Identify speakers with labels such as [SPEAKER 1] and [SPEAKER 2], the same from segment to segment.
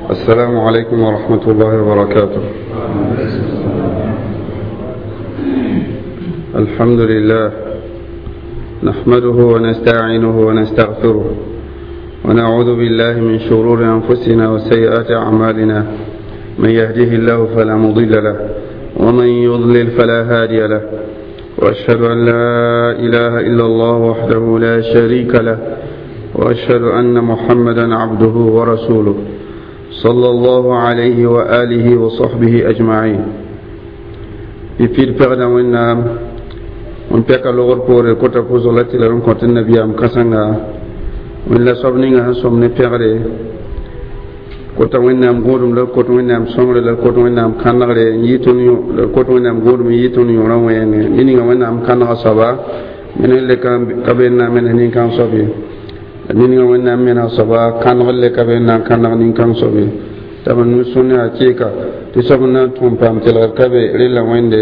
[SPEAKER 1] السلام عليكم ورحمة الله وبركاته. الحمد لله نحمده ونستعينه ونستغفره ونعوذ بالله من شرور أنفسنا وسيئات أعمالنا، من يهده الله فلا مضل له ومن يضلل فلا هادي له، وأشهد أن لا إله إلا الله وحده لا شريك له، وأشهد أن محمدا عبده ورسوله صلى الله عليه وآله وصحبه أجمعين. يفيد فعلا وإن وإن بيك لغر بور كتا فوزولتي لرم كنت النبي أم كسنغا وإن لا صبنيغا هنسوم نفعله كتا وإن أم غورم لر كتا وإن أم سمر لر كتا وإن أم كنغر يتونيو لر كتا وإن أم غورم يتونيو روين منيغا وإن أم كنغا صبا من اللي كان كبيرنا من هنين كان صبي ninga wẽnnaam mena soaba kãneg le ka be n na n kãneg nin-kãng soab ye t'a b nu-sũne a kɩɩka tɩ soab n na n tʋm paam telgr ka be rella wẽnde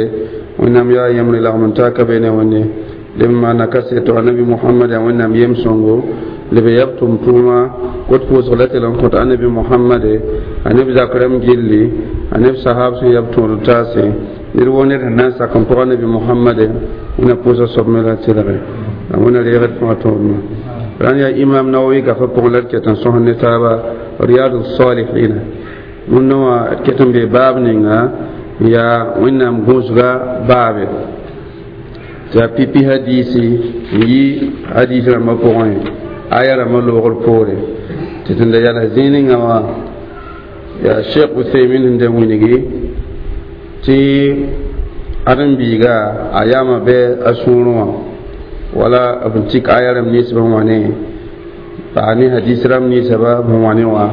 [SPEAKER 1] wẽnnaam yaa yẽmbre lagm n taa ka be ne wẽnde leb n maana kaseto annabi mohamad yaa wẽnnaam yem-sõngo leb yab tʋm-tʋʋma kot pʋʋsg la tɩ l n kõt annabi mohamade a neb zak rãmb gilli a neb sahab sẽn yab tõod taase ned woo ned sẽn na n sak n pʋg annabi mohamade wẽnna pʋʋsa soab me la tɩlge la wẽnna reegd fãa tõodmã ran ya imam nawawi gafa pʋgẽ la d ket n sõs ne taaba riyadu salihina wẽnna wã d ket n be baab ninga yaa wẽnnaam gũusga baabe tɩ yaa pipi hadiisi n yi hadiis rãmbã pʋgẽ aya rãmbã loogr poore tɩ tẽn da yals zĩig ninga wã yaa sheikh uthaymin sẽn da wilgi tɩ ãdem-biiga a yaama bɩ a sũurẽ wã wala b tik aya rãmb ninsbã wã ne paa ne hadis rãmb ninsaba b wã ne wã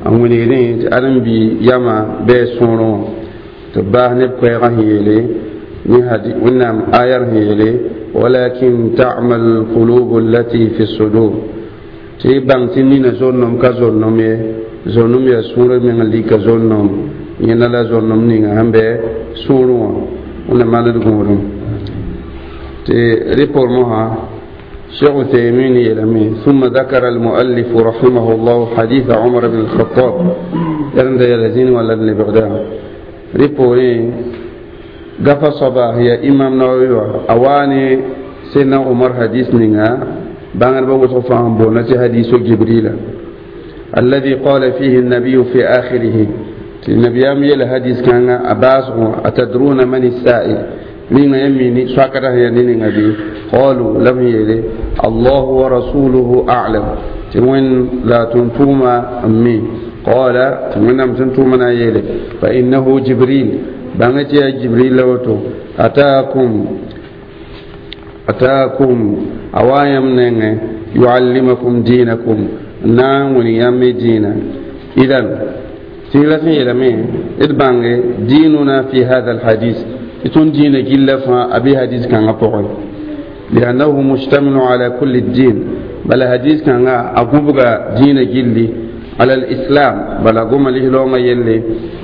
[SPEAKER 1] n wilgdẽ tɩ ãdem-bi yama bɩ a sũurẽ wã tɩ b baas neb koɛɛgã sẽn yeele ne wẽnnaam ayar sẽn yeele walakin ta'mal qulub allati fi sudur tɩ y bãng tɩ nina zon-nom ka zon-nom ye zon-nom yaa sũurã meng n lika zon-nom yẽnda la zon-nom ninga sẽn bɩ sũurẽ wã wẽnnaam maand d gũudum ريبور شيخ عثيمين يلمي ثم ذكر المؤلف رحمه الله حديث عمر بن الخطاب يرند يلزين ولا اللي بغداد ريبوري قفا صباح يا إمام نووي أواني سيدنا عمر حديث نينا بانغر بوصف فهم بونتي حديث جبريل الذي قال فيه النبي في آخره النبي أم يل حديث كان أباس أتدرون من السائل من يميني ساكرة ينين أبي قالوا لم يلي الله ورسوله أعلم تمن لا تنتوما أمي قال تمن أم تنتوما يلي فإنه جبريل بانتي يا جبريل لوتو أتاكم أتاكم أوايم نين يعلمكم دينكم نام ونيام دينا إذن تيلا يلمي إدبانغ ديننا في هذا الحديث يتون دين جل أبي حديث كان أقول لأنه مشتمل على كل الدين بل حديث كان أقوبك دين جلي على الإسلام بل أقوم له لون يلي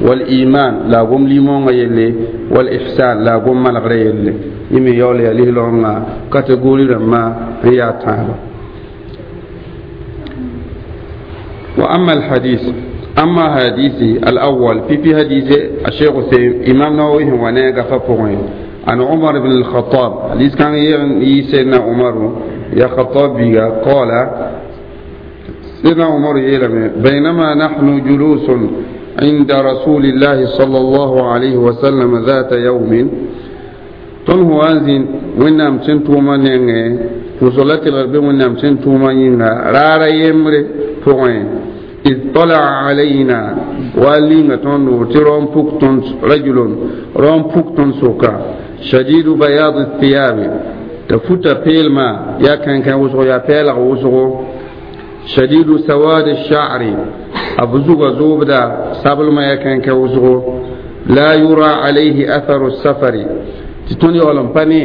[SPEAKER 1] والإيمان لا أقوم لي مون يلي والإحسان لا أقوم ما لغري يلي يمي يولي له لون كاتغوري لما هي تعالى. وأما الحديث أما حديثي الأول في حديث الشيخ إمام نووي هو نيغا فبوين عن عمر بن الخطاب حديث كان سيدنا عمر يا خطاب بيغا قال سيدنا عمر يلم بينما نحن جلوس عند رسول الله صلى الله عليه وسلم ذات يوم تنهو أنزين ونام سنتو من وصلت الغرب ونام سنتو من رارا يمري فوين إذ طلع علينا والينا تنو ترون بوكتون رجل رون بوكتون سوكا شديد بياض الثياب تفوت بيلما يا كان كان وسو يا بيلغ وسو شديد سواد الشعر أبزوغ زوبدا سابل ما يا كان كان وسو لا يرى عليه أثر السفر تتوني أولم باني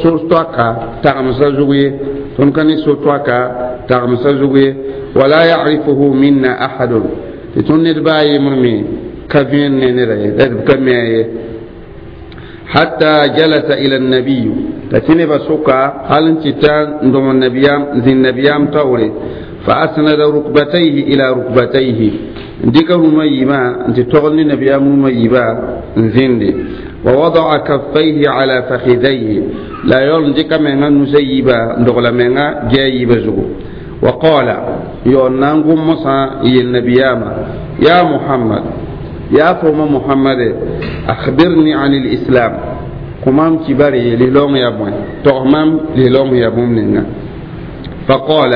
[SPEAKER 1] سو توكا تغمسا زوغي تونكني سو توكا تغمسا زوغي ولا يعرفه منا أحد تتوني دباي مرمي كفين نيري كمي حتى جلس إلى النبي تتني بسوكا هل انتتان دوم النبيام ذي النبيام توري فأسند ركبتيه إلى ركبتيه. Dɩka rũmã yiibã n tɩ togl ne nabiyaam rũmã yiibã n zĩndi. Wa wadaa kaffayhi ala fakhidayhi, la a yaool n dɩka menga nusa yiibã n dogla menga gɛa yiibã zugu. Wa qala, yaool na n gom mosã n yel nabiyaamã: ya Muhammad, yaa fo ma Muhammade, akhbirni an lislam, kõ maam kibare lislaoong yaa bõe, tog maam lislaoong yaa bũmb ninga. فقال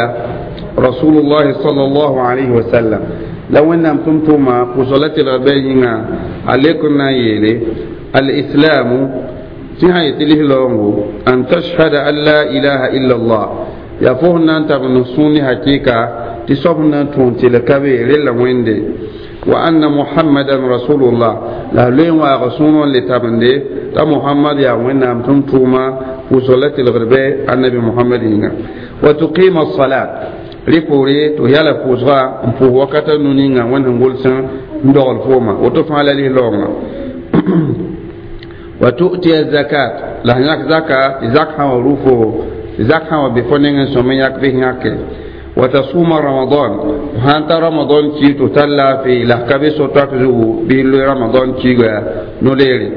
[SPEAKER 1] رسول الله صلى الله عليه وسلم، la Wẽnnaam tʋm-tʋʋma pʋsg la tɩlg bɩ yĩnga a lek n na n yeele: alislamu, tɩ sã yetɩ lislaoongo, an tashhada an la ilaha illa Allah, yaa fo sẽn na n tab n sũur ne hakɩɩka tɩ soab sẽn na n tõog tɩlg ka be rella Wẽnde, wa anna Muhammadan rasulullah, la a loe n waag sũur n le tabende t'a Muhammad yaa Wẽnnaam tʋm-tʋʋma, pʋʋsg la tɩlgd bɩ annabi Muhammad yĩnga, wa tuqima salat, rɩ poore tɩ yala pʋʋsga n pʋʋs wakata nu ninga Wẽnd sẽn gʋls n dogl fooma, woto fãa la lislaoongã, wa tu'tiya zakat, la sẽn yãk zaka, tɩ zak sã wa rʋ fo, zak sã wa be fo nengẽ sõm n yãk bɩ yãke, wa tasuma ramadan, sãn ta ramadan kiig tɩ tar laafɩ la ka be so-toak zugu bɩ loe ramadan kiiga no-leere,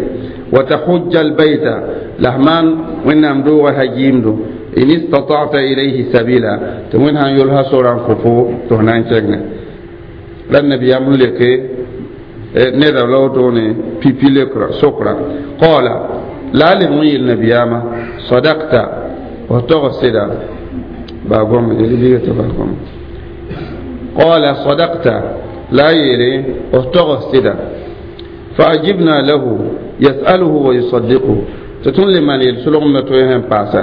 [SPEAKER 1] wa tahujja albayta, la maan Wẽnnaam doogã hajiimdo, in istata'ta ilayhi sabila, tɩ Wẽnd sãn yolsa sora n kõ fo tɩ f na n kẽngẽ. La nabiyaam n leke neda la wotone pipi lekra sokra. Qala, la a leb n yeel nabiyaamã: sadakta, f tog sɩda baa gom yel biiga tɩ baa gom. Qala sadakta, la a yeele f tog sɩda. فأجبنا له يسأله ويصدقه، tɩ tõnd le maan yel-solgemdã tõe sẽn paasa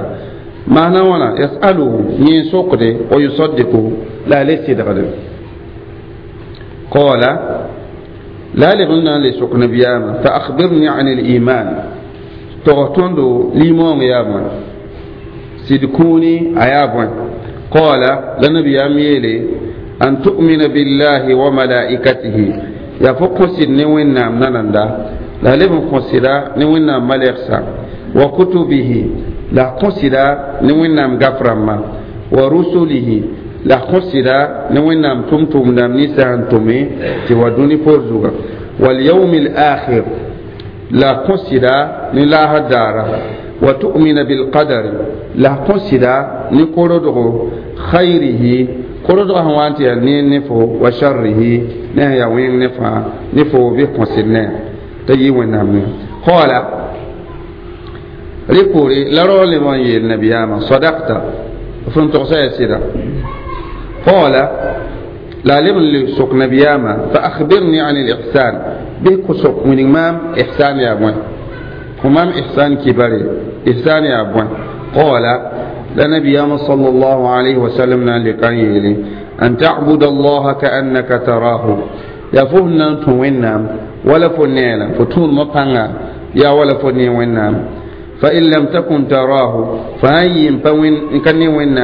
[SPEAKER 1] maana wãna: yasaluhu, yẽ sokde, wa yusaddiquhu, la a le sɩdgde. Qala, la a leb n na n le sok nabiyaamã: fa akhbirni an liman, tog tõndo limoong yaa bõe, sɩd kũuni a yaa bõe. Qala, la nabiyaam yeele: an tu'mina billahi wa malaikatihi, yaa fo kõ sɩd ne Wẽnnaam nananda, la a leb n kõ sɩda ne Wẽnnaam malɛgsa, wa kutubihi, la kõ sɩda ne Wẽnnaam gaf rãmbã, wa rusulihi, la kõ sɩda ne Wẽnnaam tʋm-tʋmdãmb ninsã sẽn tʋme tɩ wa dũni poor zuga, walyawmi alakhir, la kõ sɩda ne laasr daara, wa tu'mina bilqadari, la kõ sɩda ne korodgo, khayrihi, korodgã sẽn wa n tɩ yaa neer ne fo, wa sharrihi, ne sẽn yaa wẽng ne fãa ne fo bɩ kõ sɩd ne t'a yɩ Wẽnnaam ne. Qala, rɩ poore la rao leb n yeel nabiyaamã: sadakta, f n togsa yaa sɩda. Qala, la a leb n le sok nabiyaamã: fa akhbirni an al-ihsan, bɩ kõ sok wilg maam ihsan yaa bõe, kõ maam ihsan kibare, ihsan yaa bõe. Qala, la nabiyaamã sallallahu alayhi wa sallam na n leka n yeele: an ta'buda allaha ka'annaka tarahu, yaa fo sẽn na n tũ Wẽnnaam wala fo neela fo tũudmã pãnga yaa wala fo ne Wẽnnaam. فإن لم تكن تراه، فهي إن كان وين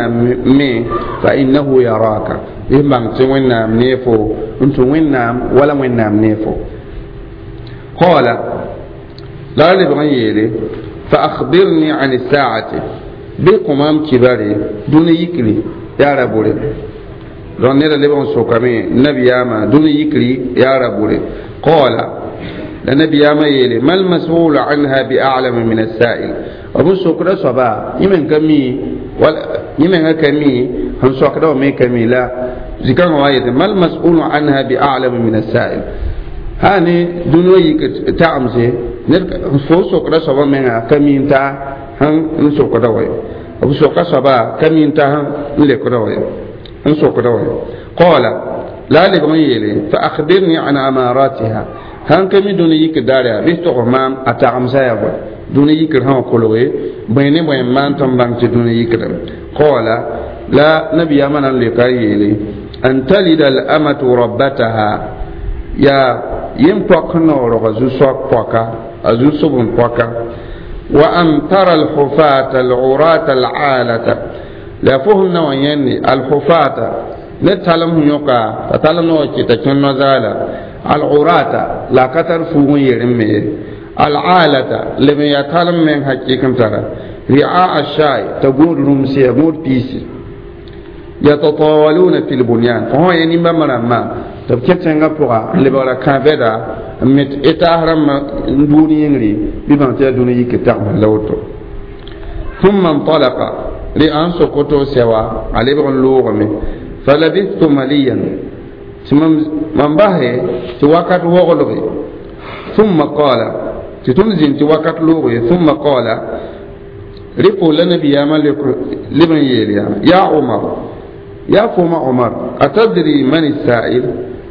[SPEAKER 1] مي فإنه يراك، إن بان وين نيفو أنت وين ولا وين نيفو. قال، لا لبغيري فأخبرني عن الساعة، بقمام كباري دون يكلي يا ربوري دون نيرا لبغن سوكامي نبي ياما دون يكلي يا ربوري. قال، النبي ياما يلي: ما المسؤول عنها بأعلم من السائل. أبو سوكرا صبا يمن كمي ولا يمن كمي هم سوكرا ومي كمي لا ذكر وايد ما المسؤول عنها بأعلم من السائل. هاني دنيا يك تعمزي فو سوكرا صبا من كمي انت هم سوكرا وي أبو سوكرا صبا كمي انت هم لكرا وي هم سوكرا وي. قال، لا لغم يلي: فأخبرني عن أماراتها، han kami dũni yik daara bɩ tog maam a tagemsa yaa bõe, dũni yikr sã wã kolge bõe ne bõe n maan tɩ n bãng tɩ dũni yikdame. Qala, la nabiyaamã na n leoka n yeele: an talida al-amatu rabbataha, yaa yem-poak sẽn na wa rog a zu-soab poaka, a zu-sob n poaka, wa an tara alhufata alurata alaalata, la fo sẽn na wa yẽnde alhufata ne talem sẽn yõka t'a talem na wa kɩta kẽ no-zaala, alurata la ka tar fuug n yerem me ye, alaalata leb n yaa talem meng hakɩk n tara, ri'a ashai t'a gũud rũmse ya gũud piisi, yatatawaluna fi lbunyan, fo sã yẽ nimbãmb rãmbã Tɩ b kẽ tẽngã pʋga n lebgra kãabɛda n me etaas rãmbã n duud yĩngri bɩ bãng tɩ yaa dũni yik tagms la woto. ثم انطلق لأن سقطوا سوا على بغن لوغمي فلبثت مليا من به توكت وغلغي ثم قال تتمزين توكت لوغي ثم قال رفو لنبي يا ملك لمن يليا يا عمر يا فما عمر أتدري من السائل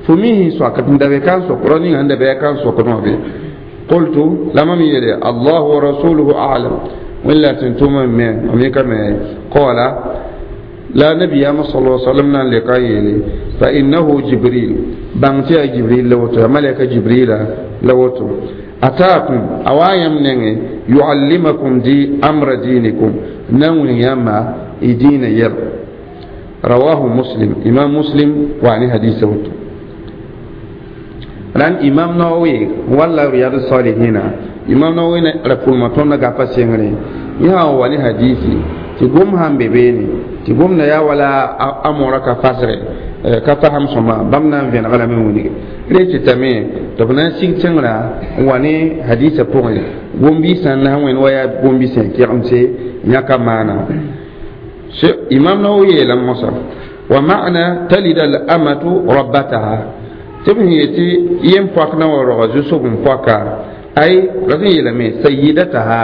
[SPEAKER 1] فميه سوكت ندبكان سوكروني عند بكان سوكروني قلت لما يلي الله ورسوله أعلم ولا تنتم من أميك ما قال لا نبي صلى الله عليه وسلم لقائل فإنه جبريل بانتي جبريل لوتو ملك جبريل لوتو أتاكم أوايم نغي يعلمكم دي أمر دينكم نون يما دين ير رواه مسلم إمام مسلم وعن حديثه ران إمام نووي ولا رياض الصالحين إمام نووي ركول ما تونا غافا سينغري يا wani hadisi ti gom han bebeni ti gom na ya wala amora ka fasre ka faham soma bam na vẽneg lame wilg re tɩtame tɩ b na n sig tẽngrã n wa ne hadisã pʋgẽ gom-biisã n na n wẽnd wa yaa gom-biisã kɛgemse yãka maana. Imam Nawawi yeelame mosã wa ma'na talida al amatu rabbataha tɩ b sẽn yetɩ yem-poak na wa roga zu-sob n poaka ay ra sẽn yeelame sayidataha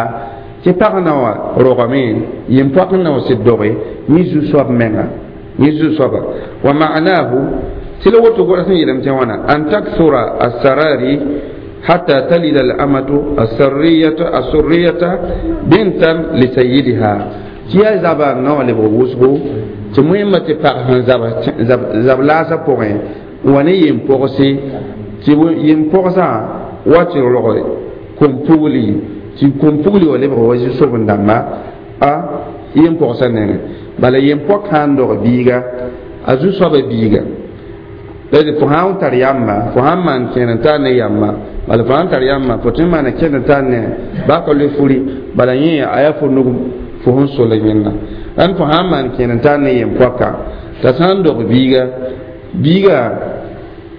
[SPEAKER 1] tɩ pag na wa rogame yem-poak n na wa sɩd doge yẽ zu-soab menga yẽ zu-soaba wa ma'nahu tɩ la woto goda sẽn yeelame tɩ wãna an taksura assarari hatta talida al-amatu assurriyata bintan li sayyidiha tɩ yaa zaba n na wa lebg wʋsgo tɩ moẽmba tɩ pag sẽn zab laasã pʋgẽ n wa ne yem-pogse tɩ yem-pogsã wa tɩ rog kom-pugli tɩ kom-pugli wa lebg wa zu-soben-dãmba a yem-pogsã nengẽ. Bala yem-pok sã n dog biiga a zu-soaba biiga la fo sã n tar yamba fo sã n maan kẽer n tar ne yamba bala fo sã n tar yamba fo tõe n maana kẽnd n tar ne baa ka loe furi bala yẽ a yaa fo nug fo sẽn sola yẽnda ãn fo sã n maan kẽer n tar ne yem-poaka t'a sã n dog biiga biiga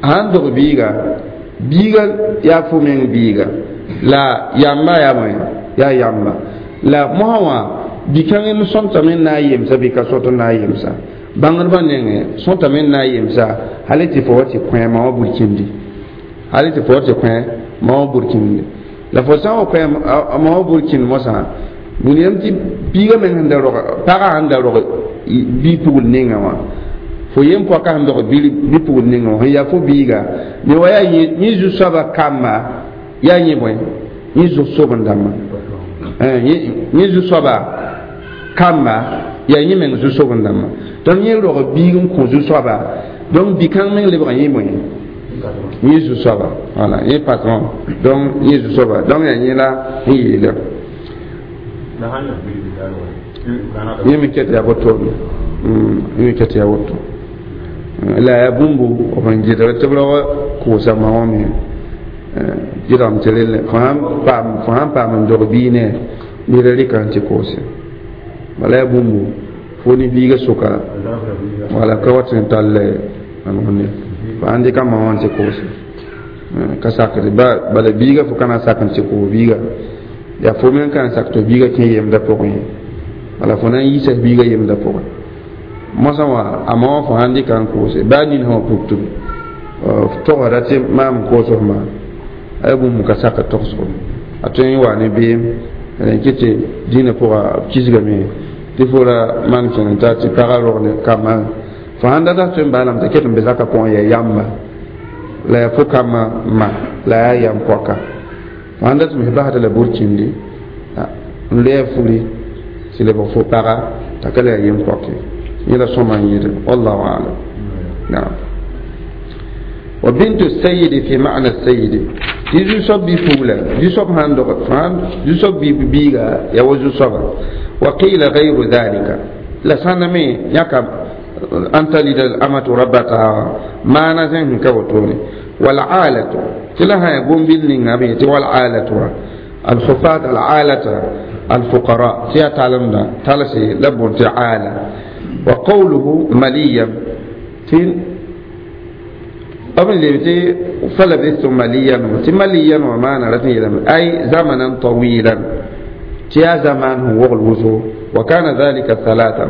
[SPEAKER 1] sã n dog biiga biiga yaa fo meng biiga la yamba yaa bõe yaa yamba la mosã wã bi-kãng n sõntame n na n yemsa bɩ ka sõt n na n yemsa bãngdbã nengẽ sõtame n na n yemsa hal tɩ fo wa tɩ kõ ma wã burkindi hal tɩ fo wa tɩ kõ ma wã burkindi la fo sã n wa kõ ma wã burkind mosã william tɩ biiga meng sẽn da rog pagã sẽn da rog bi-pugl ninga wã fo yem-poakã sẽn dog bi-pugl ninga wã sẽn yaa fo biiga me wa yaa yẽ zu-soabã kamba yaa yẽ bõe yẽ zu-soben-dãmbã yẽ zu-soaba kamba yaa yẽ meng zu-soben-dãmbã donc yẽ rog biig n kõ zu-soaba donc bi-kãng meng lebg yẽ bõe yẽ zu-soaba wala yẽ patron donc yẽ zu-soaba donc yaa yẽ la n yeela yẽ me ket yaa wotone yẽ me ket yaa woto la yaa bũmbu b sẽn gɩdg tɩ b rag kʋʋsa ma wã me gɩdgem tɩ relle fo sãn paam n dog bii ne ned rɩka n tɩ koose bala yaa bũmbu fo ne biiga sʋka wala ka wat n tall ne fo sãn dɩka ma wã n tɩ koose ka sakd bala biiga fo ka na n sak n tɩ koos biiga yaa fo meng ka n sak tɩ biiga kẽ yemdã pʋgẽ ye bala fo na n yiisa biiga yemdã pʋgẽ mosã wã a ma wã fo sãn dɩka n koose baa nin sã wã pugtb togsda tɩ maam n koos f maa a yaa bũmb ka sak togsgo a tõe n wa ne beem n kɩ tɩ dĩinã pʋga b kisgame tɩ fo ra maan kẽn n tar tɩ pagã rog ne kambã fo sãn data tõe n baalame t'a ket n be zakã pʋgẽ yaa yamba la yaa fo kambã ma la yaa yam poaka fo sãn dat m basda la burkindi n loa furi tɩ lebg fo paga t'a ka la yaa yem poake yẽ la sõma n yɩɩd wallahu alam. Naam wa bintu sayyidi fi ma'na sayyidi tɩ zu-soab bi-pugla zu-soab sãn dog zu-soab bi-biiga yaa wa zu-soaba wa qila gayru dhalika la sãname yãka an talida al-amatu rabbataha maana zẽn sẽn ka wotone wal'alatu tɩ la sã yaa gom-bil ninga b yetɩ wal'alatu alhufat al'alata alfuqara tɩ yaa talemdã talse la bõn tɩ aala wa qawluhu maliyan tɩ B leb tɩ falabistu maliyan, tɩ maliyan wã maana rat n yeelame ay zamanan tawilan, tɩ yaa zamaan sẽn wogl wʋsgo. Wa kana dhalika thalatha,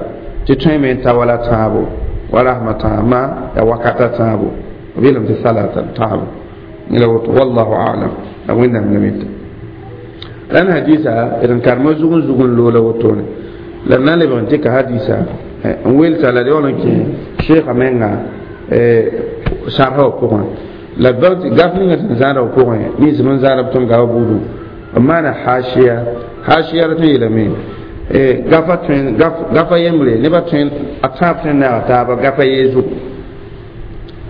[SPEAKER 1] tɩ tõeme n ta wala tãabo wa rasmã tãabmã ya wakata tãabo, b yeelame tɩ thalatha tãabo la woto. Wallahu alam, la Wẽnnaam la mita. La n hadisa d n karema zug n zug n loola wotone la d na n lebg n tɩ ka hadisa n welsa la d yaool n kẽ sheekã menga sarsa wã pʋgẽ. La gaf ninga sẽn zãada b pʋgẽ, nins b n zãada b tõnd gafa buudu b maana hashiya. Hashiya rat n yeelame gafa tõe gafa yembre nebã tõe a tãab tõe n naaga taaba gafa yee zugu,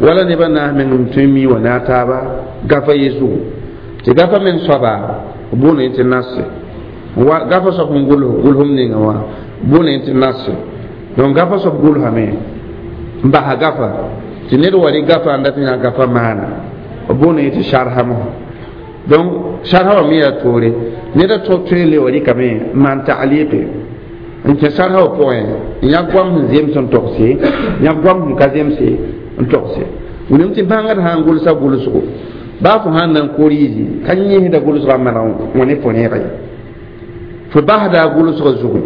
[SPEAKER 1] wala nebã naas meng n tõe n mi wa naag taaba gafa ye zugu, tɩ gafa meng soaba boone tɩ nase gafa soab sẽn gʋls gʋlsem ninga wã boone tɩ nase. Donc gafa soab gʋlsame n basa gafa tɩ ned wa rɩ gafa n dat n yaa gafa maana, b boone tɩ sarsa mosã. Donc sarsa wã me yaa toore, ned a tõe n le wa rɩkame n maan taaliqe n kẽ sarsa wã pʋgẽ, n yãk goam sẽn zems n togse, yãk goam sẽn ka zemse n togse. Wilem tɩ bãngd sã n gʋlsa gʋlsgo, baa fo sãn na n koriisi ka yẽsda gʋlsgã maneg wã ne fo rẽega ye, fo basda a gʋlsgã zugu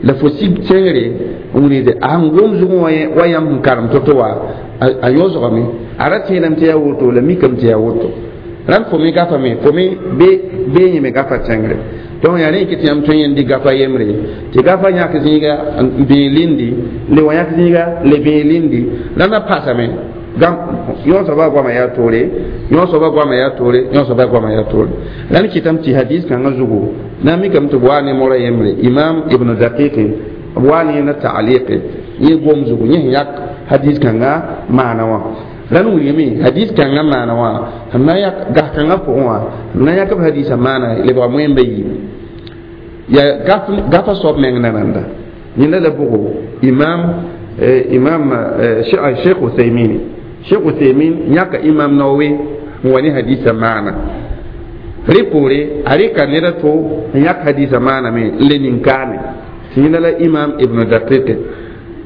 [SPEAKER 1] la fo sig tẽngre n wilgde a sẽn gom zugẽ wa yãmb sẽn karem to-to wa a yõsgame, a ra tẽedame tɩ yaa woto, la mikame tɩ yaa woto. Rãnd fo me gafame, fo me bee yẽme gafa tẽngre. Donc yaa rẽ kɩ tɩ yãmb tõe n yẽnd gafa yembre, tɩ gafa yãk zĩiga n bẽe lindi, le wã yãk zĩiga le bẽe lindi, rãndã pasame. Yõ soaba goama yaa toore, yõ soaba goama yaa toore, yõ soaba goama yaa toore. La n kɩtame tɩ hadis kãngã zugu na n mikame tɩ b waa ne mora yembre, Imam Ibn Daqiqe, b waa ne yẽnda taaliqe, yẽ gom zugu yẽ sẽn yãk hadis kãngã maana wã. La n wilgame hadis kãngã maana wã sẽn na yãk gas kãngã pʋgẽ wã, sẽn na yãk b hadisã maana lebga moẽmba yiib yaa gafa soab meng nananda. Yẽnda la bʋgo imam Sheikh Uthaymini, Sheikh Uthaymin yãka Imam Nawawi n wa ne hadisa maana rẽ poore, a rɩka ned a to n yãk hadisa maana me n le nin-kaane tɩ yẽnda la Imam Ibn Daqiqe.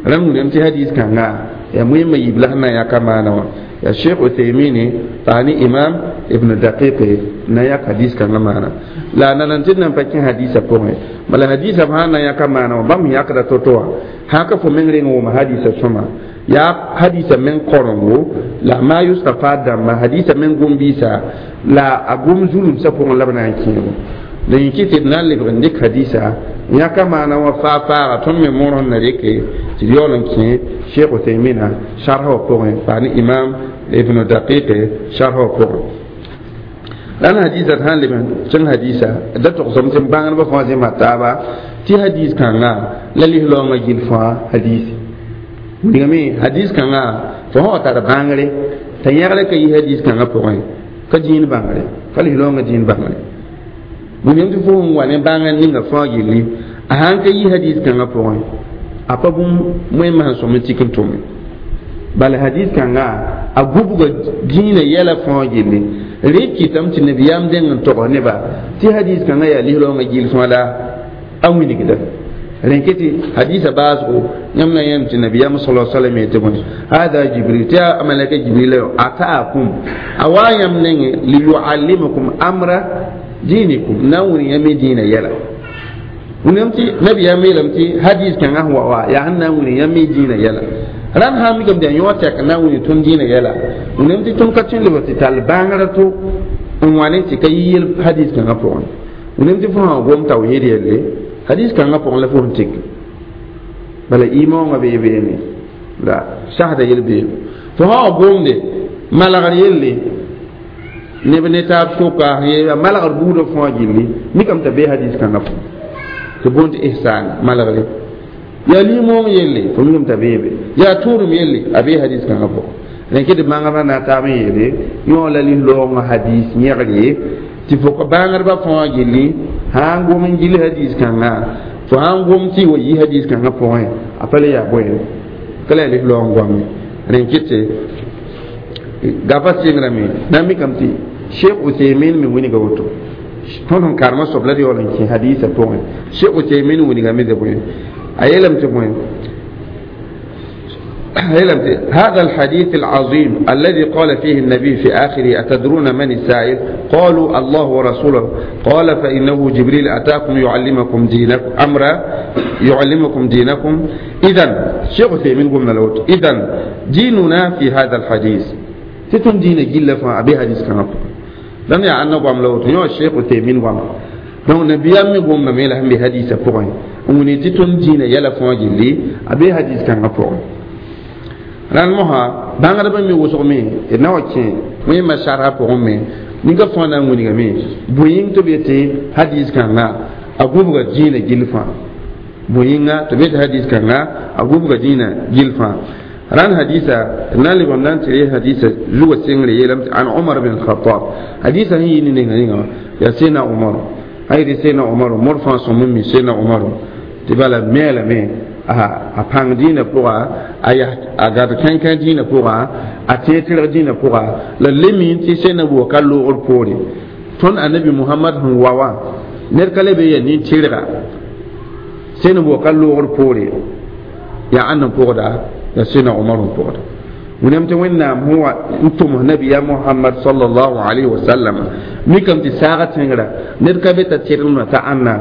[SPEAKER 1] Rãmb wilgame tɩ hadis kãnga yaa moẽmã yiib la sẽn na n yãka maana wã yaa Sheikh Uthaymini paa ne Imam Ibn Daqiqe na yãk hadis kãngã maana. La a nanan tɩ d nan pa kẽ hadisã pʋgẽ, bala hadisã b sãn na yãka maana wã, bãmb sẽn yãkda to-to wã, sã ka fo meng reng wʋma hadisã sõma, yaa hadisã meng korengo la ma yustafa dãmba hadisã meng gom-biisa la a gom zulumsã pʋgẽ la b na n kẽego. La yẽ kɩ tɩ d na n lebg n dɩk hadisa yãka maana wã faa-faaga, tõnd me moor sẽn na reke tɩ d yaool n kẽ Sheikh Uthaymina sarsa wã pʋgẽ paa ne Imam Ibn Daqiqe sarsa wã pʋgẽ. La n hadisa d sã n leb n kẽng hadisa da togsame tɩ bãngdbã fãa zẽma taaba tɩ hadis kãnga la lislaoongã gill fãa hadisi wilgame. Hadis kãnga fo sã wa tar bãngre t'a yãgre ka yi hadis kãngã pʋgẽ ka dĩin bãngre ka lislaoongã dĩin bãngre, wilgame tɩ fo sẽn wa ne bãngr ninga fãa gilli, a sãn ka yi hadis kãngã pʋgẽ, a pa bũmb moẽmã sẽn sõm n tik n tʋme. Bala hadis kãnga a gubga dĩinã yɛla fãa gilli, rẽ kɩtame tɩ nabiyaam dẽng n togs neba tɩ hadis kãngã yaa lislaoongã gill fãa la a wilgda. Rẽ kɩ tɩ hadisa baasgo yãmb na yãmb tɩ nabiyaam sala salam yetɩ bõe: hada Jibril, tɩ yaa malaka Jibril ataakum, a waa yãmb nengẽ, liyuallimakum amra dinikum, na n wilg yãmb dĩinã yɛla. Wilgame tɩ nabiyaam yeelame tɩ hadis kãngã sẽn wa wa yaa sẽn na n wilg yãmb dĩinã yɛla. Rãmb sã n mikame tɩ yaa yõ tɛk n na n wilg tõnd dĩinã yɛla, wilgame tɩ tõnd ka tõe n lebg tɩ tall bãngrã to n wa ne tɩ ka yi yel hadis kãngã pʋgẽ. Wilgame tɩ fo sã gom tawhid yelle, hadis kãngã pʋgẽ la fo sẽn tik, bala imaoongã bee beene la sasda yel beego, fo sã wa gomde malgr yelle neb ne taab soka malgr buudã fãa gilli, mikame t'a bee hadis kãngã pʋgẽ tɩ boond tɩ ihsan malgre, yaa limong yelle, fo mikame t'a beebe, yaa tʋʋrem yelle, a bee hadis kãngã pʋgẽ. Rẽn kɩ tɩ bãngrã na taab n yeele yõ la lislaoongã hadis yẽgre tɩ fo ka bãngdbã fãa gilli, sã n gom n gill hadis kãngã, fo sã n gom tɩ wa yi hadis kãngã pʋgẽ, a pa le yaa bõe ka la yaa lislaoong goame. Rẽn kɩ tɩ gafa sɩngrame na n mikame tɩ Sheikh Uthaymin me wilga woto. Tõnd sẽn karemã soab la d yaool n kẽ hadisã pʋgẽ, Sheikh Uthaymin wilgame tɩ bõe, a yeelame tɩ bõe هذا الحديث العظيم الذي قال فيه النبي في آخره أتدرون من السائل؟ قالوا الله ورسوله. قال فإنه جبريل أتاكم يعلمكم دينكم أمرا يعلمكم دينكم. إذن شيخ عثيمين قلنا له إذن ديننا في هذا الحديث تتم دين جل أبي حديث كان لم يعنى قام له يا شيخ عثيمين قام donc nabiyam mi gomna me la hambe hadisa pʋgẽ n wʋne tɩ tõnd dĩinã yɛla fãa gilli a be hadis kãngã pʋgẽ rãnd mosã bãngdbã me wʋsg me d na wa kẽ wẽmã sarsa pʋgẽ me ninga fãa na n wilgame bõe yĩng tɩ b yetɩ hadis kãnga a gũbga dĩinã gill fãa bõe yĩnga tɩ b yetɩ hadis kãnga a gũbga dĩinã gill fãa rãnd hadisa na n leb n na n tɩ re hadisa zugã sengre yeelame an Umar bin Khattab hadisa sẽn yɩ ne ninga yĩnga yaa Sena Umar ayre Sena Umar mor fãa sõm n mi Sena Umar tɩ bala meelame a pãng dĩinã pʋga a gad kãnkã dĩinã pʋga a tẽeg tɩrg dĩinã pʋga la le mi tɩ sẽn na ka loogr poore tõnd anabi Muhammad sẽn wa wã ned ka le be yaa nin-tɩrga sẽn na ka loogr poore yaa ãnd n pʋgda yaa Sẽna Umar n pʋgda wẽnnaam tɩ wẽnnaam sẽn wa n tʋms nabiya Muhammad sallallahu alaihi wasallam mikame tɩ saaga tẽngrã ned ka be t'a tɩrgemdã t'a ãnna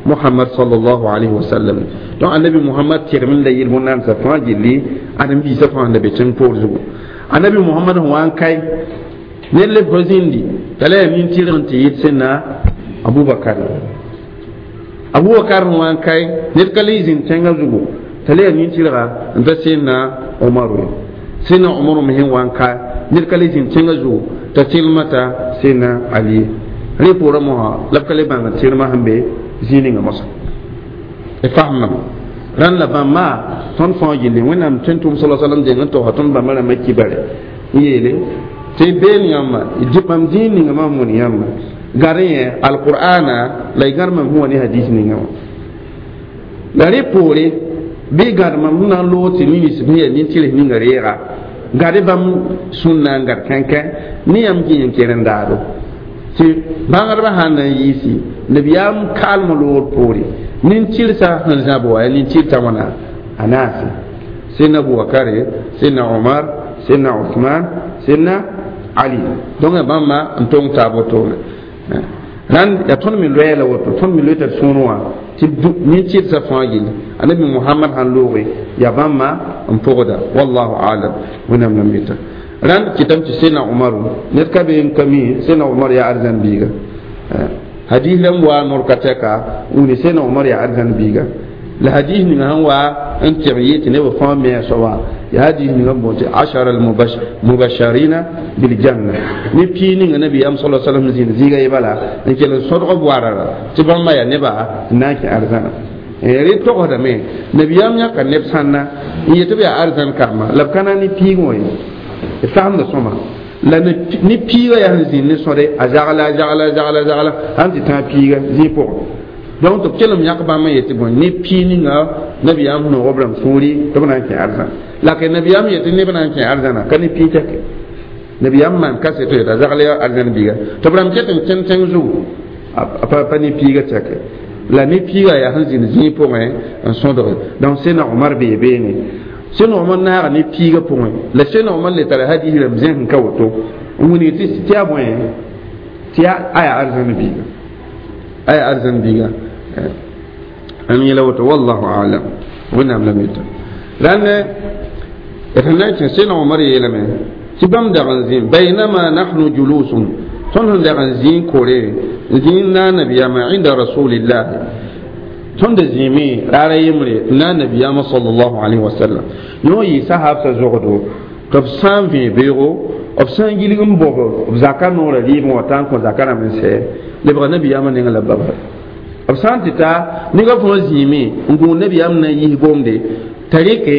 [SPEAKER 1] Muhammad sallallahu alaihi wasallam donc anabi Muhammad tɩrgem la yel wẽnnaam sa fãa gilli ãdem-biisã fãa sẽn da be tẽng poor zugu anabi Muhammad sẽn wa n kae ned leb fo zĩndi t'a la yaa nin-tɩrg n tɩ yɩt sẽnna Abubakar Abubakar sẽn wa n kae ned ka le zĩnd tẽngã zugu t'a la yaa nin-tɩrga n ta sẽnna Umaru ye sẽnna Umaru me sẽn wa n kae ned ka le zĩnd tẽngã zugu t'a tɩrlmã ta sẽnna Ali rẽ poorã mosã la b ka le bãng tɩrlmã sẽn be zĩig ninga moasã d faamdame rãnd la bãmba tõnd fãa gilli wẽnnaam tõe n tʋm sala salam deng n togsã tõnd bãmba rãmbã kibare n yeele tɩ been yãmba bãmb zĩig ninga mam wʋn yãmba gad yẽ alqur'ana la y gãd mam sẽn wa ne hadis ninga wã la rẽ poore bɩ gãd mam sẽn na n loog tɩ nins sẽn yaa nin-tɩrs ninga reega gad bãmb sũnna n gad kãnkã ne yãmb kẽ n ker n daado tɩ bãngdbã sãn na n yiisi nabiyaam kaalmã loogr poore nin-tɩrsa sẽn zãb wa yaa nin-tɩrsa wãna a naase sẽnna Abubakare sẽnna Omar sẽnna Usman sẽnna Ali donc yaa bãmba n tong taab wotone rãnd yaa tõnd me loɛɛ la woto tõnd me loe t'a sũur wã tɩ nin-tɩrsa fãa gilli anabi Muhammad sãn looge yaa bãmba n pʋgda wallahu alam wẽnnaam la mita rãnd kɩtame tɩ sẽnna Umaru ned ka be n ka mi sẽnna Umar yaa arzãn biiga hadis rãmb waa nor ka tɛka wũni sẽnna Umar yaa arzãn biiga la hadis ninga sẽn wa n tɩg yɩ tɩ neb fãa me a soaba yaa hadis ninga n boond tɩ ashara almubasharina biljanna ne pii ninga nabiyaam sala salam zĩnd zĩiga ye bala n kell n sõdg b warara tɩ bãmba yaa neba n na n kẽ arzãna rẽ togsdame nabiyaam yãka neb sãnna n yetɩ b yaa arzãn kamba la b ka na ne piig wã ye d faamda sõma la ne piiga yaa sẽn zĩnd ne sõde a zagla a zagla a zagla a zagla sãn tɩ tãag piiga zĩig pʋgẽ donc tɩ b kelem yãk bãmb n yetɩ bõe ne pii ninga nabiyaam sẽn noog b rãmb sũuri tɩ b na n kẽ arzãna la ka nabiyaam yetɩ neb na n kẽ arzãna ka ne pii tɛke nabiyaam maan kaseto yeta a zagl yaa arzãn biiga tɩ b rãmb ket n kẽnd tẽng zugu a pa ne piiga tɛke la ne piiga yaa sẽn zĩnd zĩig pʋgẽ n sõdge donc sẽna Omar bee beene sẽn Omar naaga ne piiga pʋgẽ la sẽn Omar le tara hadis rãmb zẽsẽ ka woto n wilg tɩ yaa bõe tɩ yaa aya arzãn biiga aya arzãn biiga n yẽla woto wallahu alam wẽnnaam la mita rãnd d sẽn na n kẽ sẽn Omar yeelame tɩ bãmb dag n zĩ baynama nahnu julusun tõnd sẽn dag n zĩ kore n zĩ na nabiyaamã inda rasulillahi tõnd zĩime raara yembre na nabiyaamã sallallahu alaihi wasallam yõ yɩ sahabsã zogdo tɩ b sã n vẽ beoogo b sã n gilg n bõb b zaka noorã rɩɩbẽ wã t'a n kõ zaka rãmb n sɛ lebga nabiyaamã nengã la baba b sã n tɩ ta nega fãa zĩime n gũud nabiyaam na n yis gomde t'a rɩke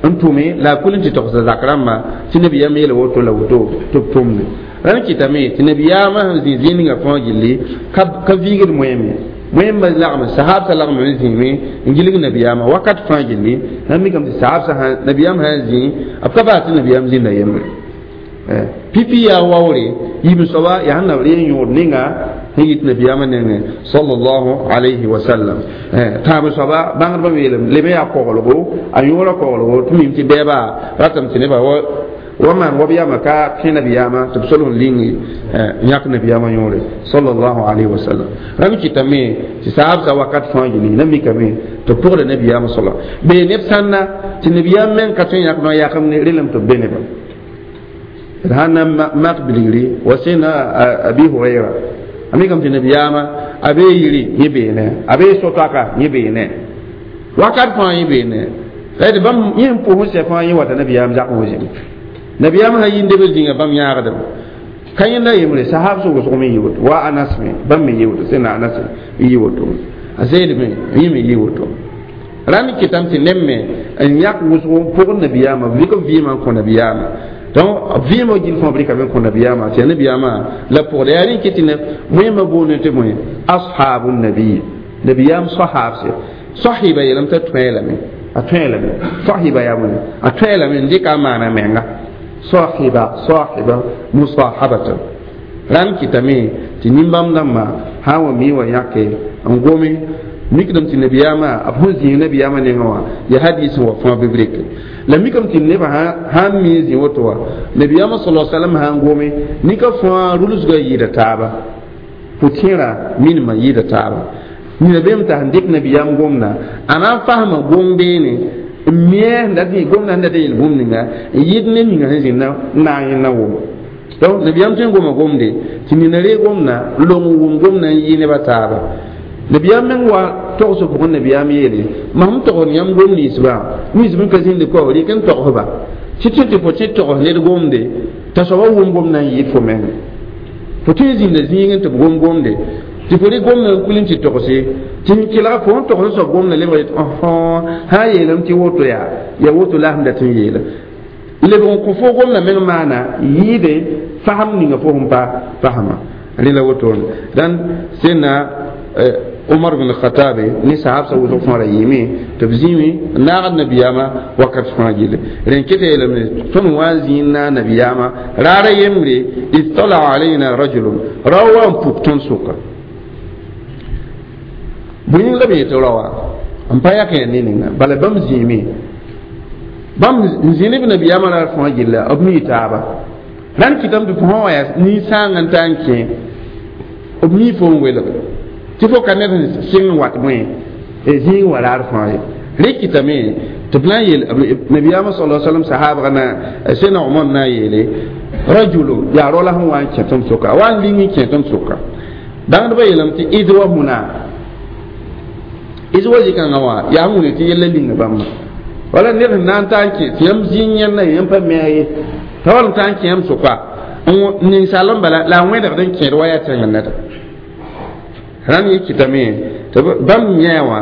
[SPEAKER 1] n tʋme la a kul n tɩ togsa zak rãmbã tɩ nabiyaam yeela woto la woto tɩ b tʋmde rãnd kɩtame tɩ nabiyaamã sẽn zĩ zĩig ninga fãa gilli ka viigd moeeme moẽmba lagme sahabsã lagme n zĩime n gilg nabiyaamã wakat fãa gilli rãmb mikame tɩ sahabsã nabiyaam sã n zĩ b ka baa tɩ nabiyaam zĩnda yembre Pipi yaa waoore yiib soaba yaa sẽn na b ree yõod ninga sẽn yit nabiyaamã nengẽ sallallahu alayhi wa sallam. Tãab soaba bãngdbã yeelame leme yaa koglgo a yõora koglgo tɩ mim tɩ bɛɛba ratame tɩ nebã wa maan wa b yama ka kẽ nabiyaamã tɩ b sol n ling yãk nabiyaamã yõore sallallahu alayhi wa sallam. Rãmb kɩtame tɩ saabsa wakat fãa gilli na mikame tɩ pʋgda nabiyaamã sala bee neb sãnna tɩ nabiyaam meng ka tõe n yãk no yakem ne relem tɩ b be nebã d sãn na mak bilgri wa sẽna Abi Hurayra a mikame tɩ nabiyaamã a bee yiri yẽ beene a bee so-toaka yẽ beene wakat fãa yẽ beene d bãmb yẽ n pʋs n sɛ fãa yẽ wata nabiyaam zakẽ wã zĩme nabiyaam sã yĩnde b zĩnga bãmb yãagdem ka yẽnda yembre sahab sʋg wʋsg me yɩ woto wa Anas me bãmb me yɩ woto sẽna Anas n yɩ woto a Zaid me yẽ me yɩ woto rãnd kɩtame tɩ neb me n yãk wʋsg n pʋgd nabiyaamã b rɩk b vɩɩmã n kõ nabiyaamã donc vɩɩmã gill fãa b rɩkame n kõ nabiyaamã tɩ yaa nabiyaamã la pʋgda yaa rẽ kɩ tɩ wẽmba boonde tɩ bõe ashabu nabi nabiyaam sahabse sahiba yeelame t'a tõe lame a tõe lame sahiba yaa bõe a tõe lame n dɩka a maana menga sahiba sahiba musahabatan rãnd kɩtame tɩ nin-bãmb dãmbã sã n wa mi wa yãke n gome mikdame tɩ nabiyaamã b sẽn zĩig nabiyaamã nengã wã yaa hadis n wa fãa bɩ b reke la mikame tɩ nebã sã n mi n zĩ woto wã nabiyaamã sala salam sã n gome nika fãa rulsgã yɩɩda taaba pʋ-tẽerã minimã yɩɩda taaba nina beem t'a sẽn dɩk nabiyaam gomda a na n fasma gom beene n mia sẽn dat gomda sẽn dat n yel bũmb ninga n yɩd ne ninga sẽn zĩnd n naag yẽnda wʋm donc nabiyaam tõe n goma gomde tɩ nina ree gomda n long n wʋm gomda n yɩ nebã taaba nabiyaam meng wa togsg pʋgẽ nabiyaam yeele mam togsd yãmb gom ninsbã nins bẽn ka zĩndi kao rɩk n togsba tɩ tõe tɩ fo tẽ togs ned gomde t'a soaba wʋm gomda n yɩɩd fo meng fo tõe n zĩnda zĩigẽ tɩ b gom gomde tɩ fo rɩk gomda n kul n tɩ togse tɩ n kelg fo n togs soab gomda lebg yetɩ sã n yeelame tɩ woto yaa ya woto la sẽn dat n yeela lebg n kõ fo gomda meng maana yɩɩde fasem ninga fo sẽn pa fasma rẽ la wotone dãn sẽnna Umar bin Khattab ni sahab sa wʋsg fãa ra yɩɩme tɩ b zĩime n naagd nabiyaamã wakat fãa gilli rẽn kɩt yeelame tõnd wa n zĩig n naag nabiyaamã raara yembre ittala alayna rajulun rao wa n puk tõnd sʋka bõe yĩng la b yetɩ raoa n pa yak ya ne ninga bala bãmb zĩime bãmb n zĩ ne b nabiyaamã raar fãa gilla b mii taaba rãnd kɩtame tɩ fo sã wa yaa nin-sãang n taa n kẽ b mii fo n welg tɩ fo ka ned sẽn sɩng n wat bõe zĩig wa raar fãa ye rẽ kɩtame tɩ b na n yeel nabiyaamã sala salam sahabga na sẽna Omar na n yeele rajulun yaa rao la sẽn wa n kẽ tõnd sʋka a wa n ling n kẽ tõnd sʋka bãngdbã yeelame tɩ idwa huna idwa zĩ-kãngã wã yaa sẽn wʋne tɩ yella linga bãmba wala ned sẽn na n taa n kẽ tɩ yãmb zĩig yẽnda yãmb pa me ye t'a wall n taa n kẽ yãmb sʋka ninsaal n bala la a wẽdgd n kẽed wa yaa tẽng neda rãnd yẽ kɩtame tɩ bãmb yã wã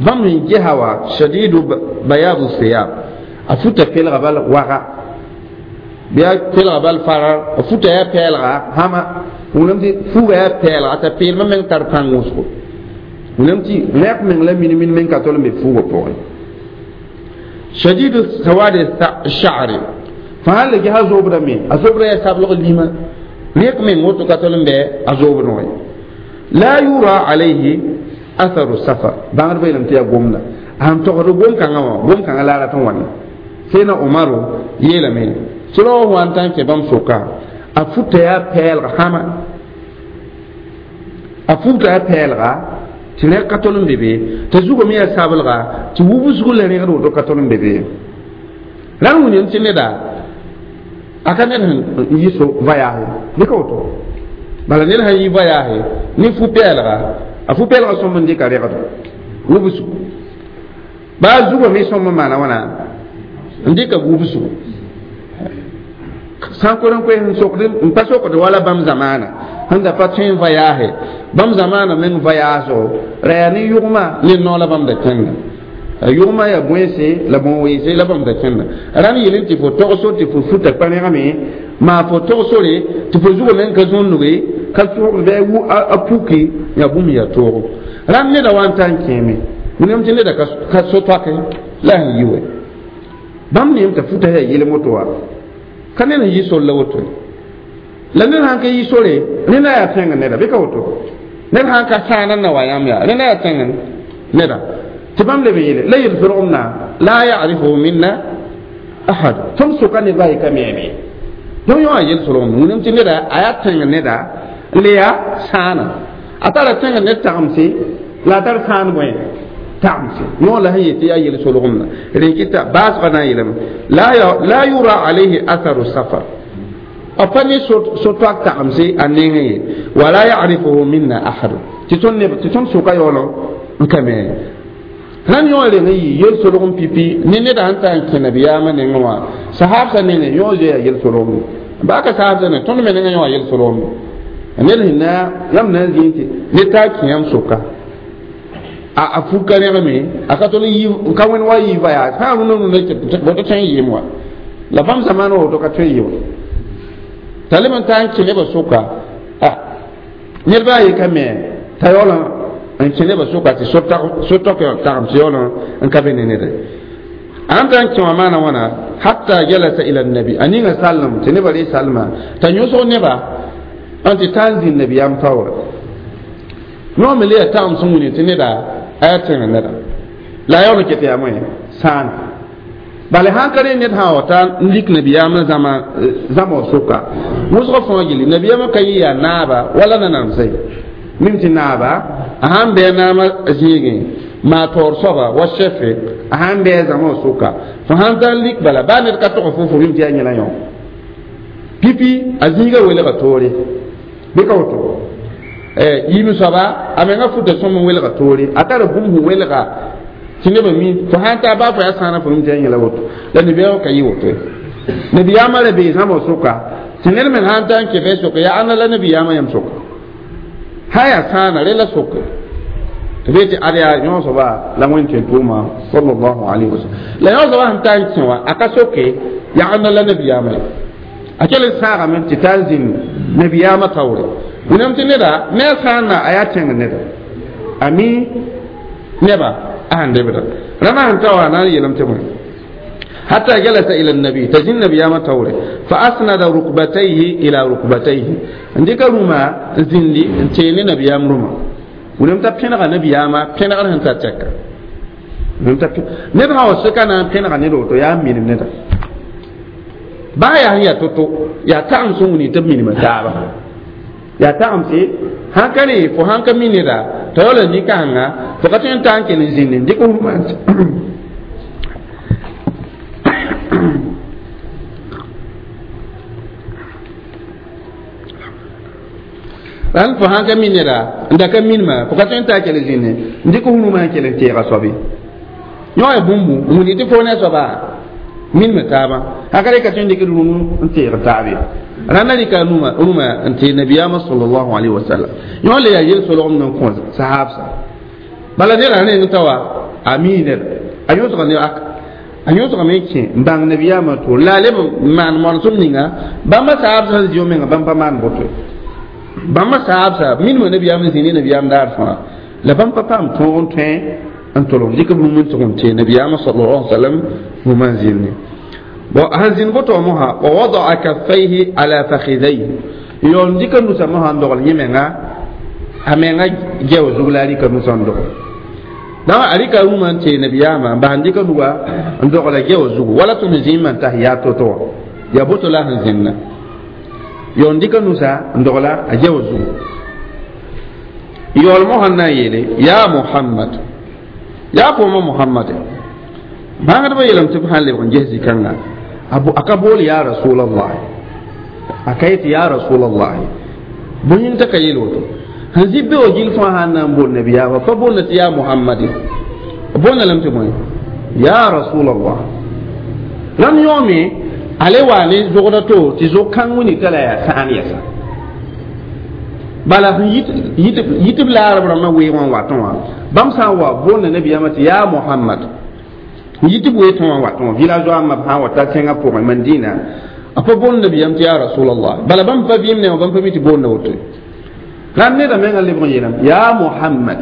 [SPEAKER 1] bãmb sẽn gesa wã shadidu bayadu siyab a futa pelga bal waga bɩ a pelga bal farar a futa yaa pɛɛlga hãma wʋnam tɩ fuuga yaa pɛɛlga t'a peelmã meng tar pãng wʋsgo wʋnam tɩ rẽk meng la min meng ka tol n be fuugã pʋgẽ shadidu sawadi sha'ri fãa sã le gesa zoobdame a zoobdã yaa sablg lima rẽk meng woto ka tol n bɩ a zoobdẽ wã la yura alayhi atharu safar bãngdbã yeelame tɩ yaa gomda sãn togsd gom-kãngã wã gom-kãngã la a rat n wãne sẽna Omaro yeelame tɩ rao wa n taa n kẽ bãmb sʋka a futa yaa pɛɛlg hãma a futa yaa pɛɛlga tɩ rẽg ka tol n be be t'a zugame yaa sablga tɩ wubsg la rẽgd woto ka tol n be be rãnd wũniyam tɩ neda a ka ned sẽn yi so voyage bɩ ka woto bala ned sãn yi voyage ne fu-pɛɛlga a fu-pɛɛlga sõmb n dɩka rẽgdo wubsgu baa zugame sõmb n maana wãna n dɩka wubsgu sã n kor n koes n sokd n pa sokd wala bãmb zamaana sẽn da pa tõe n voyage bãmb zamaana meng voyaaso ra yaa ne yʋgma ne nao la bãmb da kẽnda yʋgma yaa bõense la bõn-weese la bãmb da kẽnda rãnd yel tɩ fo togsor tɩ fo futa kpa-rẽgame maa fo togsore tɩ fo zugame n ka zõnnuge ka sogd bɩ a puki yaa bũmb yaa toogo rãnd neda wa n taa n kẽeme wẽnnaam tɩ neda ka so-toake la sẽn yi wɛ bãmb neem t'a futa yaa yelem woto wa Ka ned n yɩ sor la woto la ned sãn ka yɩ sore rẽnda yaa tẽng neda bɩ ka woto ned sãn ka sãana n na wa yãmb yaa rẽnda yaa tẽng neda tɩ bãmb leb n yeele la yel-solgemdã la yarifuhu minna ahad tõnd sʋka nedba a ye ka meeme donc yõ a yel-solgemd wilem tɩ neda a yaa tẽng neda n le yaa sãana a tara tẽng ned tagemse la a tar sãan bõe tagemse yõ la sẽn yetɩ yaa yel-solgemdã rẽkɩta baasgã na n yeelame la yura alayhi atharu safar a pa ne so-toak tagemse a nengẽ ye wala yarifuhu minna ahad tɩ tõnd sʋka yaool n ka me rãnd yõ reng n yɩ yel-solgem pipi ne neda sẽn ta n kẽ nabiyaamã nengẽ wã sahabsã nengẽ yõ zoeya yel-solgem baa ka sahabsã ne tõnd me nengẽ yõ a yel-solgem ned sẽn na yãmb na n zĩig tɩ ned taa kẽ yãmb sʋka a fug ka rẽgme a ka tol n ka wẽnd wa yɩ voyage sã n rũndã rũndã tɩ tõe n yɩɩm wa la bãmb zamaan woto ka tõe n yɩ wa t'a leb n taa n kẽ nebã sʋka nedba a ye ka me t'a yaool n kẽ nebã sʋka tɩ so-tɔk tagemse yaool n ka be ne neda a n ta n kẽ wã maana wãna hatta jalasa ila nabi a ninga sallem tɩ nebã ree salma t'a yõsg neba n tɩ taa n zĩnd nabiyaam taoore yõ me le yaa tagem sẽn wilg tɩ neda a yaa tẽng neda la a yaool n ket yaa moe sãana bala sãn ka re ned sã wa ta n lik nabiyaamã zãma wã sʋka wʋsg fãa gilli nabiyaamã ka yɩ yaa naaba wala nanamsã ye mim tɩ naaba a sãn bɩ a naamã zĩigẽ maa taoor soaba wa chefe a sãn bɩ a zãma wã sʋka fo sãn ta n lik bala baa ned ka tog fo mim tɩ yaa yẽla yõ pipi a zĩigã welga toore bɩ ka woto yiim soaba a menga futa sõm n welga toore a tara bũmb sẽn welga tɩ nebã mi fo sãn taa baa fo yaa sãana fo mim tɩ yaa yẽla woto la nabiyaamã ka yɩ woto ye nabiyaamã ra bee zãma sʋka tɩ ned me sãn ta n kẽ bɩ sʋka yaa ãnna la nabiyaamã yãmb sʋka sã yaa sãana re la sʋka tɩ bee tɩ ad yaa yõ soaba la wẽn tõe tʋʋma sallallahu alayhi wa sallam la yõ soaba sẽn ta n kẽ wã a ka soke yaa ãnna la nabiyaamã ye a kell n sãagame tɩ taa n zĩnd nabiyaamã taoore wẽnnaam tɩ neda ne a sãana a yaa tẽng neda a mi neba a sẽn debda rãmba sẽn ta wã na n yeelame tɩ bõe حتى جلس إلى النبي تجن النبي ما توري فأسند ركبتيه إلى ركبتيه عندك روما زندي انتين نبي روما ولم تبين نبي ما بين غير انت تشك ولم تبين نبغى وسكنا بين غير ندو يا مين ندا بايا هي توتو يا تام سوني تبين ما تابا يا تام سي هكني فهانك مين ندا تقول نيكانا فقط تانك نزين عندك روما ran fo sãn ka mi neda n da ka minima fo ka tõe n taa kell zĩnne n dɩk hunumã n kell n teega soabe yõ ya bũmbu n wilg tɩ fo ne a soaba minime taabã sã ka re ka tõe n dɩk rũnu n teeg taabe rãnda rɩka rũmã n tee nabiyaamã sallallahu alayhi wa sallam yõ le yaa yel-solgem n kõ sahabsa bala neda rẽng ta wa a mii neda a yõsga ne aka a yõsgame n kẽ n bãng nabiyaamã tʋʋr la a leb n maan moresem ninga bãmba sahabsã sẽn zĩ menga bãmb pa maan boto bãmba sahabsa minimã nabiyaam n zĩ ne nabiyaam daar fãa la bãmb pa paam tõog n tõe n tolg dɩk b rũm n tʋg n tee nabiyaamã sallallahu alaihi wasallam rũmã n zĩnde bon sẽn zĩnd boto wã mosã wa wadaa kaffayhi ala fakhidayhi yaool n dɩka nusa mosã n dogl yẽ menga a menga gɛo zug la a rɩka nusã n dogl donc a rɩka rũmã n tee nabiyaamã n bas n dɩka nuga n dogla gɛo zugu wala tõnd zĩig n tas yaa to-to wã yaa boto la sẽn zĩnda yaool n dɩka nusa n dogla a gɛo zugu yaool mosã n na n yeele yaa Muhammad yaa fooma Muhammad bãngdbã yeelame tɩ b sãn lebg n ges zĩ-kãnga a ka bool yaa rasulallah a ka yetɩ yaa rasulallah bõe yĩng t'a ka yeel woto sẽn zĩ be wa gil fãa sãn na n bool nabiyaamã pa boolda tɩ yaa Muhammad boolda lame tɩ bõe yaa rasulallah rãmb yõome a le waa ne zogda to tɩ zog-kãng wini t'a la yaa sãan yɛsa bala sẽn yit b laarb rãmbã weeg wã n watẽ wã bãmb sã n wa boolda nabiyaamã tɩ yaa Muhammad yit b weeg wã n watẽ wã villageois ãmbã sã n wa ta tẽngã pʋgẽ Mandina a pa boolda nabiyaam tɩ yaa rasulallah bala bãmb pa vɩɩm ne wã bãmb pa mi tɩ boolda woto rãmb neda menga lebg n yeelame yaa Muhammad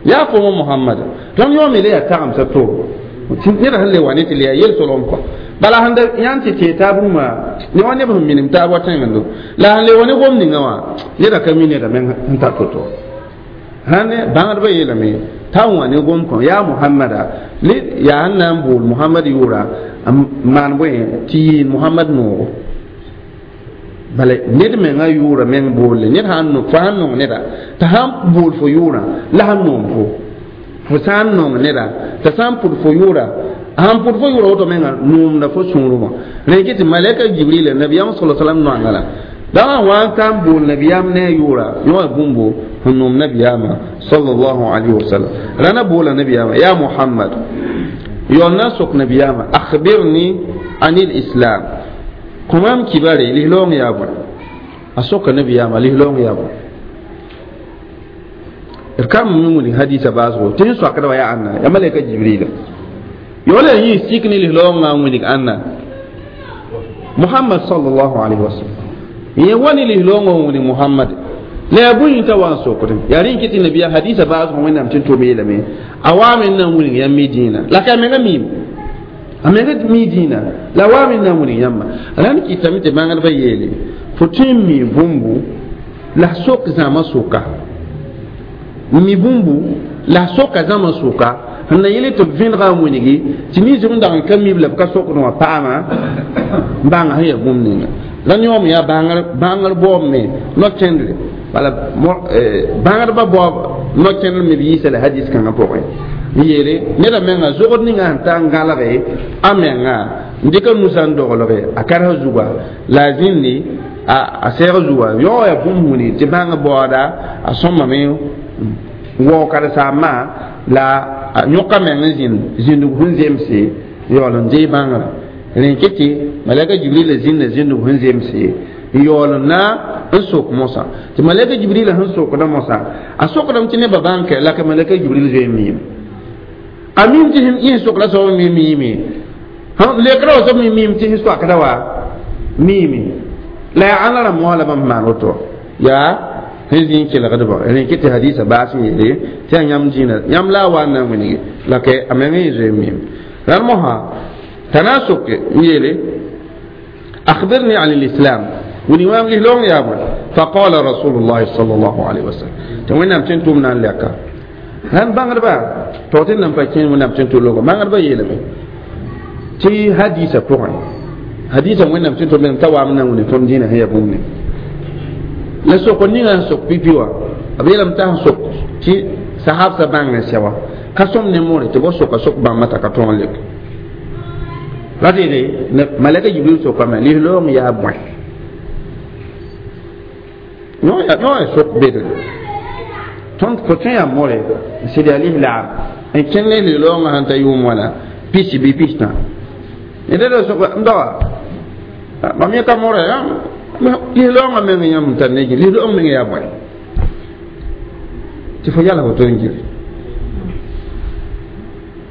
[SPEAKER 1] yaa fooma Muhammad tõnd yõome le yaa tagemsã to neda sẽn le wa ne tɩ le yaa yel-solgem kɔ Bala sẽn da yãnd tɩ tẽeg taab rũmã ne wa neb sẽn minim taab wa tẽngendo la sẽn le wa ne gom ninga wã neda ka mi neda meng sẽn tar to-to sãn bãngdbã yeelame t'a wã ne gom kõ yaa Mohamada ne yaa sẽn na n bool Mohamad yʋʋra n maan bõe tɩ yɩɩn Mohamad noogo bala ned menga yʋʋra meng boolle ned sãn fo sãn nong neda t'a sãn bool fo yʋʋrã la sãn noom fo fo sã n nong neda t'a sã n pʋd fo yʋʋra sãn pʋd fo yʋʋra woto menga noomda fo sũurẽ rẽ kɩ tɩ malɛka Jibrila nabiyaam sala salam noanga la dãwã wa n ka n bool nabiyaam ne a yʋʋra yõ bũmbo sẽn noom nabiyaamã sallallahu alayhi wa sallam rãna boola nabiyaamã yaa Muhammad yaool na n sok nabiyaamã akhbirni anil islam kõ mam kibare lislaoong yaa bõe a soka nabiyaamã lislaoong yaa bõe d ka me wilg hadisa baasgo tɩ sẽn soakda wa yaa ãnna yaa malɛka Jibrila yaoola yẽ sik ne lislaoongã n wilg ãnna Muhammad sallallahu alayhi wa sallam yẽ wa ne lislaoongã n wilg Muhammad la yaa bũi t'a wa n sokdẽ yaa rẽ n kɩ tɩ nabiyaam hadisa baasgo Wẽnnaam tɩ n tʋm yeelame a waame n na n wilg yãmb y dĩinã la ka a menga miime a menga mi dĩinã la waame n na n wilg yãmba rãnd kɩtame tɩ bãngdbã yeele fo tõe n mi bũmbu la sok zãma sʋka mi bũmbu la soka zãma sʋka sẽn na yele tɩ b vẽnega n wilgi tɩ nins b dag n ka mib la b ka sokd wã paama n bãnga sẽn yaa bũmb ninga la yõom yaa bãngr baoob me no-kẽndre bala bãngdbã baoob no-kẽndr me b yiisa la hadis kãngã pʋgẽ n yeele neda menga zogd ninga sẽn ta n gãlge a menga n dɩka nusã n doglge a karsã zuga la a zĩndi a sɛɛg zuga yao yaa bũmb wilg tɩ bãng baooda a sõmame waoog karen-saambã la a yõka meng n zĩnd zĩndg sẽn zemse yaool n dee bãngrã rẽ kɩ tɩ malɛka Jibrila zĩnda zĩndg sẽn zemse n yaool n na n sok mosã tɩ malɛka Jibrila sẽn sokda mosã a sokdame tɩ nebã bãng la ka malɛka Jibril zoe n miime a mim tɩ yẽ sokda soab me miime lekra wa soab me miime tɩ sẽn soakda wa miime la yaa ãnna rãmb mosã la bãmb maan woto yaa sẽn zĩ n kelgdbã rẽ kɩ tɩ hadisa baas n yeele tɩ yaa yãmb dĩinã yãmb la a wa n na n wilge la ka a meng yẽ zoe n miime rãnd mosã t'a na n soke n yeele akhbirni an lislam wilg maam lislaoong yaa bõe faqala rasulullahi sallallahu alayhi wa sallam tɩ Wẽnnaam tɩ n tʋm na n lɛka rãnd bãngdba tog tɩ n nan pa kẽ Wẽnnaam tɩ n tʋ logo bãngdbã yeelame tɩ hadisa pʋgẽ hadisa Wẽnnaam tɩ n tʋm t'a waam na n wilg tõnd dĩinã sẽn yaa bũmb ne la sokr ninga sẽn sok pipi wã b yeelame t'a sẽn sok tɩ sahabsã bãng n sɛ wã ka sõm ne moore tɩ bo soka sok bãmba t'a ka tõog n lek la tɩ malɛka Jibril sokame lislaoong yaa bõe yõ yaa sok bedre tõnd fo tõe yaa moore n sɩd yaa lislaam n kẽng ne lislaoongã sẽn ta yʋʋm wãna pisi bɩ pistã ned sok n daoa mam yẽ ka moore lislaoongã meng yãmb n tar ne lislaoong meng yaa bõe tɩ fo yala woto n gili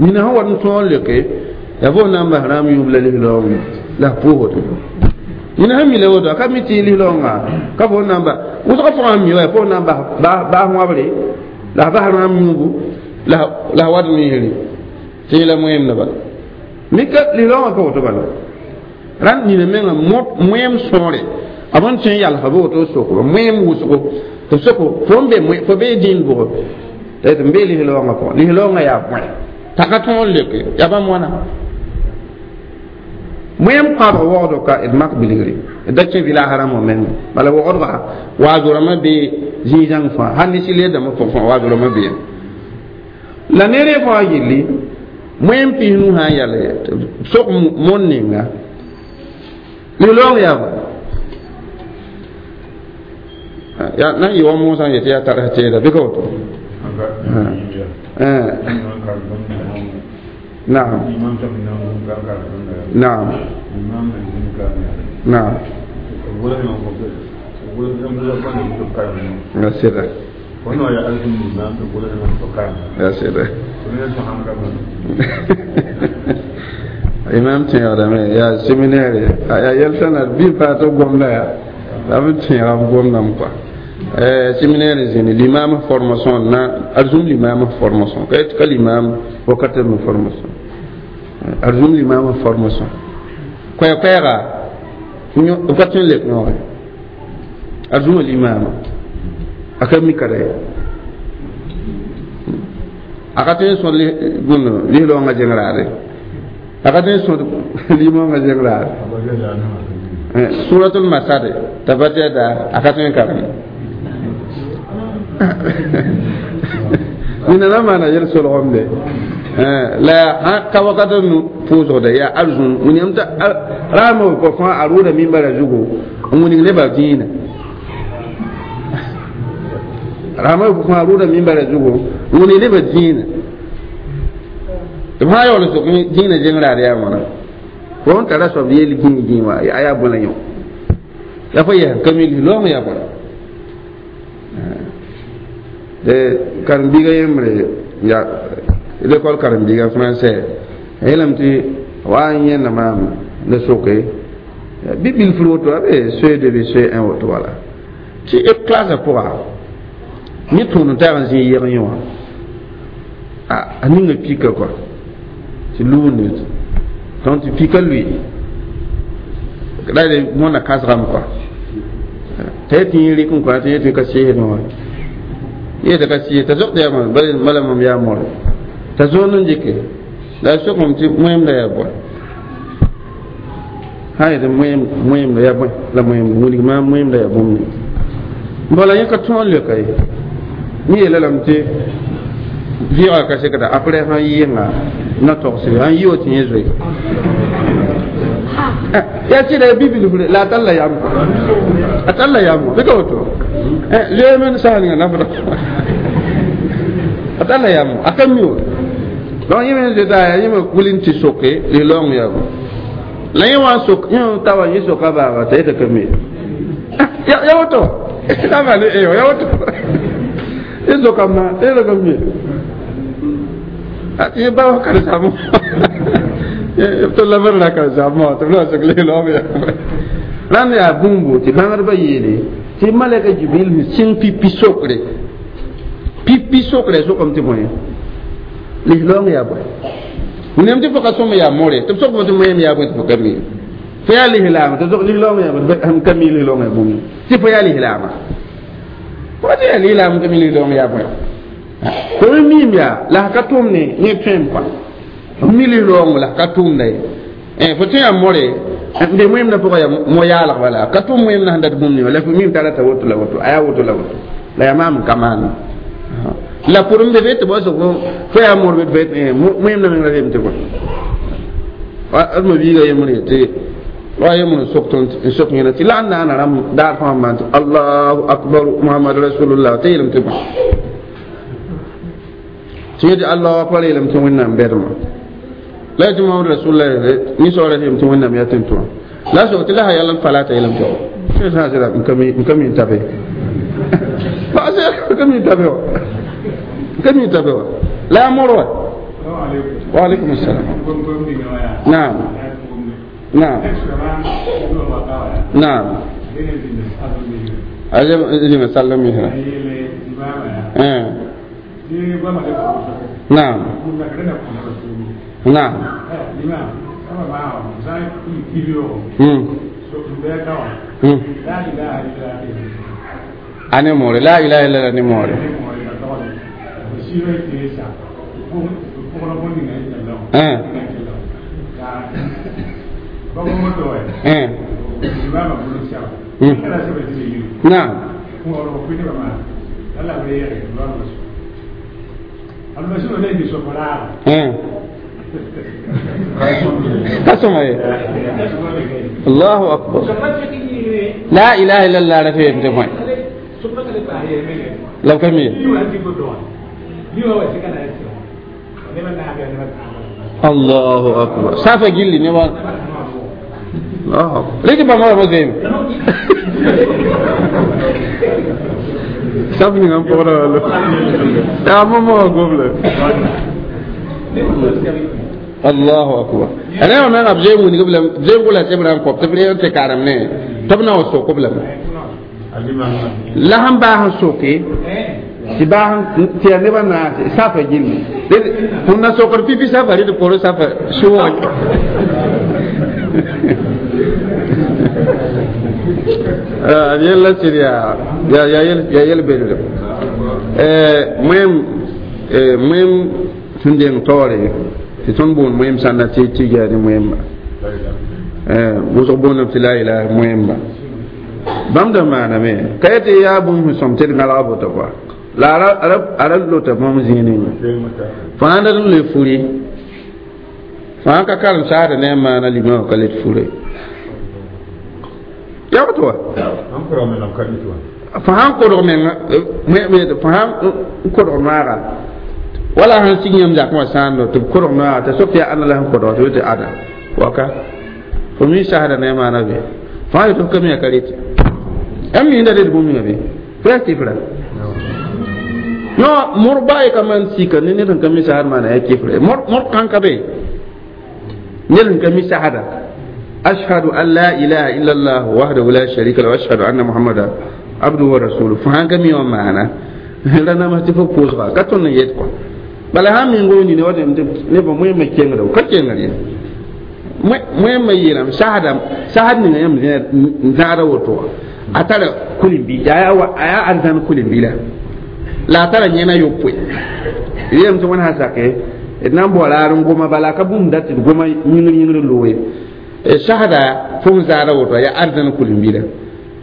[SPEAKER 1] nina sẽn wat n tõog n leoke yaa fo na n bas rãmb yũub la lislaoong la f pʋʋsd nina sẽn mi la woto a ka mi tɩ lislaoongã ka fo na n bas wʋsg fãa n mi wa fo na n bas wãbre la f bas rãmb yũubu la f wat niisre tɩ yẽla moẽemdã bala mika lislaoongã ka woto bala rãnd nina menga moẽem sõore a b n tõe n yalsã b woto sokba moẽem wʋsgo tɩ b soko fo n be fo bee dĩin bʋgo tɩ n bee lislaoongã pʋgẽ lislaoongã yaa bõe t'a ka tõog n leoke yaa bãmb wãna moẽem kãabg waoogdo ka d mak bilgre d da kẽ village rãmbã menga bala waoogdba waazo rãmbã bee zĩig-zãng fãa hal ne sɩl dãmbã pʋgẽ fãa waazo rãmbã bee la ne rẽ fãa yilli moẽem pis-nu sã n yal sok mon ninga lislaoong yaa bõe ya na n yɩ wa moosã n yetɩ yaa tars teeda bɩ ka woto naam naam naam ya sɩda ya sɩda imam tẽegdame yaa séminaire yaa yɛl-sãna bɩ paa tɩ gomda yaa la b tẽega b gomdame kɔa séminaire zĩni limam formation na arzum limam formation ka ka limam wakata me formation arzum limam formation Koɛɛ-koɛɛga b ka tõe n leb yõoge a zũma limaamã a ka mika ye a ka tõe n sõd bõnd lislaoongã zẽng-raade a ka tõe n sõd limaoongã zẽng-raade suratul masad tabat yada a ka tõe n karem nina na maana yel solgemde la ka wakat n pʋʋsgda yaa arzũn wĩnam t'a raamã kɔ fãa a rʋʋda mimbara zugu n wĩning nebã dĩinã raamã fãa a rʋʋda mimbara zugu n wĩning nebã dĩinã tɩ b sã yaool sok dĩinã zẽng raad yaa wãna fo n tara soab yeel gĩig gĩig wã a yaa bõe la yõ yaa fo yɛs ka mi loong yaa bõe de karen-biiga yembre ya l'école karen-biiga français yeelame tɩ wa n yẽnda maam ne soke bɩ bilfr woto a be CE2 bɩ CE1 woto wala tɩ b classe pʋga yẽ tõod n tag n zĩ yɛg yẽ wã a ninga pika kɔa tɩ luunde donc tɩ pika lʋɩ la d mõnda kãsgame kɔa t'a yetɩ yẽ rɩk n kɔa tɩ yetɩ ka seesdẽ wã yetɩ ka sɩɩs t'a sokd yaa bala mam yaa more t'a zoond n dɩke la a sokame tɩ wẽemda yaa bõe sã n yetɩ wẽemda yaa bõe la wẽemd wilg maam wẽemda yaa bũmb ne bala yẽ ka tõog n leoka ye yẽ yeela lame tɩ vɩɩgã ka sekda après sã n yɩɩnga na togsre sãn yɩ wa tɩ yẽ zoe yaa sɩda ya bibilfre la a tall la yam a tall la yam bɩ ka woto zoeeme n sã ninga nafda a tall la yam a ka mi wa donc yẽ me zoeta yaa yẽ me wʋl n tɩ soke lislaoong yaa bõ la yẽ wã sok yẽ ta wa yẽ soka baaga t'a yeta ka mi ya woto la ma ne ya woto yẽ sokame t'a yeta ka mi yẽ ba wa karen-saambã tɩ la b la karen-saambã tɩ b la sok lislaoong yaa rãnd yaa bũmbu tɩ bãngdbã yeele tɩ malɛka jibril sẽn sɩng pipi sokre pipi sokre sokame tɩ bõe lislaoong yaa bõe wẽnnaam tɩ fo ka sõm yaa more tɩ b sok fo tɩ moeem yaa bõe tɩ fo ka mi fo yaa lislaama tɩ sok lislaoong yaa bõe sẽn ka mi lislaoong yaa bũmb tɩ fo yaa lislaama fo tɩ yaa lislaam ka mi lislaoong yaa bõe fo me miim yaa la ka tʋm ne yẽ tõem kɔa f mi lislaoong la ka tʋmda ye fo tõe yaa more n be wẽmdã pʋgã yaa mo-yaalg bala ka tʋm wẽmdã sẽn dat bũmb ne la fo miim t'a rata woto la woto a yaa woto la woto la yaa maam n ka maan la pʋr n be be tɩ bao sok fo yaa mor be tɩ wẽmdã meng ra reem tɩ bõe d ma biiga yembr yetɩ wa yembr n sok n sok yẽna tɩ la n naana rãmb daar fãa maan tɩ allahu akbar muhammad rasulullah tɩ yeelame tɩ bõe tɩ yetɩ allahu akbar yeelame tɩ wẽnnaam bɛdmã la yetɩ muhammad rasulullah ninsoogra yeelame tɩ wẽnnaam yaa tẽn-tʋma la sok tɩ la sã yãl n falata yeelame tɩ sã sɩda n ka mi n tabe n ka mi n tabe wa n ka mi n tabe wa la yaa mor wa wa alaikum assalam naam naam naam aje zĩnga sall misra naam naam ane more la ilaha illallah ne more naam ka sõma ye allahu akbar la ilaha illallah ra fem tɩ bõe la b ka mi allahu akbar safa gilli ne wa allahu akbar rɩtɩ bãmba ra zoeeme saf ninga n pʋgda wala yaa momo wã gobla allahu akbar rẽ wã menga b zoeem wingb lame b zoeem gʋla sebra n kõb tɩ b reeg n tɩ karem ne tɩ b na wa sok b lame la sẽn baas n soke tɩ baas tɩ yaa nebã naase safa gilli fõn na sokd pipi safa rɩd pʋrẽ safa sʋʋga Yella sɩd yaa yaa yel belg wẽm wẽm sẽn deng taoore tɩ tõnd boond wẽm sãnda tɩ tɩ yaa ne wẽmba wʋsg boondame tɩ la ilaha wẽmba bãmb da maaname ka yetɩ yaa bũmb sẽn sõm tɩ d gãlga boto kɔa la a ra lota bãmb zĩig ninga fãa dat n le furi fãa ka karem saasda ne a maana limã wã ka let fure yaa woto wa fãa n kodg menga fãa n kodg noaga wala sẽn sig yãmb zakẽ wã sãando tɩ b kodg noaga t'a sok tɩ yaa ãnna la sẽn kodg tɩ tɩ ada waka fo mi sasda ne a maana be fãa yetɩ f ka mi a ka rete yãmb mi da ret bũmb ninga be fo yaa kifra no mor ba ka man sika ne ned n ka mi sasd maana yaa kifra mor kãn ka be ned n ka mi sasda ashhadu an la ilaha illa allah wahdahu la sharika lahu wa ashhadu anna muhammadan abduhu wa rasuluhu fo sãn ka mi wã maana ra nama tɩ fo pʋʋsga ka tõnd n yet kɔa bala sãn meng o nini wa nebã wẽmã kengda ka kengd ye wẽmã yeelame sasda sasd ninga yãmb n zãada woto wã a tara kulimbi a yaa arzãn kulimbi la la a tara yẽna yopoe yeelame tɩ wẽnd sã sake d na n bao raar n goma bala ka bũmb dat tɩ d goma yĩngr yĩngr loe sasda fo n zaada woto yaa arzãn kulimbi la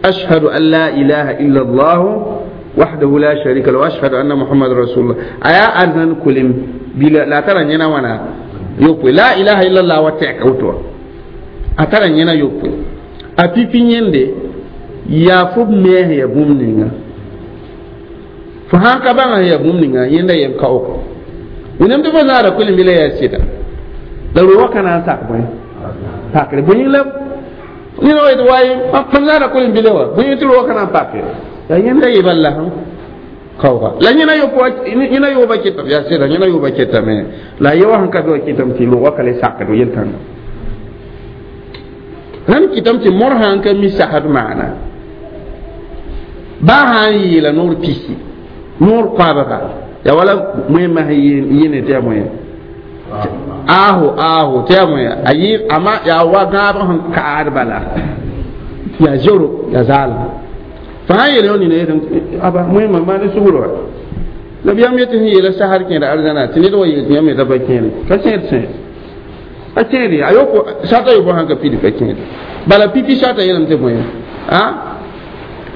[SPEAKER 1] ashhadu an la ilaha illa allah wahdahu la sharika lahu wa ashhadu anna muhammadan rasulullah aya arzãn kulim bila la tara yẽna wãna yopoe la ilaha illa allah wa tɛka woto a tara yẽna yopoe a pipi yẽnde yaa fo b mees ya bũmb ninga fo sãn ka bãnga ya bũmb ninga yẽnda yem kaooko wẽnnaam tɩ fo zãada kulimbi la yaa sɩda la ro wã ka na n sak bõe pakre bõe la ned wa yetɩ waye fo zãada kulimbi la wa bõe tɩ ro wã ka na n pake yaa yẽnda yeba la kaooga la yẽna yẽna yooba kɩtame yaa sɩda yẽna yooba kɩtame la a ye wã sẽn ka be wã kɩtame tɩ loogã ka le sakd yel-kãnga rãnd kɩtame tɩ mor sã n ka mi sasd maana baa sã n yeela noor pisi noor koabga yaa wala wẽmã sẽn yɩɩne tɩ yaa bõe aaho aaho tɩ yaa bõe a yɩ ama yaa wa gãabg sẽn kaad bala yaa zoro yaa zaalem fo sã n yeel yõ nina yetɩ aba wẽmã maan sugr wa la b yãmb yetɩ sẽn yeela sasd kẽeda arzãna tɩ ned wa yeel tɩ yãmb yeta pa kẽere ka sẽed sẽed a kẽede a yoko sata yobo sãn ka pidi pa kẽede bala pipi sata yeelame tɩ bõe a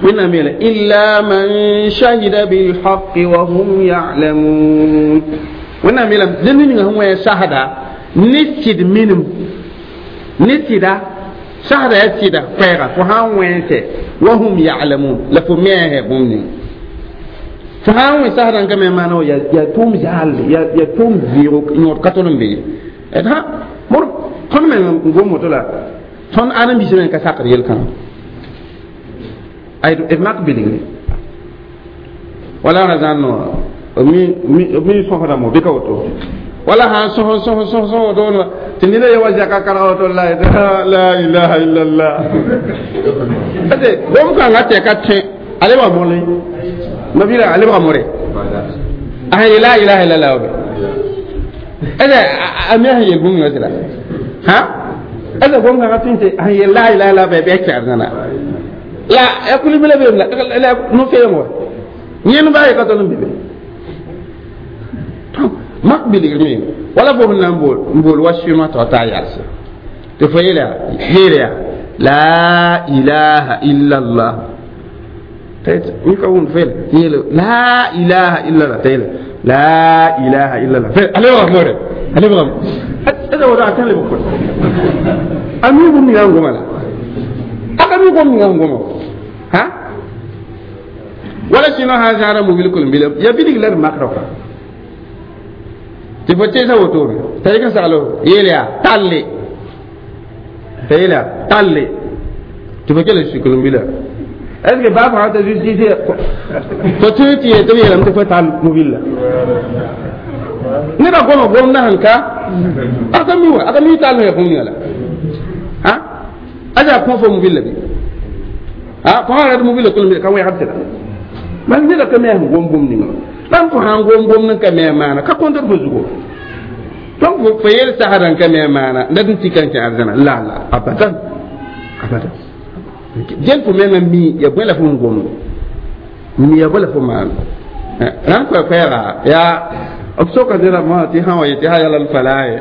[SPEAKER 1] wẽnnaam yeela illa man shahida bilhaqi wa hum ya'lamun wẽnnaam yeelame dẽnd ninga sẽn wẽ sasda ne sɩd minim ne sɩda sasda yaa sɩda koɛɛga fo sã n wẽnse wa hum ya'lamun la fo meesɛ bũmb ning fo sã n wẽ sasda n ka me maana yaa tʋʋm zaalde yaa tʋʋm vɩɩgo yõod ka tõnd n be ye d sã mor tõnd meng n gom woto la tõnd ãdem-biisã meng ka sakd yel-kãngã d mak bilgre wala ra zãn no mi sõsdame bɩ ka woto wala sãn sõs sõs sõs sõs woto tɩ neda ye wa zaka karg woto la la ilaha illallah ate gom kãngã tɩ ka tẽ a lebga mole mabira a lebga more a sẽn ye la ilaha illallah wa be ede a me sẽn yel bũmb ninga sɩda ha ede gom kãngã tɩ tɩ sẽn yel la ilaha illallah bɩ a kɛg la ya kuli bile be la la no fe ngo nyen ba ka to be to mak biligmi wala fo na mbol mbol wa shima to ta yarse te fo yela yela la ilaha illa allah tayt mi ka won fel yela la ilaha illa allah tayla la ilaha illa allah fel ale wa more ale wa ada wala tan le ko ami bu mi ngoma la aka mi ko mi ngoma ha wala sino ha zara mobil kul bil ya bidig la makro ka ti fo tesa woto tay ka salo yelia talle tayla talle ti fo kele sikul bil est ce que ba fa ta justice to ti ti to yelam ti fo tal mobil la ne ba goma gom na hanka aka mi wa aka mi tal ne ko mi la ha aja ko fo mobil la bi a fo ra mobil ko mi ka wa habta man ne da ka me gom gom ni ma dan fo han gom gom nan ka me mana ka kontar fo zugo donc fo yel saharan ka me mana nda dun tikan ki arzana la la abadan abadan Gel fo menga mi ya bõe la fo n gomd mi ya bõe la fo maan rãnd koɛɛ-koɛɛga yaa b soka neda mosã tɩ sã wa yetɩ hayya alal falah ye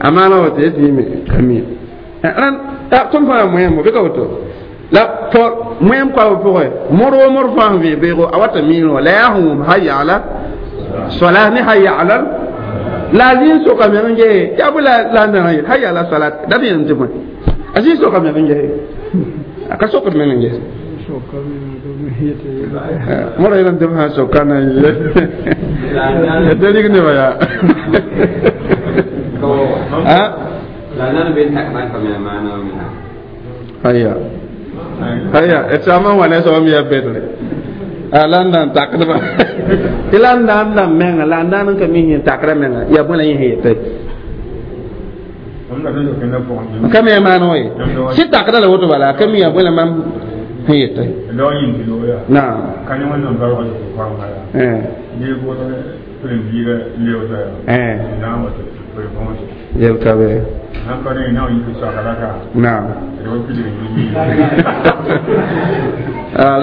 [SPEAKER 1] a maana wa tɩ y tɩ me ka mi rãnd tõnd fãa moẽmo bɩ ka woto la tɩ moẽm koabã pʋgẽ mor wo mor fãa sẽn vẽ beoogo a wata miirẽ wã la yaa sẽn wʋm hayya ala salah ne hayya alal la a zĩig soka meng n gese yaa bõe la a ndãna yet hayya ala salat dat yẽlem tɩ bõe a zĩig soka meng n gese a ka sokd meng n gese mora yẽlem tɩ b sã soka na n ye tɩ rig nebã yaa haya haya d saama n wa ne soab ya bedre a la n na n takdba tɩ la n na n dãmb menga la n daan n ka mi yẽ takra menga yaa bõe la yẽ sẽn yetɩ ka me a maan wã ye sɩ takda la woto bala a ka mi yaa bõe la mam sẽn yetɩ naam yel ka be naam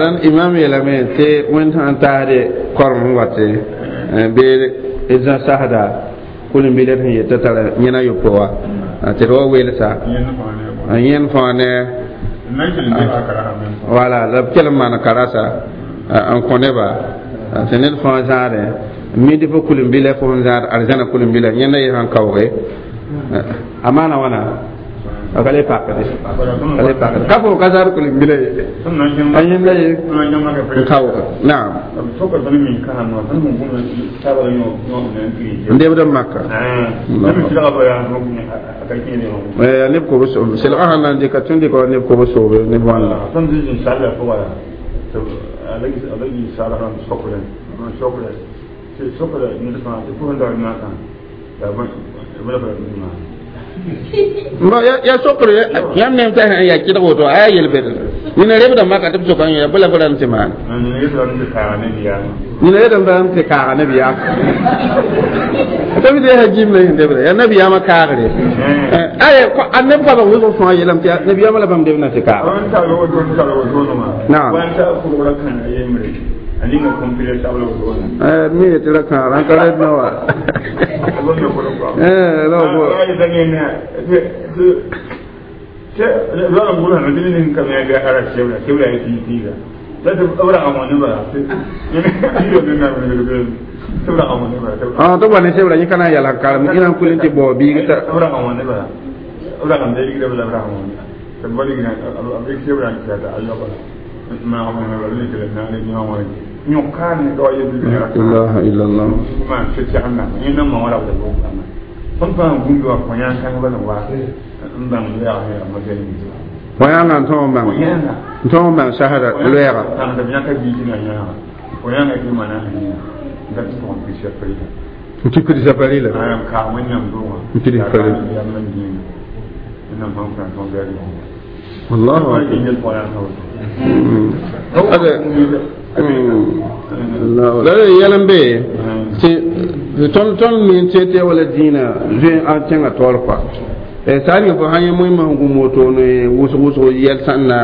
[SPEAKER 1] rãnd imam yeelame tɩ wẽnd sã n taasde korem sẽn wate bee d zã sasda kʋlem-biled sẽn yet t'a tara yẽna yopoe wa tɩ d wa weelsa yẽnd fãa ne wala la b kell n maan karasa n kõ neba tɩ ned fãa zãadẽ midi fo kʋlem-bila fo sẽn zãad arzãna kʋlem-bila yẽnda yẽ sãn kaooge a maana wãna a ka le pakde ka le pakde ka fo ka zãad kʋlem-bila ye a yẽnda ye n kaooge naam n debd n maka neb kob selga sãn na n dɩka tũ dɩka wa neb kob soobe neb wãnda ya sokr yãmb nem t'a sẽn yaa kɩdg woto a yaa yel-bed nina rebda maka tɩ b soka n yaa bɩ la fo rãmb tɩ maan nina yetɩ tɩ kaaga nabiyaam tɩ b yaa gim la yẽn debda yaa nabiyaamã kaagre ay a neb goamã wʋsg fãa yeelame tɩ nabiyaamã la bãmb debdã tɩ kaaga naam mi yetɩ ra kãara n ka rɛd na wa tɩ wa ne sebra yẽ ka na n yɛl n karem ĩna n kul n tɩ bao biig t'a ilaha illallah wãyãngã n tõog n bãng n tõog n bãng sasda loɛɛga n tɩ kirsa parila n kirsa parila allahu akbar la yɛl n be tɩ tõnd mi n tɩ wala dĩinã zoe a kẽngã taoor kɔa saa ning fo sã yẽ moẽmã sẽn gũm woto ne wʋsg wʋsg yɛl sãnna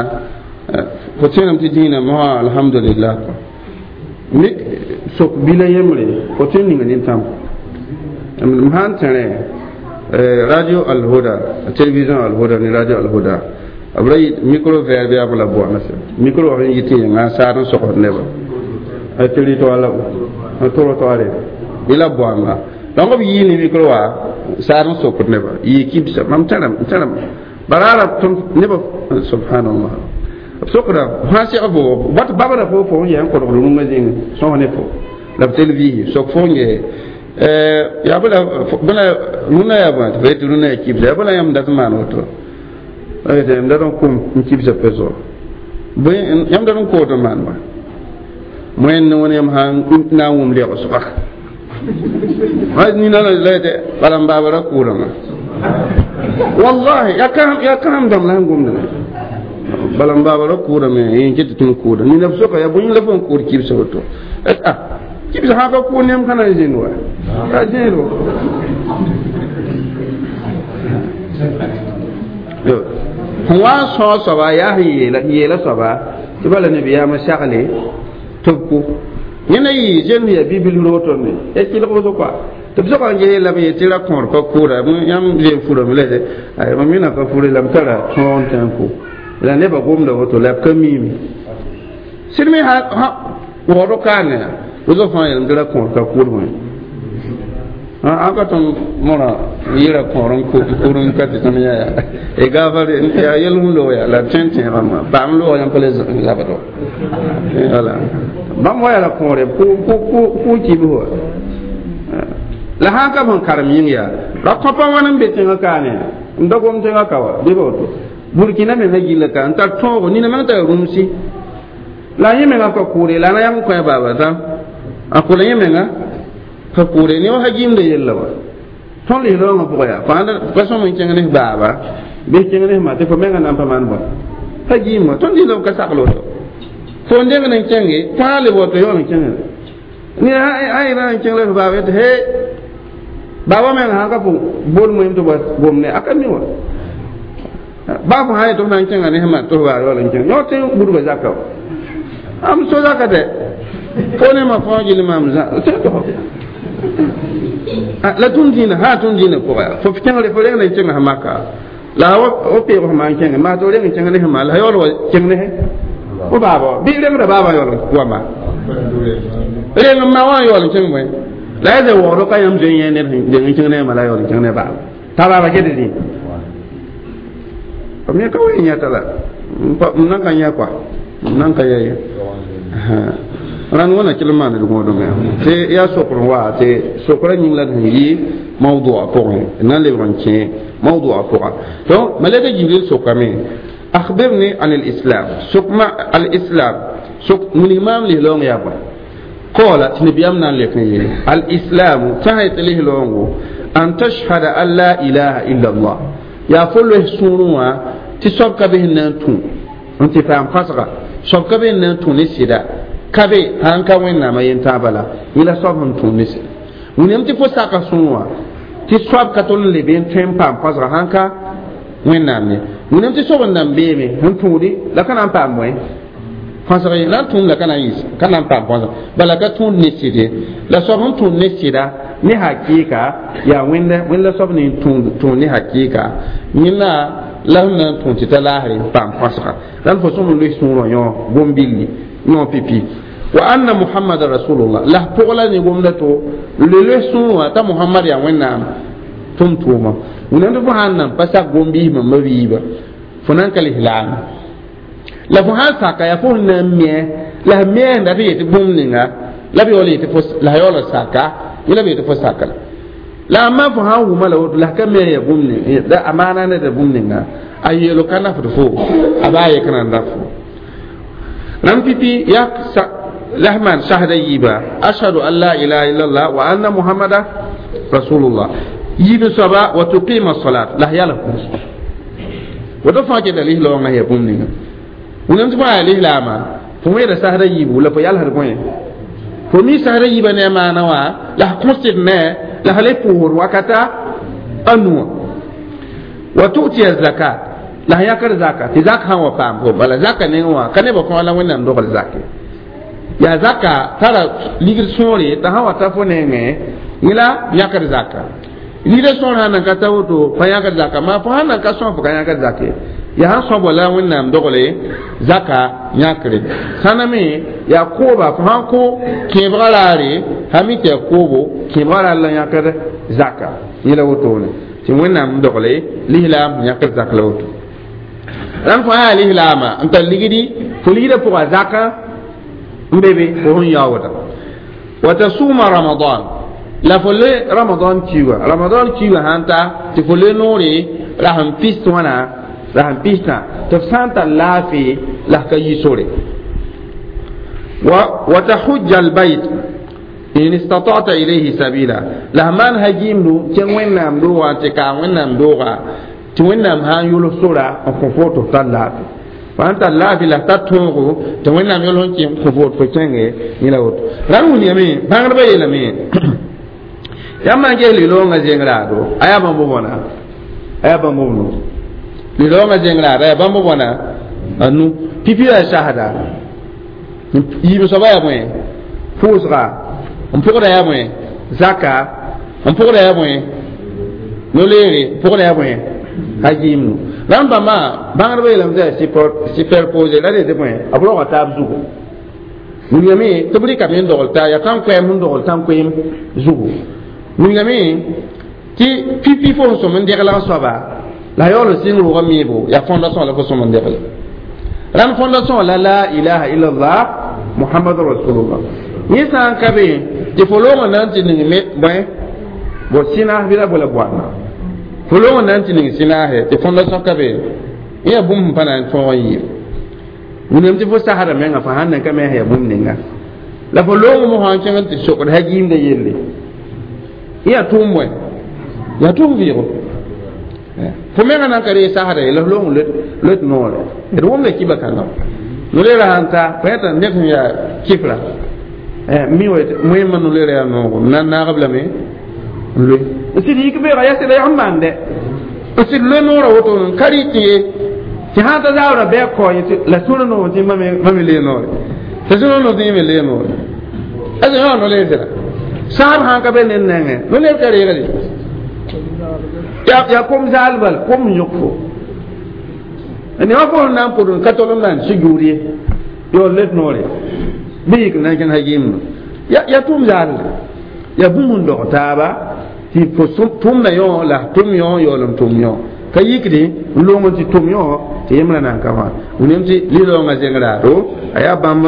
[SPEAKER 1] fo tẽename tɩ dĩinã mosã alhamdulillah mi sok bila yembre fo tõe n ninga nintãm m sã n tẽrẽ radio alhuda télévision alhuda ne radio alhuda b ra micro vert bɩ yaa la boana micro wã sẽn yɩ tɩ yẽnga n saad n sogsd nebã tɩ rɩ toa la tʋrg toaare bɩ la boanga donc b yii ne micro wã saad n sokd nebã yɩ kibsa mam tẽrame tẽrame baraara tõnd nebã subhanallah b sokda sã seg fo wat babra fo fo n yaa n kodgd rũngã zĩng sõs ne fo la b tel viisi sok fo n gee yaa bɩ la rũnã yaa bõe tɩ fo yetɩ rũnã yaa kibsa yaa bɩ la yãmb dat n maan woto yãmb dat n kʋm n kibsa peso bõe yãmb dat n koot n maan bõe moẽnd ne wẽn yãmb sã n na n wʋm legsga nina la yetɩ bala n baaba ra kʋʋdame wallahi yaa kãsem dãmb la sẽn gomdame bala n baaba ra kʋʋdame yẽ ket tɩ tõnd kʋʋda nina b soka yaa bõe la fo n kʋʋd kibsa woto a kibsa sã ka kʋʋd yãmb ka na n zĩnd wa ka zẽedo Sẽn wa n sõog soaba yaa sẽn yeela soaba tɩ bala nabiyaamã sagle tɩ b kʋ yẽna yɩ zen ya bibil rootone ya kɩlg wʋsg kɔa tɩ b soga n ges la b yetɩ tɩ ra kõor pa kʋʋda yãmb zoe furame la mam mina pa fure la m tara tõog n tã n kʋ la nebã gomda woto la b ka miime sɩd me waood kaane wʋsg fãa yeelame tɩ ra kõor ka kʋʋd wẽ an ka tõnd mõra yɩra kõor n kʋr n ka tɩ tõnd yã ya gafar ya yel sẽn loog ya la tõe n tẽegame paam loog yãmb pa le zabd wala bãmb wa yaa la kõore kʋ kibs wa la sãn ka sẽn karem yĩng yaa ra kõpa wãn n be tẽngã kaane n da gom tẽngã ka wa bɩ woto Burkina menga gilla ka n tar tõogo nina meng tara rũmsi la yẽ menga ka kʋʋre la na yãmb n kõ baaba tã a kʋla yẽ menga ka kʋʋre ne wa ha gimda yella wa tõnd lislaoongã pʋgã yaa pa sõm n kẽng ne baaba bɩ kẽng ne ma tɩ fo menga nan pa maan bõe pa gim wa tõnd lislaoong ka sagl woto fo n deng n kẽnge fãa le woto yaool n kẽngre ne a yẽra n kẽng la f baaba tɩ he baaba menga sãn ka fo bol moem tɩ gom ne a ka mi wa baa fo sã yetɩ f na n kẽnga ne ma tɩ f baar yaool n kẽng yõ tɩ budga zaka wa am so zaka dɛ fo ne ma fãa gill maam zã la tũm dĩinã sã tũm dĩinã pʋga fo kẽngre fo reng n kẽng sã maka la wa peeg f maan kẽnge maa tɩ f reng n kẽng ne sẽn maan la yaool wa kẽng ne fo baaba wa bɩ rengda baaba yaool wama reng n ma wã yaool n kẽng bõe la ya zɛ waoodɔ ka yãmb zoe yẽ ned deng n kẽng ne ma la yaool n kẽng ne baaba t'a baaba ket dĩ b me ka wa yãta la m nan ka yã kɔa m nan ka yã ye rãnd wãna kell n maand d gõodme tɩ yaa sokr n wa tɩ sokra yĩng la d sẽn yɩ mawdua pʋgẽ na n lebg n kẽ mawdua pʋga. Donc malɛka Jibril sokame: akhbirni an al-islam, sokma al-islam, sok wilg maam lislaoong yaa bõe. Qala, tɩ nabiyaam na n lek n yeele: al-islamu, tã sã yetɩ lislaoongo, an tashhada an la ilaha illa Allah, yaa fo loes sũurẽ wã tɩ soab ka be sẽn na n tũ n tɩ paam kãsga, soab ka be sẽn na n tũ ne sɩda ka be sãn ka Wẽnnaamã yentãag bala yẽ la soab sẽn tũ ne sɩda. William tɩ fo saka sũur wã tɩ soab ka tol n leb n tõe n paam kãsga sãn ka Wẽnnaam ye. William tɩ soab n nan beeme sẽn tũudi la ka na n paam bõe kãsg ye, la n tũum la ka na n yɩs ka na n paam kãsg bala ka tũud ne sɩd ye. La soab sẽn tũud ne sɩda ne hakɩɩka yaa Wẽnda, Wẽnd la soab ne tũud ne hakɩɩka yẽna la sẽn na n tũ tɩ ta laasre paam kãsga la fo sõm n loe sũurã yõ gom-billi yõ pipi wa anna Muhammad rasulullah la pʋg la ne gomda to le loe sũur wã t'a Muhammad yaa Wẽnnaam tʋm tʋʋma. Wẽnnaam tɩ fo sãn nan pa sak gom-biismã mabiiba fo nan ka lislaam la fo sãn saka yaa fo sẽn na n me la sẽn meenda tɩ yetɩ bũmb ninga la b yaool yetɩ fo la yaool saka yẽ la b yetɩ fo saka la amma fo sãn wʋma la woto la ka me ya bũmb ning la a maana ne da bũmb ninga a yeelo ka nafd fo a baa yek na n naf fo rãmb pipi yaa lahman shahada yiiba: ashhadu an la ilaha illallah wa anna Muhammada rasulullah. Yiib soaba: wa tuqima salat, la yala kʋʋs woto fãa keta lislaoongã ya bũmb ninga. Wẽnnaam tɩ fo yaa lislaama fo wẽeda sasda yiibu la fo yalsd bõe fo mi sasda yiibã ne a maana wã la f kõsd ne la f le pʋʋsd wakata a nuwã. Wa tu'tiya zakat, la sẽn yãkd zaka tɩ zak sã n wa paam fo bala zaka nengẽ wã ka nebã fãa la Wẽnnaam dogl zake yaa zaka tara ligd sõore t'a sã wa ta fo nengẽ yẽ la yãkd zaka ligdã sõor sã nan ka ta woto pa yãkd zaka maa fo sã nan ka sõs fo ka yãkd zake yaa sãn sõabo la Wẽnnaam dogle zaka yãkre sãna me yaa kooba fo sãn kõ kẽebgã raare sã mi tɩ yaa koobo kẽebgã raar la yãkd zaka yẽ la wotone tɩ Wẽnnaam dogle lislaam yãkd zak la woto rãmb fo yaa lislaama n tar ligdi fo ligdã pʋga zaka n be be fo sẽn yaooda. Wa tasuma ramadan, la fo le ramadan kiuga, ramadan kiuga sãn ta tɩ fo le noore la sẽn pis wãna la sẽn pistã tɩ f sã n tar laafee la f ka yi sore. Wa tahujja albayt in istata'ta ilayhi sabila, la f maan hagimdu kẽng Wẽnnaam doogã tɩ kaam Wẽnnaam dooga tɩ Wẽnnaam sã n yʋls sora n kõ fo tɩ f tar laafee fo sãn tar laafɩ la f tar tõogo tɩ Wẽnnaam yʋls n kõ fo tɩ fo kẽnge yẽ la woto. Rãmb wilgame bãngdbã yeelame yãmb maan ges liloongã zeng raado a yaa bãmb b wãna a yaa bãmb b no Liloongã zengraada yaa bãmb bõna anu. Pipi yaa sasda yiib soaba yaa bõe pʋʋsga n pʋgda yaa bõe zaka n pʋgda yaa bõe no-leere n pʋgda yaa bõe hajiimnu rãmb bãmba bãngdbã yeelame tɩ yaa superposé la rete bõe b roga taab zugu wilgame tɩ b rɩkame n dogl taa yaa tãn-koɛɛm sẽn dogl tãn-koeem zugu wilgame tɩ pipi fo sẽn sõm n deglg soaba la yaool n sɩng rʋʋgã meebo yaa fondation la fo sõm n degle rãnd fondation la la ilaha illallah muhammadu rasulullah yẽ sã n ka be tɩ fo loongã na n tɩ ning me bõe bo sɩnaas bɩ la bo la boanda fo loongã na n tɩ ning sɩnaase tɩ fondation ka be yẽ yaa bũmb sẽn pa na n tõog n yɩɩm wĩnam tɩ fo sasda menga fo sãn nan ka me yaa bũmb ninga la fo loong mo sã n kẽng n tɩ sokd hagiimda yelle yẽ yaa tʋʋm bõe yaa tʋʋm vɩɩgo fo menga nan ka ree sasda ye la f loong loet noore d wʋmda kiba kãngã no-leerã sãn ta fo yãta ned sẽn yaa kifra mi wa moẽmã no-leerã yaa noogo m na n naagb lame n loe n sɩd yik beoogã yaa sɩda yag n maande n sɩd loe noorã woto n ka rɩ tɩ ye tɩ sã n ta zaoorã bɩ a kao yẽ la sũurã noog tɩ mame lee noore tɩ sũurã noog tɩ yẽ me lee noore asa yõ no-leer sɩda sãab sãn ka be ned nengẽ no-leer ka reegde yaa kom zaal bal kom n yõk fo ne wã fo sẽn na n pʋd n ka tol n maan sujuud ye yaool let noore bɩ yik n na n kẽng hagiimdu yaa tʋʋm zaalde yaa bũmb n dog taaba tɩ fo tʋmda yõ la tʋm yõ yaool n tʋm yõ ka yikdi n loong n tɩ tʋm yõ tɩ yembrã na n ka wã william tɩ lis-raoongã zeng-raado a yaa bãmb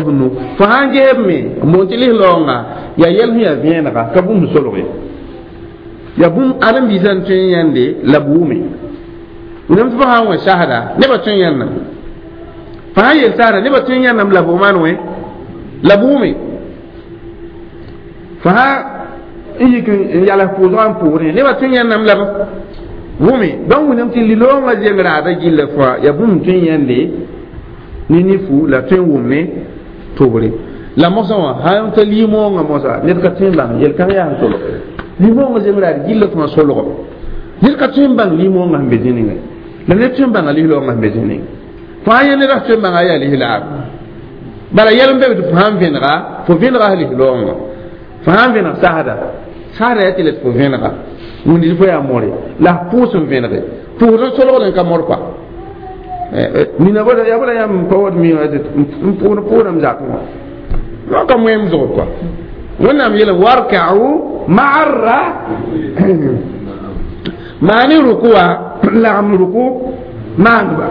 [SPEAKER 1] b nu fo sã n gesb me n boond tɩ lis-raoongã yaa yɛl sẽn yaa vẽenega ka bũmb solg ye yaa bũmb ãdem-biisã n tõe n yãnde la b wʋme william tɩ fo sã n wẽ sasda nebã tõe n yãndame fo sã n yel sasda nebã tõe n yãndame la b maan wẽ la b wʋme fo sã n yik n yals pʋʋsgã n pʋʋsdẽ nebã tõe n yãndame la b wʋme donc william tɩ li-loongã zeng raada gilla fãa yaa bũmb tõe n yãnde ne nifu la tõe n wʋm ne tʋbre la mosã wã sã n ta limoongã mosa ned ka tõe n bãng yel-kãng yaa sẽn solg limoongã zeng raad gilla fãa solgo ned ka tõe n bãng limoongã sẽn be zĩ ninga la ned tõe n bãnga lis-loongã sẽn be zĩ ninga fãa yẽ ned tõe n bãnga yaa lis-laab bala yɛl n be tɩ fo sãn vẽnega fo vẽnega lis-loongã fo sãn vẽneg sasda sasda yaa tɩ la tɩ fo vẽnega wĩndi fo yaa more la f pʋʋs n vẽnege pʋʋsd n solgd n ka mor kɔa mina yaa bala yãmb pa wat mi n pʋʋd pʋʋdame zakẽ wã wã ka moẽm zʋgd kɔa wẽnnaam yeelame warka'u ma'a ra maani ruku wã lagem ruku maandba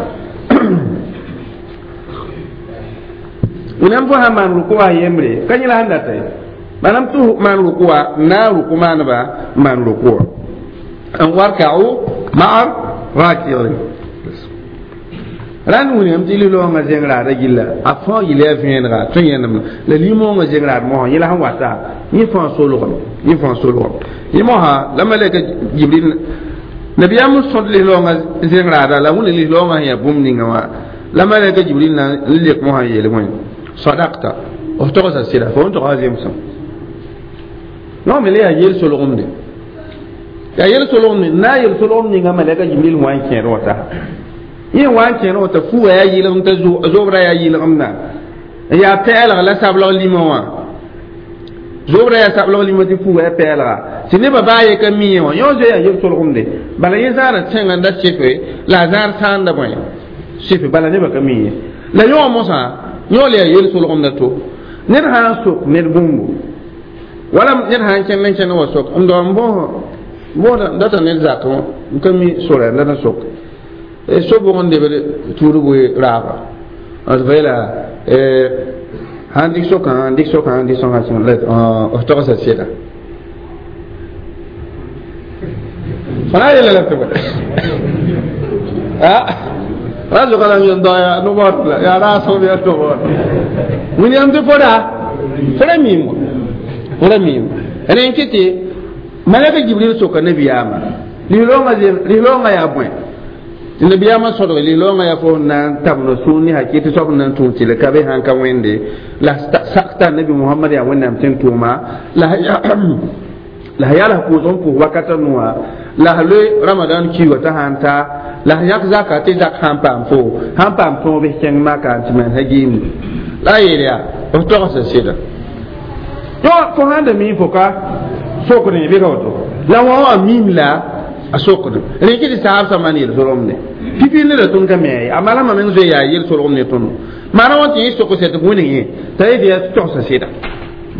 [SPEAKER 1] wẽnnaam fo sã n maan ruku wã yembre ka yẽ la sẽn data ye maanaam tɩ maan ruku wã n na n ruku maandba n maan ruku wã n warka'u ma'a raki'in rãnd wilgame tɩ li-loongã zeng raada gilla a fãa yɩl yaa vẽenega tõe n yẽndame la limõongã zeng raad mosã yẽ la sẽn wata yẽ fãa solgame yẽ fãa solgame yẽ mosã la malɛka jibril nabiyaam n sõd lis-loongã zeng raada la wẽnd lis-loongã sẽn yaa bũmb ninga wã la malɛka jibril na n lek mosã n yeel wẽn sadakta f togsa sɩda fo n togsa zemsem non me le yaa yel solgemde yaa yel solgemde n na n yel solgem ninga malɛka jibril wã n kẽed wã tasa yẽ wã n kẽed wã t'a fuga yaa yɩlgem t'a zobrã yaa yɩlgemda n yaa pɛɛlg la sablg lima wã zobrã yaa sablg lima tɩ fuga yaa pɛɛlga tɩ nebã baa ye ka mi wã yõ zoe yaa yel solgemde bala yẽ zãada tẽngã n da sefe la a zãad sãanda bõe sefe bala nebã ka mi ye la yõ mosã yõ le yaa yel solgemda to ned sã n sok ned bũmbu wala ned sã n kẽnd n kẽnd wa sok n dao n bõoda data ned zakẽ wã n ka mi sora n dat n sok so bʋg n lebd tuudg raaba d fa yeela sãn dɩk sokã dɩk sokã dɩk sokã f togsa sɩda fo na n yeela la tɩ bõe ra zoga la yẽn dao yaa no-baood la yaa raasg bɩ yaa no-baood william tɩ fo ra fo ra miime fo ra miime rẽ n kɩ tɩ malɛka jibril soka nabiyaamã lis-loongã yaa bõe tɩ nabiyaamã sõdg lis-loongã yaa fo na n tab no-sũur ne hakɩ tɩ soab na n tũud tɩ la ka be sãn ka wẽnde la sakta nabi mohamad yaa wẽnnaam tɩ n tʋʋma la la yals pʋʋsg n pʋʋs wakata nʋwã la loe ramadan kiiga t'a sãn ta La yãk zaka tɩ zak sãn paam fo sãn paam tõog bɩ kẽng maka n tɩ maan sã gɩɩmde la a yeel yaa f togsa sɩda fo sãn da mi fo ka sokdẽ bɩ ka woto la wã wã mim la a sokd rẽ kɩ tɩ saab sã maan yel-solgem ne pipi neda tõnd ka me ye a malama meng zoe yaa yel-solgem ne tõndo maana wã tɩ yẽ sok sɛ tɩ b wẽneg yẽ t'a yetɩ yaa togsa sɩda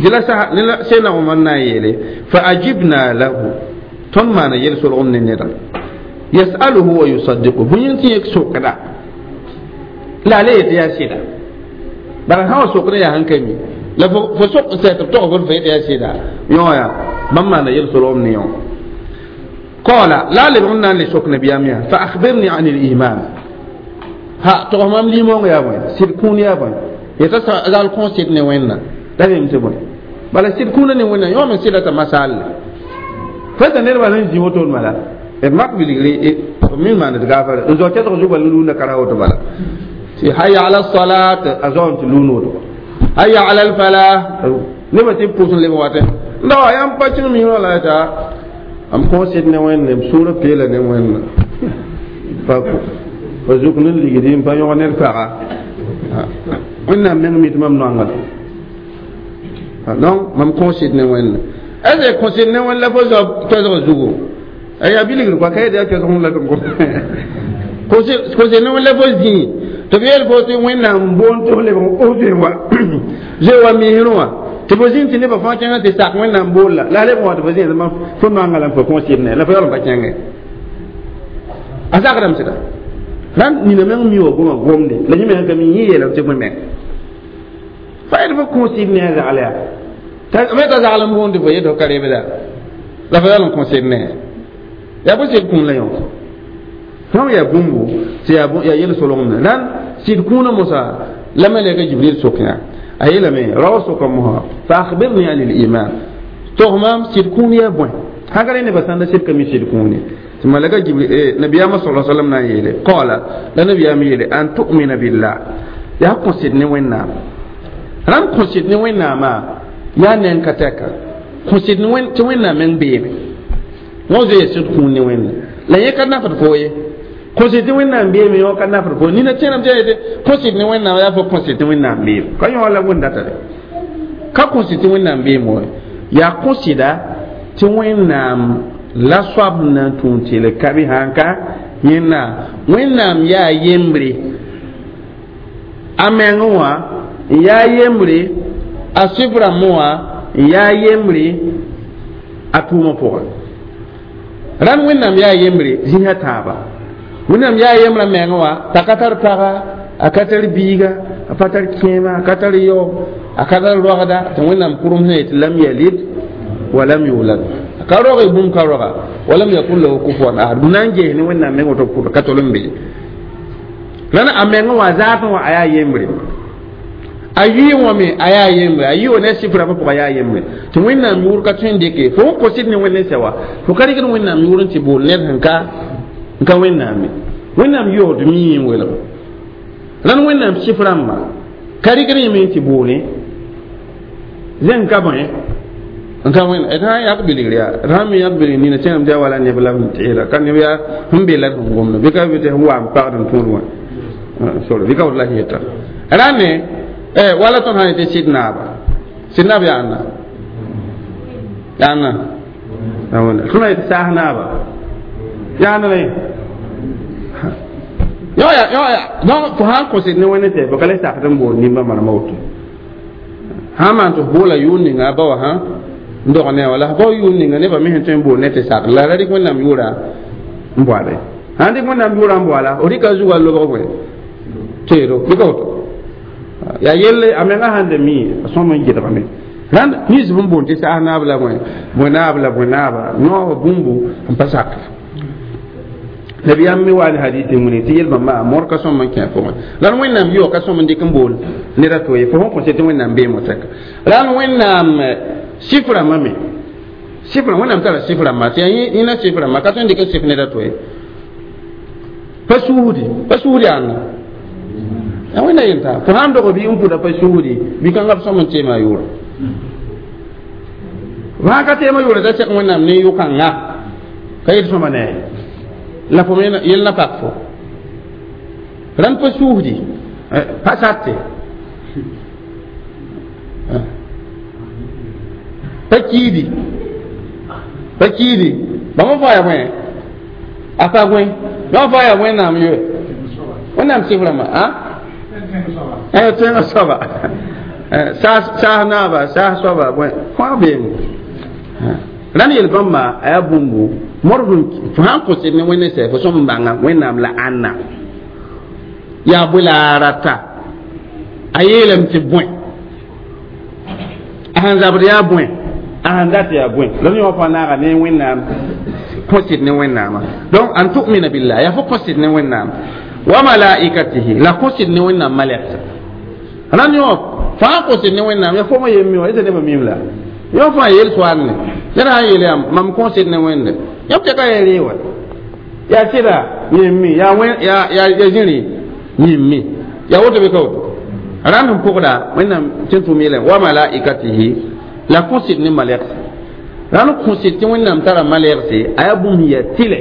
[SPEAKER 1] dɩla sẽna Omar na n yeele fa ajibna lahu tõnd maana yel-solgem ne neda yasaluhu wa yusaddiqu bõe yẽng tɩ yẽ sokda la a le yetɩ yaa sɩda bala sã wa sokdẽ yaa sẽn ka mi la fo sok n sɛ tɩ b tog fo fo yetɩ yaa sɩda yõ yaa bãmb maana yel-solgem ne yõ قال لا لبغنا لسوك نبي أميا فأخبرني عن الإيمان ها تغمام ليمون يا بوين سيركون يا بوين يتسأل كون سيدني وين لا يمتبون بل سيركون ني وين يوم سيدة مسال فتا نربا نجي وتول مالا mak biligri min man gafar n zo ketg zuga luna kara woto bala ti hayya ala salat azon ti luno to hayya ala al falah ne ba ti pusun le wate ndo yam pacin mi wala ta am kõ sɩd ne wẽnnaam sũurã peela ne wẽnna pa pa zuk ne ligdi n pa yõg ned paga wẽnnaam meng mi tɩ mam noangd donc mam kõ sɩd ne wẽnna est ce kõ sɩd ne wẽn la fo zao toɛsg zugu yaa bilgr kɔa ka yetɩ yaa toɛsg la tɩ kõ sɩd ne wẽn la fo zĩi tɩ b yeel fo tɩ wẽnnaam boond tɩ f lebg o zoe wa zoe wa misrẽ wã tɩ fo zĩnd tɩ nebã fãa kẽngã tɩ sak wẽnnaam boolla la a lebg wã tɩ fo zĩnd fo noanga la n fo kõ sɩd ne la fo yaool n pa kẽngẽ a sakdame sɩda rãnd nina meng mi wa goma gomde la yẽ meng ka mi yẽ yeelame tɩ bõe meng fa yetɩ fo kõ sɩd ne a zagl yaa me t'a zagl n boonde fo yetɩ fo ka rebda la fo yaool n kõ sɩd ne yaa bõ sɩd kũun la yõ fãa yaa bũmbu tɩ yaa yel-solgem rãnd sɩd kũunã mosa la malɛka Jibril sok yã a yeelame rao soka mosa fa akhbirni an liman tog maam sɩd kũun yaa bõe sãn ka rẽ nebã sãn da sɩd ka mi sɩd kũune tɩ malaka Jibril nabiyaamã sa sallam na n yeele qala la nabiyaam yeele an tu'mina billah yaa kõ sɩd ne Wẽnnaam rãmb kõ sɩd ne Wẽnnaamã yaa neng ka tɛka kõ sɩd tɩ Wẽnnaam meng beeme wã zoe sɩd kũun ne Wẽnna la yẽ ka nafd fo ye kõ sɩd tɩ Wẽnnaam beeme yõ ka nafd fo nina tẽenam tɩ yetɩ kõ sɩd ne Wẽnnaam yaa fo kõ sɩd tɩ Wẽnnaam beem ka yõ la wẽn datare ka kõ sɩd tɩ Wẽnnaam beem wa yaa kõ sɩda tɩ Wẽnnaam la soab na n tũud tɩl ka bɩ sãn ka yẽnna Wẽnnaam yaa yembre a meng wã n yaa yembre a sɩf rãmb wã n yaa yembre a tʋʋmã pʋgẽ rãnd Wẽnnaam yaa yembre zĩsã tãaba Wẽnnaam yaa yembrã meng wã t'a ka tar paga a ka tar biiga a pa tar kẽema a ka tar yao a ka tar rogda tɩ Wẽnnaam kʋrem sẽn yetɩ lam yalid wa lam yulad ka roge bũmb ka roga wa lam yakun lahu kufuwan ahad na n ges ne Wẽnnaam meng woto pʋd ka tol n be rãnd a meng wã zaatẽ wã a yaa yembre a yɩɩ wã me a yaa yembre a yɩ wa ne a sɩf rãmbã pʋgã yaa yembre tɩ Wẽnnaam yʋʋr ka tõe n dɩke fo n kõ sɩd ne Wẽnd n sɛ wa fo ka rɩkd Wẽnnaam yʋʋr n tɩ bool ned sẽn ka n ka Wẽnnaam ye Wẽnnaam yoosd mii n welg rãnd Wẽnnaam sɩf rãmbã ka rɩkd yẽme n tɩ boole zẽng ka bõe n ka wẽn d sã n yak bilgr yaa d sã n mi yak bilgr nina tẽenam tɩ yaa wala neb la n teera ka neb yaa sẽn be la d sẽn gomda bɩ ka bɩ tɩ sẽn wa n pagd n tõod wã sor bɩ ka woto la sẽn yeta rãnde wala tõnd sã n yetɩ sɩd naaba sɩd naab yaa ãnna yaa ãnna tõnd sã yetɩ saas naaba yaa ãnna la yẽ yõ ya donc fo sã n kõ sɩd ne Wẽnd tɛ fo ka le sakd n bool nimba manema woto sã n maan tɩ f boola yʋʋr ninga a ba wã sã n dog ne wala bao yʋʋr ninga nebã me sẽn tõe n bool ne tɩ sak la ra rɩk Wẽnnaam yʋʋra n boale sãn rɩk Wẽnnaam yʋʋra n boala f rɩka zugã lobg bõe teedo bɩ ka woto yaa yelle a menga sãn da mi a sõm n gɩdgame rãnd nins b n boond tɩ saas naab la bõe bõe naab la bõe naaba noog bũmbu n pa sak nabiyaam me wa ne hadis n wini tɩ yel-bãmba mor ka sõm n kẽ pʋgẽ la d Wẽnnaam yʋɔ ka sõm n dɩk n bool ned a to ye fo sẽn kõ tɩ Wẽnnaam beem tɛka la d Wẽnnaam sɩf rãmbã me sɩf rãmb Wẽnnaam tara sɩf rãmba tɩ yaa yẽna sɩf rãmba ka tõe n dɩk n sɩf ned a to ye pa suusdi yaa ãnna yaa Wẽnna yelta fo sãn dog bɩ n pʋda pa suusdi bɩ kãngã b sõm n teema yʋʋra fo sãn ka teema yʋʋra t'a sek Wẽnnaam ne yʋ-kãnga ka yet sõma ne La fo me yel na pak fo rãnd pa suusdi pa sate pa kiidi pa kiidi bãmb faa ya bõe a pa gõe bãmb faa ya Wẽnnaam yo Wẽnnaam sɩf rãmbã a tẽngã soaba saas naaba saas soaba bõe kõa beeme rãnd yel bãmba a yaa bũmbu modg fo sãn kõ sɩd ne Wẽnd sɛ fo sõm n bãnga Wẽnnaam la ãnna yaa bõe la a rata a yeelame tɩ bõe a sẽn zabd yaa bõe a sẽn dat yaa bõe la yõ fãa naaga ne Wẽnnaam kõ sɩd ne Wẽnnaamã. Donc an tu'mina billah yaa fo kõ sɩd ne Wẽnnaam wa malaikatihi la kõ sɩd ne Wẽnnaam malɛksa rãnd yõ fãa kõ sɩd ne Wẽnnaam yaa fo yem mi wã esa nebã mim la yõ fãa yel soaal ne ned sã n yeel yaa mam kõ sɩd ne Wẽnde yãmb tɩ ka yaa ree wa yaa sɩda yẽmmi yaa yaa zĩri yẽmmi yaa woto bɩ ka woto rãnd n pʋgda Wẽnnaam tɩ n tʋm yeelame wa malaikatihi la kõ sɩd ne malɛgse rãnd kõ sɩd tɩ Wẽnnaam tara malɛgse a yaa bũmb sẽn yaa tɩlɛ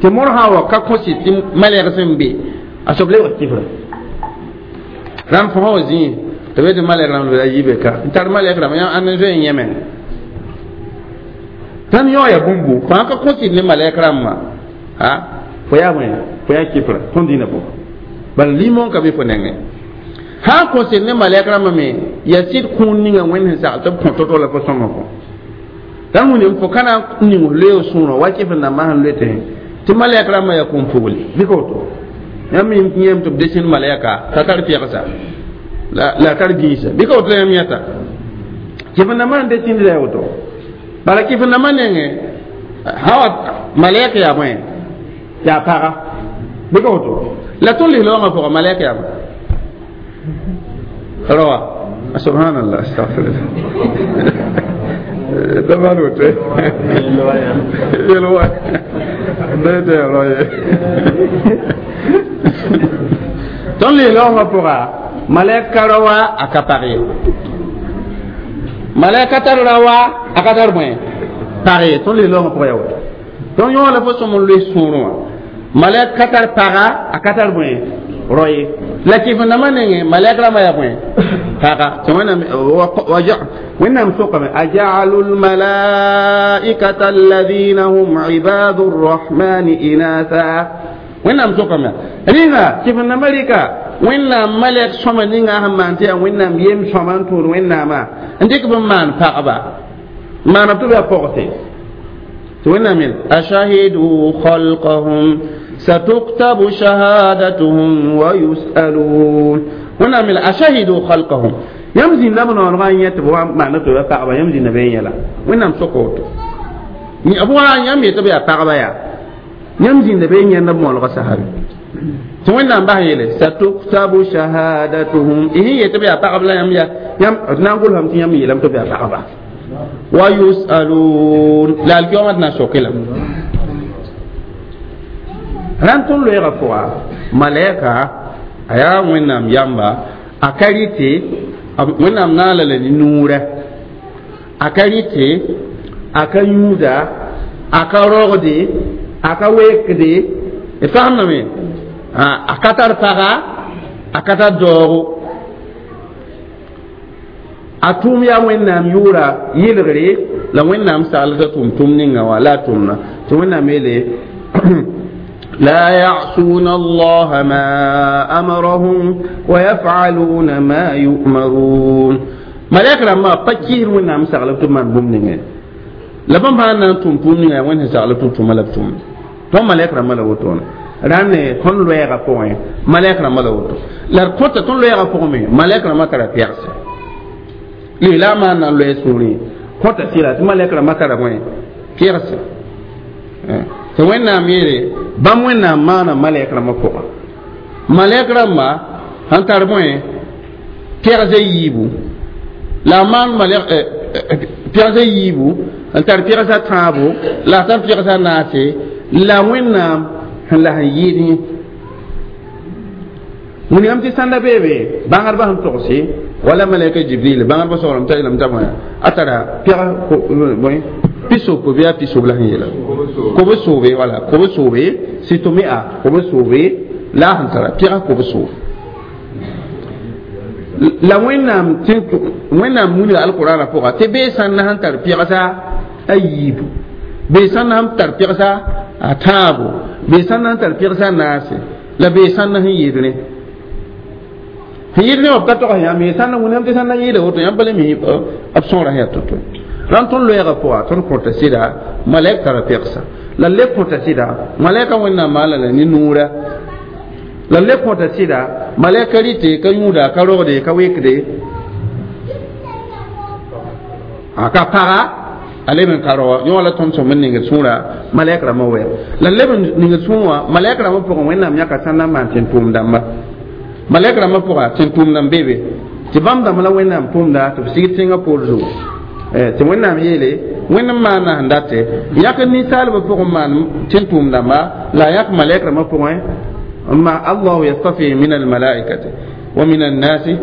[SPEAKER 1] tɩ modg sã n wa ka kõ sɩd tɩ malɛgs n be a soab lebg kifra rãnd fo sã wa zĩig tɩ be tɩ malɛg rãmb a yibe ka n tar malɛk rãmb ãnd n zoe n yẽ meng rãnd yõ yaa bũmbu fãa ka kõ sɩd ne malɛk rãmbã a fo yaa bõe fo yaa kifra tõnd dĩinã pʋgã bala limon ka be fo nengẽ sã n kõ sɩd ne malɛk rãmbã me yaa sɩd kũun ninga Wẽnd sẽn sagl tɩ b kõ to-to la fo sõma kõ rãnd wĩndame fo ka na n ning f loeeg sõorã wa kɩf rãmbã sẽn loe tɩ malɛk rãmbã yaa kũm-pugli bɩ ka woto yãmb yẽm tɩ b desẽnd malɛka t'a tar pɛgsa la tar gĩisa bɩ ka woto la yãmb yãta kɩf rãmbã sẽn desẽnd la ya woto bala kɩf rãmbã nengẽ sã wa malɛk yaa bõe yaa paga bɩ ka woto la tõnd lislaoongã pʋga malɛk yaa bõe rawa subhanallah astaghfirullah damal woto yelwa dete roye tõnd lislaoongã pʋga malɛk ka rawa a ka pag ye malɛk ka tar rawa a ka tar bõe pag ye tõnd lislaoongã pʋga yaa woto donc yõ la fo sõm n loe sũurẽ wã malɛk ka tar paga a ka tar bõe roye la kɩf rãmbã nengẽ malɛk rãmbã yaa bõe paga tɩ Wẽnnaam sokame aja'alu lmalaikata alladhina hum ibadu rrahmani inatha Wẽnnaam sokame rĩnga kɩf rãmbã rɩka Wẽnnaam malɛk sõma ninga sẽn maan tɩ yaa Wẽnnaam yem sõma n tũud Wẽnnaamã n dɩk b n maan pagba n maana tɩ b yaa pɔgse tɩ Wẽnnaam yel ashahidu khalqahum satuktabu shahadatuhum wa yus'alun Wẽnnaam yel ashahidu khalqahum yãmb zĩnda b noonegã n yẽ tɩ b wa maana tɩ b yaa pagba yãmb zĩnda be n yɛla Wẽnnaam soka woto b wa yãmb yetɩ b yaa pagba yaa yãmb zĩnda be n yẽnd b moolgã sahabe tɩ Wẽnnaam bas n yeele satuktabu shahadatuhum y sẽn yetɩ b yaa pagb la yãmb yaa yãmb d na n gʋlsame tɩ yãmb yeelame tɩ b yaa pagba wa yus'alun la alkiyoma tɩ na n soke lame rãnd tõnd loeegã pʋga malɛka a yaa Wẽnnaam yamba a ka rɩte Wẽnnaam naala la ne nuurã a ka rɩte a ka yũuda a ka rogde a ka weekde d fagemdame a ka tar paga a ka tar daoogo a tʋʋm yaa Wẽnnaam yʋʋra yɩlgre la Wẽnnaam sagl t'a tʋm tʋm ninga wã la a tʋmna tɩ Wẽnnaam yeele لا يعصون الله ما أمرهم ويفعلون ما يؤمرون ملائكة لما فكير وين سغلب تمان بوم la bãmb sã n na n tʋm tʋʋm ninga Wẽnd sẽn sagl tɩ tʋma la b tʋm tõnd malɛk rãmbã la wotone rãnd tõnd loɛɛgã pʋgẽ malɛk rãmbã la woto la d kõta tõnd loɛɛgã pʋgẽ me malɛk rãmbã tara pɛgse lislaamã n na n loɛ sũurẽ kõta sɩla tɩ malɛk rãmbã tara bõe pɛgse tɩ Wẽnnaam yeele bãmb Wẽnnaam maana malɛk rãmbã pʋga malɛk rãmba sẽn tar bõe pɛgsã yiibu la a maan malɛk pɛgsã yiibu n tar pɛgsã tãabo la a tar pɛgsã naase la Wẽnnaam sẽn la sẽn yɩɩd yẽ wilgame tɩ sãnda beebe bãngdbã sẽn togse wala malɛka Jibril bãngdbã soglem t'a yeelame t'a bõe a tara pɛg bõe Pisopo bɩ yaa pisob la sẽn yeela kob-soobe, wala kob-soobe sitomia kob-soobe la a sẽn tara pɛgs kob-soob la Wẽnnaam Wẽnnaam wilga alqurana pʋga tɩ bee sãn na sẽn tar pɛgsa a yiibu, bee sãn na sẽn tar pɛgsa a tãabo, bee sãn na sẽn tar pɛgsa a naase, la bee sãn na sẽn yɩɩd rẽ sẽn yɩɩd rẽ wã b ka tog yãmb ye sãn na wẽnnaam tɩ sãn na yɩɩda woto yãmb pa le mi b sõora sẽn yaa to-to. Rãnd tõnd loɛɛgã pʋga tõnd kõta sɩda malɛk tara pɛgsa, la le kõta sɩda malɛka Wẽnnaam maana la ne nuura, la le kõta sɩda malɛka rɩte ka yũuda ka rogde ka wekde a ka paga a leb n ka roa yõ la tõnd sõm n ningd sũurã malɛk rãmbã wɛ la leb n ningd sũur wã malɛk rãmbã pʋgẽ Wẽnnaam yãka sãn na n maan tẽn-tʋʋm dãmba malɛk rãmbã pʋga tẽn-tʋʋm dãmb be be tɩ bãmb dãmb la Wẽnnaam tʋʋmda tɩ b sig tẽngã poor zugu tɩ Wẽnnaam yeele Wẽnd n maana sẽn date yãk ninsaalbã pʋgẽ maan tẽn-tʋʋm dãmba la a yãk malɛk rãmbã pʋgẽ ma Allahu yastafi min almalaikati wa min annasi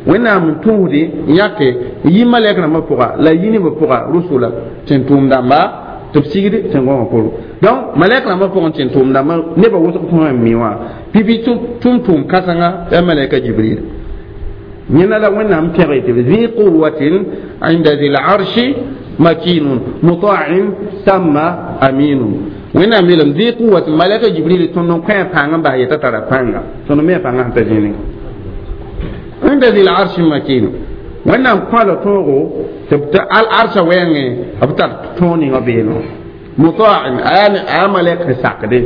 [SPEAKER 1] Wẽnnaam n tũusde yãke yi malɛk rãmbã pʋga la yi nebã pʋga rusula tẽn-tʋʋm dãmba tɩ b sigd tẽn-gõngã pʋgẽ. Donc malɛk rãmbã pʋgẽ tẽn-tʋʋm dãmbã nebã wʋsg tõe n mi wã pipi tʋm-tʋʋm kãsenga yaa malɛka Jibril yẽna la Wẽnnaam pẽge tɩ zi quwatin inda zi larshi makinun muta'in samma aminun. Wẽnnaam yeelame zi quwatin malɛka Jibril tõnd n kõ a pãng n bas yetã tara pãnga tõnd me a pãngã sẽn ta zĩnig inda zi larshi makin Wẽnnaam kõ la tõogo tɩ al arsã wɛɛngẽ b tar tõog ninga beeno muta'in a malɛk sẽn sakde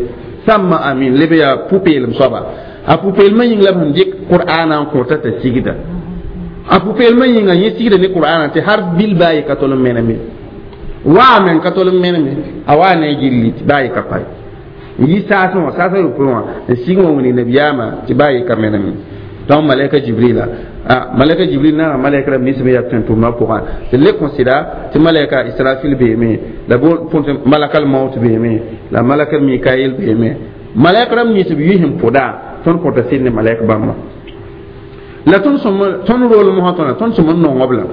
[SPEAKER 1] samma amin leb yaa pu-peelem soaba a pu-peelmã yĩng la b sẽn dɩk qur'aanã n kõta t'a sigda a pu-peelmã yĩnga yẽ sigda ne qur'aanã tɩ har bil baa ye ka tol n meneme waa men ka tol n meneme a waa ne a gilli tɩ baa ye ka pae n yi saasẽ wã saasã yopoe wã n sig wã wĩnig nabiyaamã tɩ baa ye ka meneme. Donc malɛka Jibrila a malɛka Jibril naana malɛk rãmb nins me yaa tẽn-tʋʋmdã pʋgã tɩ le kõsɩda tɩ malɛka Israfil beeme la põn malakal maut beeme la malakal Mikail beeme malɛk rãmb nins b yʋ sẽn pʋda tõnd kõta sɩd ne malɛk bãmba la tõnd sõm tõnd rol mosã tõna tõnd sõm n nong b la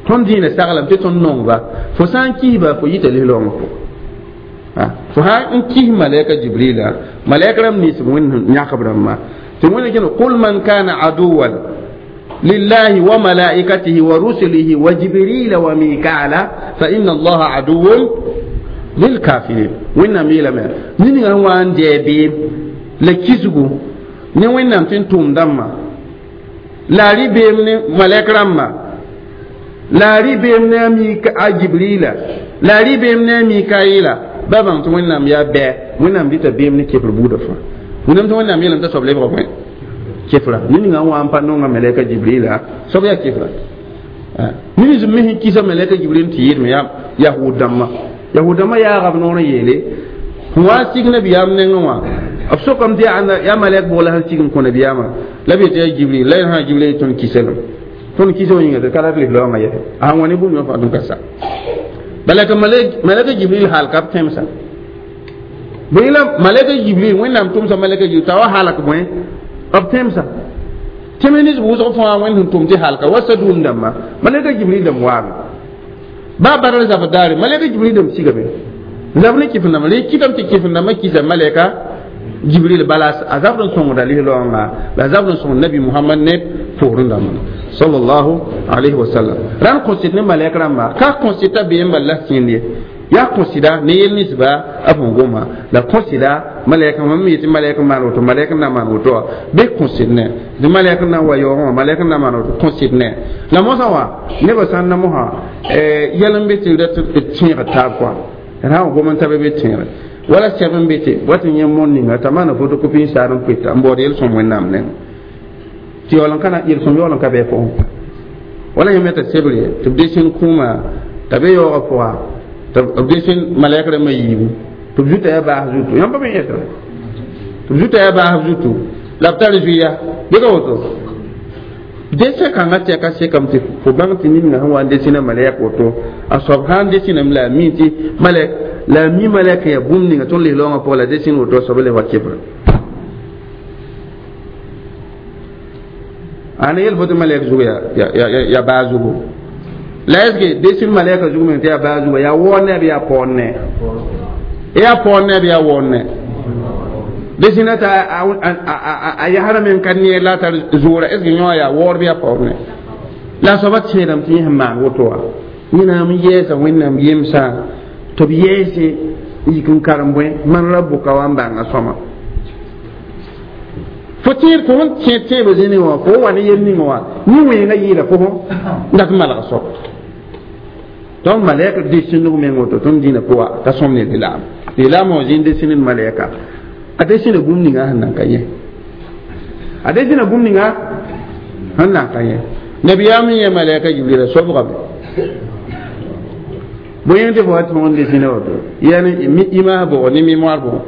[SPEAKER 1] tõnd dĩinã saglame tɩ tõnd nongba fo sã n kisba fo yita lis-raoongã pʋgẽ fo sã n kis malɛka Jibrila malɛk rãmb nins b Wẽnd yãkb rãmbã tɩ Wẽnd kẽne qul man kana aduwan lillahi wa malaikatihi wa rusulihi wa Jibrila wa Mikala fa inna Allaha aduwun lilkafirin. Wẽnnaam yeelame ned ninga sẽn wa n dɛɛ beem la kisgu ne Wẽnnaam tɩ n tʋʋm dãmbã la a rɩ beem ne malɛk rãmba la a rɩ beem ne a Jibrila la a rɩ beem ne a Mikaila ba bãng tɩ Wẽnnaam yaa bɛɛ Wẽnnaam dɩta beem ne kefr buudã fãa Wẽnnaam tɩ Wẽnnaam yeelame t'a soab lebga bõe kefra ned ninga n wa n pa nonga malɛka Jibrila soab yaa kefra ned nins me sẽn kisa malɛka Jibril tɩ yɩɩdme yaa yahud dãmbã yahud dãmbã yaaga b noor n yeele sẽn wa n sig nabiyaam nengẽ wã b sokame tɩ yaa malɛk bʋg la sẽn sig n kõ nabiyaamã la b yetɩ yaa Jibril la sã Jibril tõnd kiselem tõnd kisa wã yĩnga tɩ ka rat lis-raoongã yɛse a sẽn wa ne bũmb yõ fãa tʋm ka sa bala ka malɛka Jibril hal ka b tẽmsa bõe la malɛka Jibril Wẽnnaam tʋmsa malɛka Jibril t'a wa halk bõe b tẽmsa tẽms nins wʋsg fãa Wẽnd sẽn tʋm tɩ halka wa Sadum dãmbã malɛka Jibril dãmb waame baa badr zabr daare malɛka Jibril dãmb sigame zab ne kɩf dãmba rẽ kɩtame tɩ kɩf dãmbã kisa malɛka Jibril bala a zabr n sõngda lis-raoongã la a zabr n sõng nabi Muhammad ne poorẽ dãmbã sallallahu alayhi wa sallam. Rãnd kõsɩd ne malɛk rãmba ka kõsɩd t'a beem bal la sẽnd ye yaa kõsɩda ne yel ninsba a bõn goma la kõsɩda malɛk mam yetɩ malɛk n maan woto malɛk n na maan woto wã bɩ kõsɩd ne tɩ malɛk n na n wa yaoogẽ wã malɛk n na maan woto kõsɩd ne la mosã wã nebã sã n na mosã yɛl n be tɩ rat tẽeg taab kɔa d sã n gom n tabe be tẽegre wala sɛb n be tɩ wat n yẽ mon ninga t'a maana photocopie n saar n pʋɩta n baood yel-sõm Wẽnnaam nengẽ tɩ yaool n ka yel-sõm yaool n ka bɩ pʋgẽ wala yãmb t'a sebre tɩ b desẽn kũuma t'a be yaoogã pʋga tɩ b desẽn malɛk rãmbã yiibu tɩ b zuta yaa baas zutu yãmb pa be yẽsra tɩ b zuta yaa baasb zutu la b tar zuiya bɩ ka woto desẽ kãngã tɛka sekame tɩ fo bãng tɩ ned ninga sẽn wa n desẽna malɛk woto a soab sã n desiname la a mi tɩ malɛk la a mi malɛk n yaa bũmb ninga tõnd lis-raoongã pʋgã la desẽn woto a soab le wa kefra ana yel fo tɩ malɛk zug yaa baa zugu La est-ce que desin malaika zugu men tɩ yaa baa zuga yaa waoor ne bɩ yaa paoor ne yaa paoor ne bɩ yaa waoor ne desina t'a a yasra men ka neer la a tar zoora est ce que yõ yaa waoor bɩ yaa paoor ne la a soaba tẽedame tɩ yẽ sẽn maan woto wã wẽnnaam yɛɛsa wẽnnaam yemsã tɩ b yɛɛse n yik n karem bõe man rabuka wa n bãnga sõma fo tẽed fo sẽn tẽed tẽebã zĩnẽ wã fo wa ne yel ninga wã yẽ wẽnga yɩɩda fo n dat n malg soab donc malɛk desindg meng woto tõnd dĩnã pʋga ka sõm ne lislaam lislaam wã zĩnd desind malɛka a desina bũmb ninga sẽn nan ka yẽ a desina bũmb ninga sẽn nan ka yẽ nabiyaam n yẽ malɛka jibrila sobgame bõe yẽ tɩ fo wa tõg n desina woto yaa ne image bʋgɔ ne mémoire bʋgɔ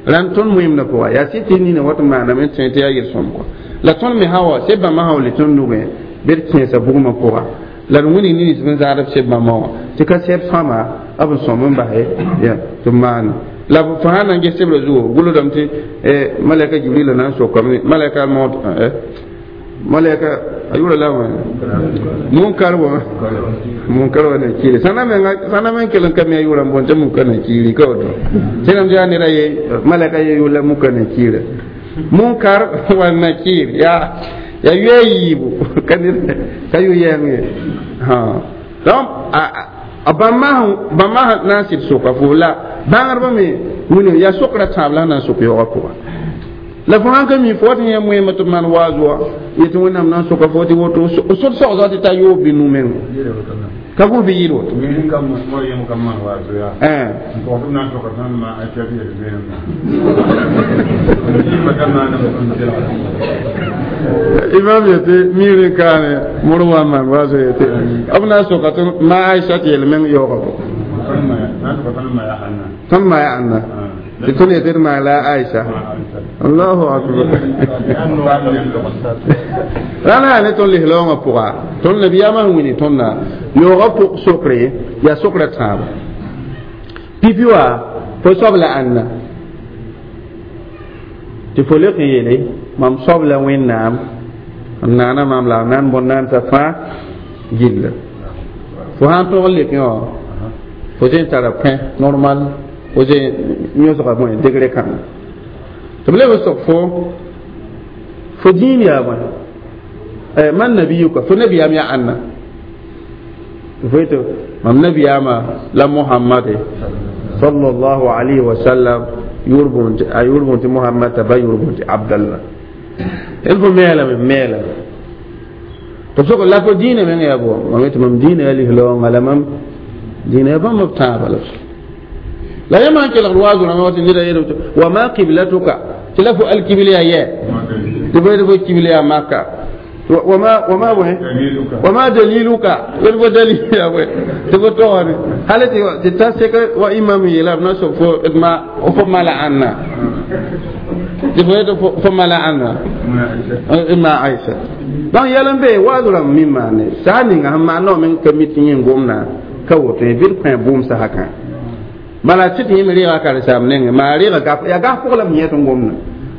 [SPEAKER 1] rãnd tõnd moẽmdã pʋga yaa sɩd tɩ nina wat n maaname n tẽ tɩ yaa yel-sõm kɔ la tõnd me sã wa seb bãmba sã wa le tõnd nugẽ bɩ d kẽesa bugmã pʋga la d wĩnig nins b n zãad b seb bãmba wã tɩ ka sɛb sõama b n sõm n basɛ ya tɩ b maane la fo sãn na n ges sebrã zugo gʋlsdame tɩ malɛka jibrila na n sokame malɛka maot malɛka a yʋra la wã munkar wa munkar wa nakiri sãna meng kell n ka mi a yʋra n boond tɩ munkar nakiri ka woto sẽnam tɩ yaa neda ye malɛka ye yʋla munkar nakira munkar wa nakir yaa ya yoe a yiibu ka ned ka yʋ yɛng ye donc a bãmba na n sɩd soka fo la bãngdbã me wĩna yaa sokra tãab la na n sok yaoogã pʋga la fo sãn ka mi fo wat n yã moeemã tɩ b maan waaz wa yetɩ wẽnnaam na n soka fo tɩ woto sod sogsga tɩ ta yoob bɩ nu-meng ka gũs bɩ yɩɩd woto imam yetɩ miir n kaane mor wa n maan waazo yetɩ b na n soka tɩ ma aisha tɩ yel meng yaoogã bo tõnd ma ya ãnna tɩ tõnd yetɩ d maan la aisha allahu akbar rãna yaa ne tõnd lislaoongã pʋga tõnd nabiyaamã sẽn wini tõndã yaoogã pʋg sokre yaa sokra tãaba pipi wa fo soab la ãnna tɩ fo lek n yeele mam soab la wẽnnaam n naana maam la a nan bõn-naandsã fãa gilla fo sãn tõg n lekẽ wã fo zẽ tara pẽ normal fo zẽ yõsga bõe degré kãnga tɩ b leb n sok fo fo dĩin yaa bõe man nabiyuka fo nabiyaam yaa ãnna fo yetɩ mam nabiyaamã la mohamade sallallahu alayhi wa sallam yʋʋr boond a yʋʋr boond tɩ mohamad t'a ba yʋʋr boond tɩ abdallah d fo meelame meelame tɩ b sok la fo dĩinã meng yaa bo mam yetɩ mam dĩinã yaa lislaoongã la mam dĩinã yaa bãmb b tãabã la la yã maan kelgd waazu rãmbã wa tɩ neda yeelame tɩ wa ma qiblatuka tɩ la fo alkibl yaa yɛ tɩ fo yetɩ fo kibl yaa maka وما وما وين وما دليلك يلفو دليل يا وين تبو توني هل تتسك وإمام يلا نسو فو ما فما لا عنا تبو فما لا عنا إما عائشة donc yɛl n be waazrã mi maane saa ninga sẽn maan naoã meng ka mi tɩ yẽ gomna ka woto ye bɩ d kõ bʋʋm sasakã bala tɩ tɩ yẽ me reega karen-saam nengẽ maa reega gaf yaa gas pʋgẽ la b yẽ tɩ n gomna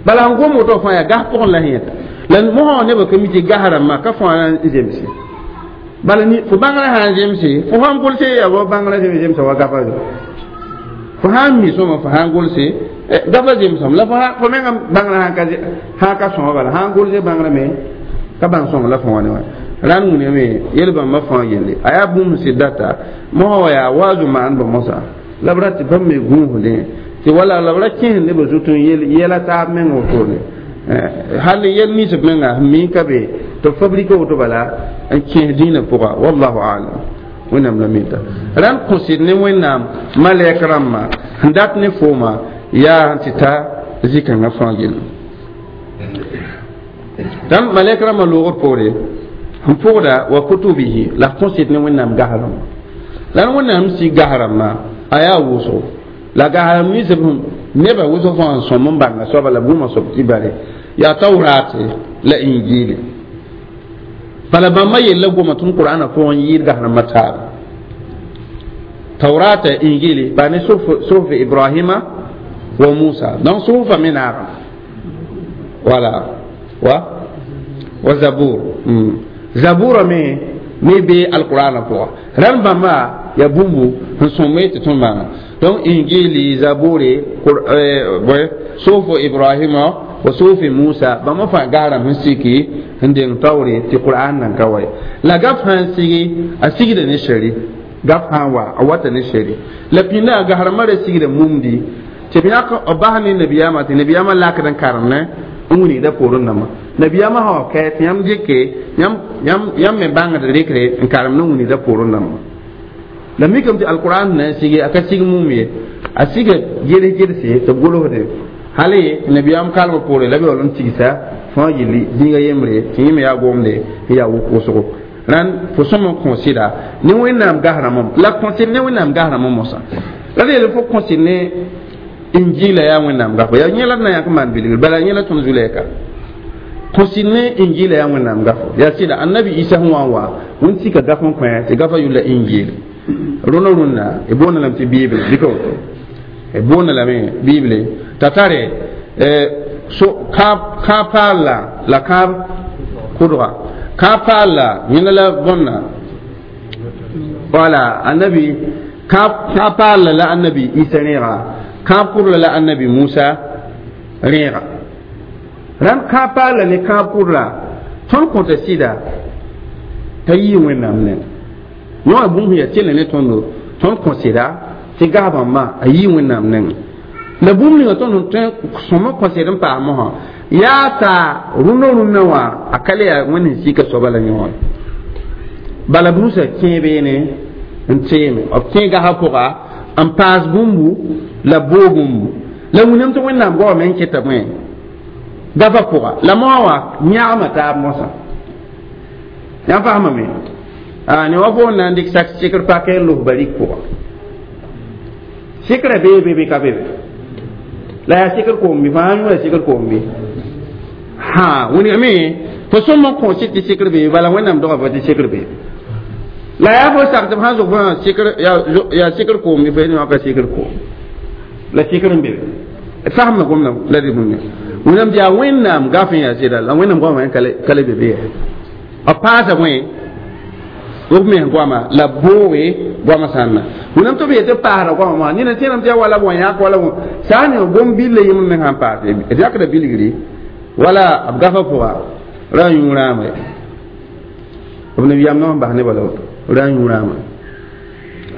[SPEAKER 1] bala n gom woto fãa yaa gas pʋgẽ la yẽta la mosã wã nebã ka mi tɩ gas rãmbã ka fãa n zemse bala ni fo bãngrã sã n zemse fo sãn gʋlse yaa wa bãngrã zemsa wa gafa fo sãn mi sõma fo sãn gʋlse gafa zemsame la fo menga bãngrã sãn ka sõma bala sãn gʋlse bãngrã me ka bãng sõma la fo wã ne wã rãnd wĩname yel bãmba fãa yelle a yaa bũmb sɩd data mosã wa yaa waazu maandbã mosã la b ra tɩ bãmb me gũusdẽ tɩ wala la b ra kẽes nebã zut n yel yɛla taab meng wotone hal yɛl nins b menga sẽn mi ka be tɩ b fabrike woto bala n kẽes dĩinã pʋga wallahu alam wẽnnaam la mita rãnd kõsd ne wẽnnaam malɛk rãmbã sẽn dat ne fooma yaa tɩ ta zĩ-kãngã fãa gell dãmb malɛk rãmbã loogr poore n pʋgda wa kutubihi la kõsd ne wẽnnaam gas rãmbã la wẽnnaam sɩ gas rãmbã a yaa wʋsgo la gas rãmb nins b nebã wʋsg fãa n sõm n bãnga soaba la bũmã soab tɩ bare yaa taurate la injili bala bãmba yella goma tõnd qur'ana pʋgẽ yɩɩd gas rãmbã taaba taurata injili ba ne suhuf ibrahima wa musa donc suhufa me naagame wala wa wa zabur zabura me me be alqur'ana pʋga rãmb bãmba ya bũmbu sẽn sõmbe tɩ tõnd bãnga donc injili zabure sofo ibrahima wa sofi musa bãmba fãa gasrãmb sẽn siki n deng taoore tɩ qur'an nan ka wa ye la gaf sã n sigi a sigda ne shari gaf sã n wa a wata ne shari la pĩnda a gasrãmbã ra sigda mumdi tɩ b yãk b bas ne nabiyaamã tɩ nabiyaamã lakd n karem ne n wilgda poorẽ dãmbã nabiyaamã sã wa kɛ tɩ yãmb dɩke yãmb me bãngd rɩkre n karem ne wilgda poorẽ dãmbã la mikame tɩ alquran na n sigi a ka sig mum ye a siga gels gelse tɩ b golsde hali nabiyaam kalmã poore la b yaool n tigsa fãa yilli zĩiga yembre tɩ yẽ me yaa gomde n yaa wʋk-wʋsgo rãnd fo sõm n kõ sɩda ne wẽnnaam gasrãmbã la kõsɩd ne wẽnnaam gasrãmbã mosã la d yeel fo kõsɩd ne injila yaa wẽnnaam gafo yaa yẽ la d na yãk n maan bilgr bala yẽ la tõnd zu-lɛɛka kõsɩd ne injila yaa wẽnnaam gafo yaa sɩda annabi isa sẽn wa n wa wẽnd sika gaf n kõ tɩ gafa yʋlla injil rũnã rũnna y boonda lame tɩ bible dɩka woto y boonda lame bible t'a tare so kãab paal la kãab kʋdga kãab paal la yẽnda la bõnna wala annabi kãab paal la annabi isa rẽega kãab kʋdla la annabi musa rẽega rãmb kãab paal la ne kãab kʋdla tõnd kõta sɩda t'a yɩ wẽnnaam neng yõ bũmb sẽn yaa tẽlẽ ne tõndo tõnd kõ sɩda tɩ gas bãmba a yɩ wẽnnaam nengẽ la bũmb ninga tõnd sẽn sõm n kõ sɩd n paas mosã yaa t'a rũndã rũndã wã a ka le yaa wẽnd sẽn sika soaba la yõore bala b rũsã kẽe beene n teeme b kẽ gasã pʋga n paas bũmbu la b boog bũmbu la wilame tɩ wẽnnaam goamã n keta bõe gafa pʋga la moa wã yãgma taab mosã yãmb faamame ne wa fo n na n dɩk sak sɩkr pakɛ n los barik pʋga sɩkrã bee be bɩ ka be be la yaa sɩkr koom bɩ fãa yũ sɩkr koom bɩ ha wilgame fo sõm n kõ sɩd tɩ sɩkr bee bala wẽnnaam doga fo tɩ sɩkr bee la yaa fo sak tɩ b sãn zʋg fo yaa sɩkr koom bɩ fo yẽ ka sɩkr koom la sɩkr n be be fasma gomda la dɩ bũmb wẽnnaam tɩ yaa wẽnnaam gaf n yaa sɩda la wẽnnaam goamã ka le be be b paasa bõe b mens goama la booge goama sãnna wẽnnaam tɩ b yetɩ paasda goama mosã nina tẽedame tɩ yaa wala b wa yãk wala sã n ning gom-billa yembr meng sãn paase d yakda bilgri wala b gafa pʋga ra n yũ rãama b nabiyaam na n bas nebã la woto ra n yũ rãama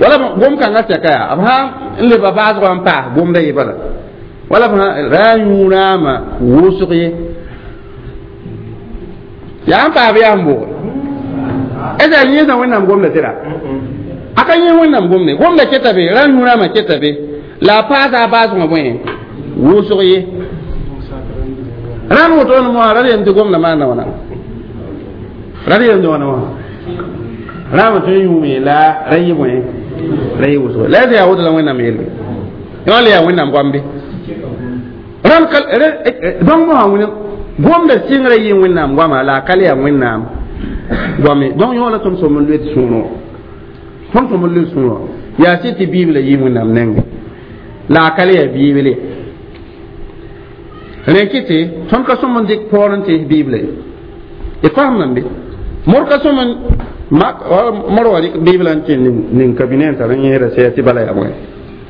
[SPEAKER 1] wala gom-kãngã sɛka yaa b sã n leba baasgã n paas gomda ye bala wala b ra n yũ rãama wʋsg ye yaa n paas yaa n booge est ce que yẽsã wẽnnaam gomda tɩra a ka yẽ wẽnnaam gomde gomda keta be ra n yũ rãamã keta be la a paasa a baasgã bõe wʋsg ye rãnd woto ne moasã ra yem tɩ gomda maanda wãna ra yem tɩ wãna wã rãambã tõe n yũume la ra yɩ bõe ra yɩ wʋsg la yaa woto la wẽnnaam yelle yõ le yaa wẽnnaam goam be rãnd donc mosã wẽne gomda sɩngrã yɩ wẽnnaam goama la a ka le yaa wẽnnaam goame donc yõ la tõnd sõm n loet sũurẽ tõnd sõm n loet sũurẽ yaa sɩd tɩ bible yɩ wẽnnaam nengẽ la a ka le yaa bible rẽ kɩ tɩ tõnd ka sõm n dɩk paoor n tees bible y faamdame be mor ka sõm n mor wa rɩk biblã n kẽ ning kabine n tar n yẽeda sɛɛ tɩ bala yaa bõe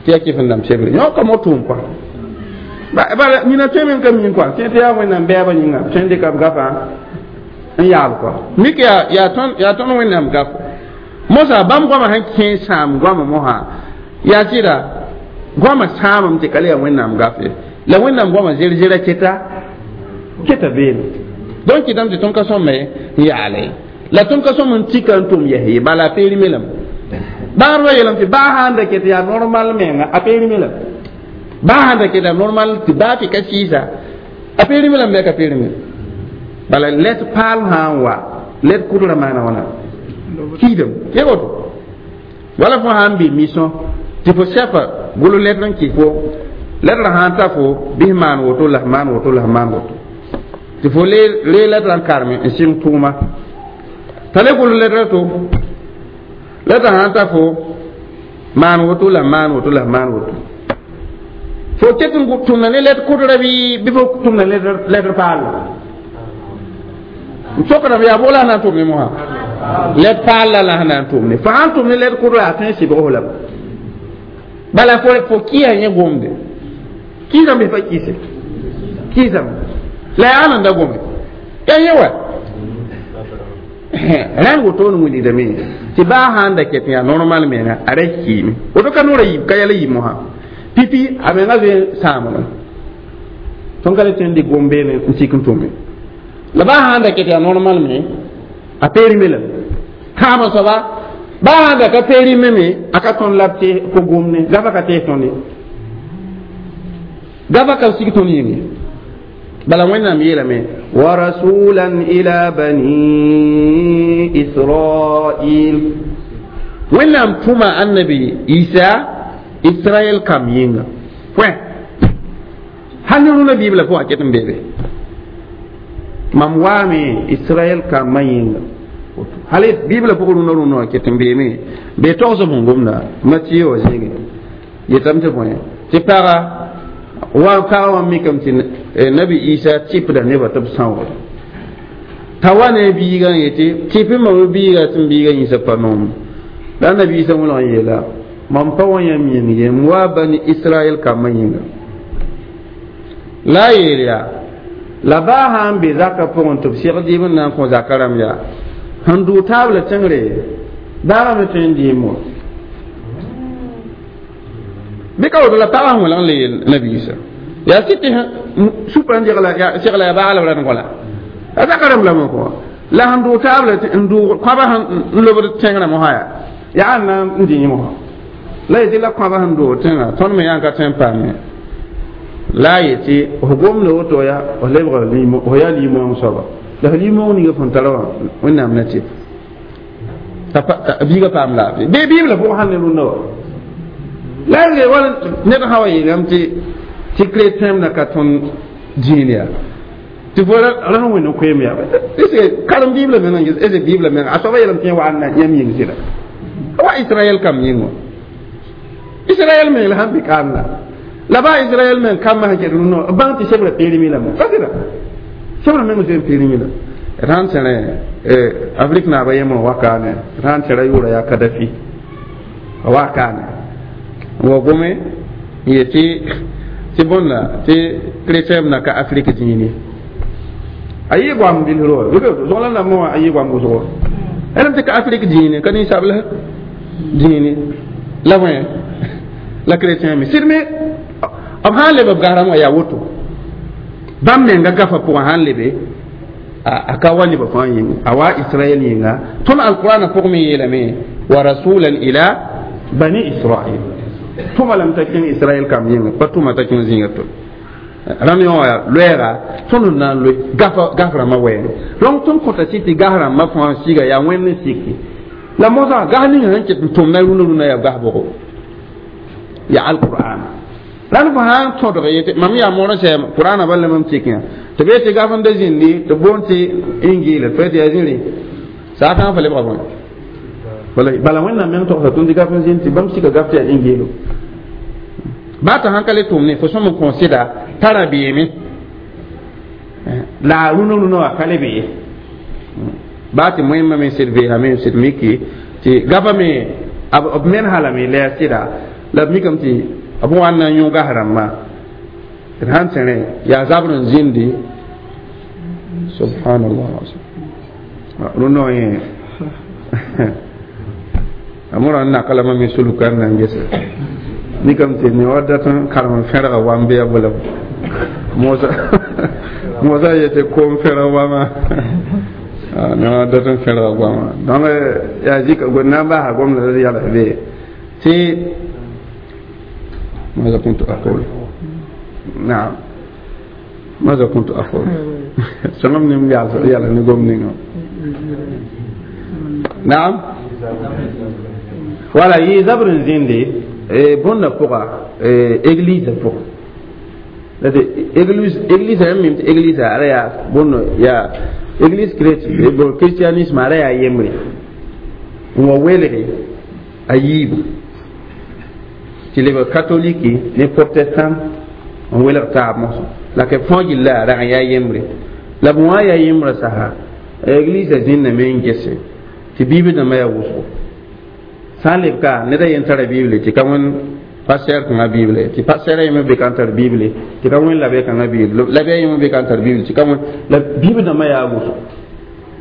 [SPEAKER 1] tɩ yaa kɩf n dãmb sebre yõ ka mor tʋʋm kɔa bala nina tõe me n ka min kɔa tẽ tɩ yaa wẽnnaam bɛɛbã yĩnga tõe n dɩka b gafã n yaab kɔa mik yaa tõnd wẽnnaam gafo mosa bãmb goamã sẽn kẽ sãam goamã mosã yaa sɩda goamã sãamame tɩ ka le yaa wẽnnaam gaf ye la wẽnnaam goamã zer-zera keta keta beene donc kɩtame tɩ tõnd ka sõme n yaale la tõnd ka sõm n tika n tʋm yɛs ye bala a peerime lame bãadbã yeelame tɩ baa sãn da ket yaa normal menga a peerime lame baa sãn da ket yaa normal tɩ baa tɩ ka sɩɩsa a peerime lame bɩ a ka peerime bala let paal sã n wa let kʋdra maana wãna kiidame ke woto wala fo sã n bɩ mission tɩ fo sɛpa golo letr n kɩs fo letrã sã n ta fo bɩs maan woto la f maan woto la f maan woto tɩ fo lee letrã n kareme n sɩng tʋʋma t'a le golo letrã to letrã sã n ta fo maan woto la maan woto la maan woto fo ket n tʋmda ne letr kʋdra bɩ fo tʋmda letr paal n sokdame yaa bola na n tʋm ne mosã Let paal la la sẽn na n tʋmne fo sãn tʋm ne lɛd kʋdra a tõe n sɩbg f lame bala fo kɩɩsa yẽ gomde kɩɩsame bɩ pa kɩɩse kɩɩsame la yaa nan da gome yaa yẽ wa rãnd woto ne wilgdame tɩ baa sãn da ket yaa normal menga a ra kiime woto ka noora yiib ka yɛl yiib mosã pipi a menga zoe sãamdme tõnd ka le tõe n dɩk gom-beene n sik n tʋme la baa sãn da ket yaa normal me a peerime lame tãabã soaba baa sãn da ka peerime me a ka tõnd la b tɩ ko gomne gafa ka tees tõnd ye gafa ka sig tõnd yĩnge bala Wẽnnaam yeelame wa rasulan ila bani Israil Wẽnnaam tʋma annabi Isa Israɛl kam yĩnga pʋɛ hal ne rũnã Bibla pʋgã ket n beebe mam waame Israɛl kambã yĩnga hal Bibla pʋgã rũnã rũnã wã ket n beeme bee togsb sẽn gomda Matiye wã zĩige yetame tɩ bõe tɩ paga wa paga wã mikame tɩ nabi Isa tɩpda nebã tɩ b sãoogd t'a wa ne biigã n yetɩ tɩp mam biiga tɩ m biiga yĩsa pa noom la nabi Isa wẽlg n yeela mam pa wa yãmb yĩng ye m wa bani Israɛl kambã yĩnga la a yeel yaa la baa sã n be zakã pʋgẽ tɩ b segd dɩɩb n na n kõ zakã rãmb yaa sẽn dʋʋ taabla tẽngre daagã me tõe n dɩɩm wã bɩ ka woto la pagã sẽn wẽlg n le yeel nabi Isa yaa sɩ tɩ supã n segla yaa baagl b rat n kõ la a zaka rãmb lame kõ la sẽn dʋʋ taabla n dʋʋg kõaba sẽn lobd tẽngrã mosã yaa yaa n na n dĩ yẽ mosã la yetɩ la kõaba sẽn dʋʋg tẽngã tõnd me yã n ka tõe n paame la a yetɩ f gomda woto yaa f lebg f yaa limong soaba la f limong ninga fõn tara wã Wẽnnaam na tɩ t'a biigã paam laafɩ bee Bibla pʋgã sãn ne rũndã wa la y wala ned sã wa yeelame tɩ chrétien na ka tõnd dĩin yaa tɩ fo ra sẽn wẽnd n koeem yaa karem Bibla meng n ges ese Bibla meng a soaba yeelame tɩ yẽ wa n na yãmb yĩng sɩda wa Israɛl kam yĩng wã Israɛl meng la sãn bɩ kaam la baa Israɛl meng kambã sẽn ket rũndã b bãng tɩ sebra peermi lame pa sɩda sebra meng zoe n peermi la d sãn tẽrẽ Afrique naaba yembr wakaane d sãn tẽra yʋʋra yaa Kadafi a wakaane wa gome n yetɩ tɩ bõnda tɩ chrétien na ka Afrique dĩine a yɩ goam bilsr wa zõgla rãmbã wã a yɩ goam wʋsgo ãlem tɩ ka Afrique dĩine ka ninsabl dĩine la bõe la chrétien me sɩd me b sãn leb b gasrãm wã yaa woto bãmb menga gafa pʋgã sãn lebe a ka wa nebã fãa yĩnga a wa Israɛl yĩnga tõnd alqurana pʋgẽ me yeelame wa rasulan ila bani Israil tʋma lame t'a kẽng Israɛl kam yĩnga pa tʋma t'a kẽng zĩiga to rãmb yõ wã loɛɛga tõnd n na n loe gaf rãmbã wɛɛngẽ donc tõnd kõta sɩ tɩ gas rãmbã fãa siga yaa Wẽnd n siki la mosã gas ninga sẽn ket n tʋmda rũnã rũnã yaa gas bʋgo yaa alqur'an rãnd fo sã n tõdg yetɩ mam yaa moor n sɛɛm qur'ana bal la mam tik yã tɩ b yetɩ gaf n da zĩndi tɩ boond tɩ Ingiila tɩ tɩ yaa zĩri saatã fa lebga bõe bala Wẽnnaam meng togsa tõnd tɩ gaf n zĩnd tɩ bãmb sika gaf tɩ yaa Ingiilo baa t'a sãn ka le tʋm ne fo sõm n kõ sɩda t'a rabeeme la a rũnã rũnã wã ka le be ye baa tɩ moẽmbã me sɩd veesame sɩd miki tɩ gafa me b mensa lame la yaa sɩda la b mikame tɩ b wa n na n yõ gas rãmbã d sãn tẽrẽ yaa zabr n zĩndi subhanallah rũndã wã yẽ a mõra n naka lame me sulka n na n gese mikame tɩ ne wa dat n karem n fẽrga wam bɩ ya bʋla mosa yetɩ koom fẽrg wama ne wa dat n fẽrga goama donc yaa zika na n basa gomda d yals be tɩ ماذا كنت أقول؟ نعم ماذا كنت أقول؟ سلام نم يلا نقوم نقوم نعم ولا يزبر زيندي bõnda pʋga église pʋgã église église yãmb mim tɩ église ara yaa bõndo yaa église bon christianisme ara yaa yembre n wa welge a yiibu tɩ lebg catholique ne protestant n welg taab mosã la k fãa gilla rag n yaa yembre la b wã yaa yembrã sasa église zĩnname n gese Tɩ biibl dãmbã yaa wʋsgo sã n leb ka ned a yen tara bible tɩ ka wẽn pasteur kãngã bible tɩ pasteur a yembr be ka n tar bible tɩ ka wẽn labe kãngã bible labe a yembr be ka n tar bible tɩ ka wẽn la biibl dãmbã yaa wʋsgo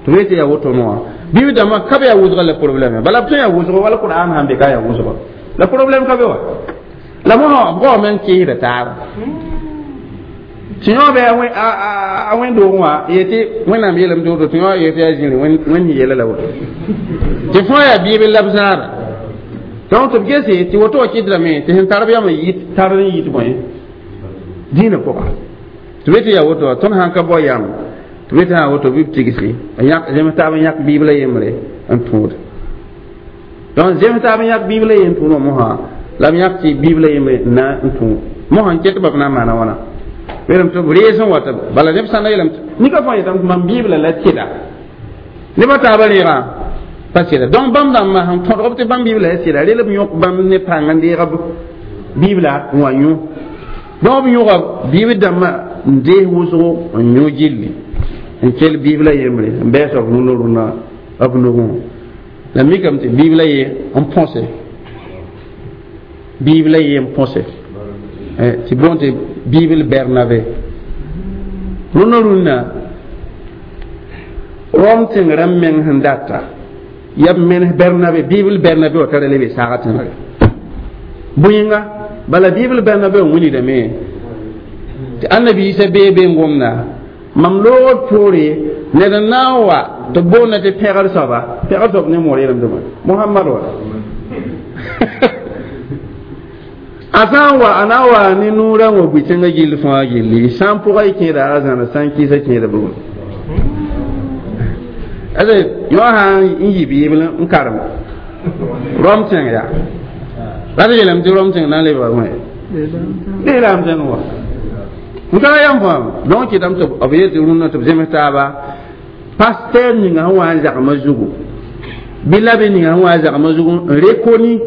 [SPEAKER 1] tɩ b yetɩ yaa woto wã biibl dãmbã ka be yaa wʋsga la problème bala b tõe yaa wʋsgo wala Qur'an sãn be ka yaa wʋsgo la problème ka be wa la mosã b goame n kɩɩsda taaba tɩ yõ be a wẽn-doogẽ wã yetɩ Wẽnnaam yeelame tɩ woto tɩ yõ yetɩ yaa zĩri wẽnd yeela la woto tɩ fõ yaa biibl la b zãada donc tɩ b gese tɩ woto wã kɩtdame tɩ sẽn tar b yam n yit tar n yit bõe dĩinã pʋga tɩ b yetɩ yaa woto wã tõnd sãn ka bao yam tɩ b yetɩ sã woto bɩ b tigsi n yãk zems taab n yãk biibla yembre n tũud donc zems taab n yãk biibla yem tũud wã mosã la b yãk tɩ biibla yembre na n tũ mosã n ket b na n maana wãna yeelame tɩ b rees n wata bala neb sãnda yeelame nika fãa yetame tɩ mam biibla la sɩda nebã taabã reegã pa sɩda donc bãmb dãmbã sẽn tõdg b tɩ bãmb biibla la sɩda rel b yõk bãmb ne pãng n deeg b biibla n wa yõ donc b yõga biib dãmbã n dees wʋsgo n yõ gilli n kell biibla yembre n bɛɛsa b rũnã rũnã b nugẽ la mikame tɩ biibla ye n põse biibla ye n põse tɩ boon tɩ biibl Bernabe rũnã rũnã Rom tẽng rãmb meng sẽn data yaa b menes Bernabe biibl Bernabe wã tara lebe saagã tẽngre bõe-yẽnga bala biibl Bernabe wã wilgdame tɩ Annabi Isa bee be n gomda mam loogd poore ned n na n wa tɩ b boonda tɩ pẽgr soaba pẽgr soab ne moor yeelame tɩ bõe Mohamad wa a sã n wa a na n wa ne noorã wã bʋ-tẽngã gill fãa gilli sã n pʋga y kẽeda a zãna sã n kɩɩsa kẽeda bugum ade yõ sã n yi biibl n karem Rom tẽng yaa la tɩ yeelame tɩ Rom tẽng na n lebga wẽ lislaam tẽng wa n tara yam fãa donc kɩtame tɩ b yetɩ rũnnã tɩ b zems taaba pasteur ninga sẽn wa n zagmã zugu bɩ la bɩ ninga sẽn wa n zagmã zugu n rekoni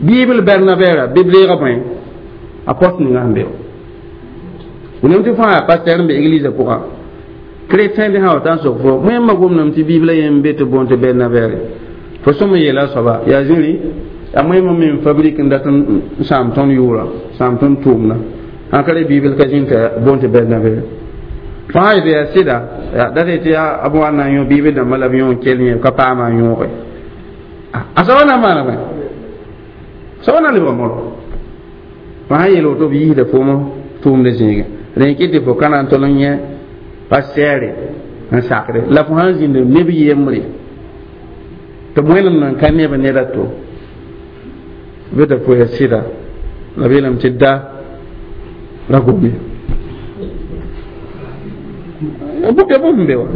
[SPEAKER 1] biibl Bernabɛra bɩ b reega bõe a pɔs ninga sẽn be wẽnnaam tɩ fãa yaa pasteur n be église pʋgã chrétien bɩ sã wa ta n sok fo wẽmba gomdame tɩ biibla yem be tɩ boon tɩ Bernabɛre fo sõm n yeela a soaba yaa zĩri yaa wẽmba me n fabrique n dat n sãam tõnd yʋʋra sãam tõnd tʋʋmda sãn ka re biibl ka zĩn t'a boon tɩ Bernabɛre fãa yetɩ yaa sɩda dat yetɩ yaa b wa na n yõ biibl dãmbã la b yõ n kell yẽ ka paama n yõoge a soaba na n maana bõe soaba na n lebga moro fãa yeel woto b yiisda foom tʋʋmdã zĩige rẽ kɩ tɩ fo ka na n tol n yẽ pasteur n sakre la fo sãn zĩnd neb yembre tɩ b wẽnem nan ka neb ned a to bɩ t'a fo yaa sɩda la b yeelame tɩ da ra gome ya bũmb sẽn be wa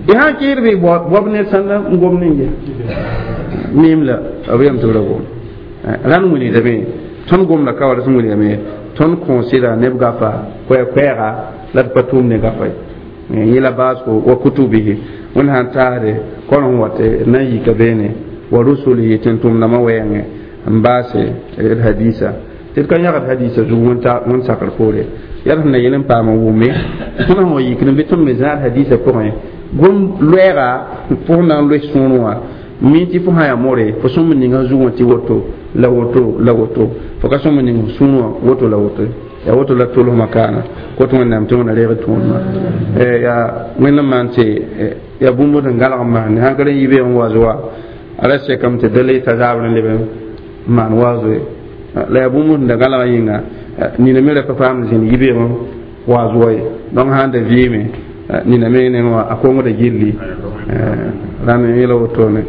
[SPEAKER 1] y sãn kɩɩd bɩ boab ned sãnda n gom ning ye miim la b yeelame tɩ b ra gom rãnd wilgdame tõnd gomda ka wa sẽn wilgame tõnd kõosɩda neb gafa koɛɛ-koɛɛga la d pa tʋʋm ne gafa ye yẽla baasgo wa kutubihi wẽnd sãn taasde kõrem wa tɩ na n yika beene wa rusulihi tɩ n tʋmdãmã wɛɛngẽ n baase d hadisa tɩ d ka yãgd hadisa zug wẽnd sakr poore yaa d sẽn na yel n paam n wʋme tõnd sẽn wa yikd n bɩ tõnd me zãad hadisa pʋgẽ gom loɛɛga fo sẽn na n loes sõor wã mi tɩ fo sã yaa more fo sõm n ninga zugẽ tɩ woto la woto la woto fo ka sõm n ning sũur wã woto la woto yaa woto la tolsmã kaana kot Wẽnnaam tɩ wẽna reeg tõodmã yaa Wẽnd n maan tɩ yaa bũmb sẽn gãlg n maande sãn ka rẽ yibeeg n wa zoa a ra sekame tɩ da le t'a zabr n leb n maan waazo ye la yaa bũmb sẽn da gãlgã yĩnga nina me ra pa paamd zĩnd yibeeg n wa zoa ye donc sãn da vɩɩme nina me neng wã a kongda gilli rãnd yẽla wotone.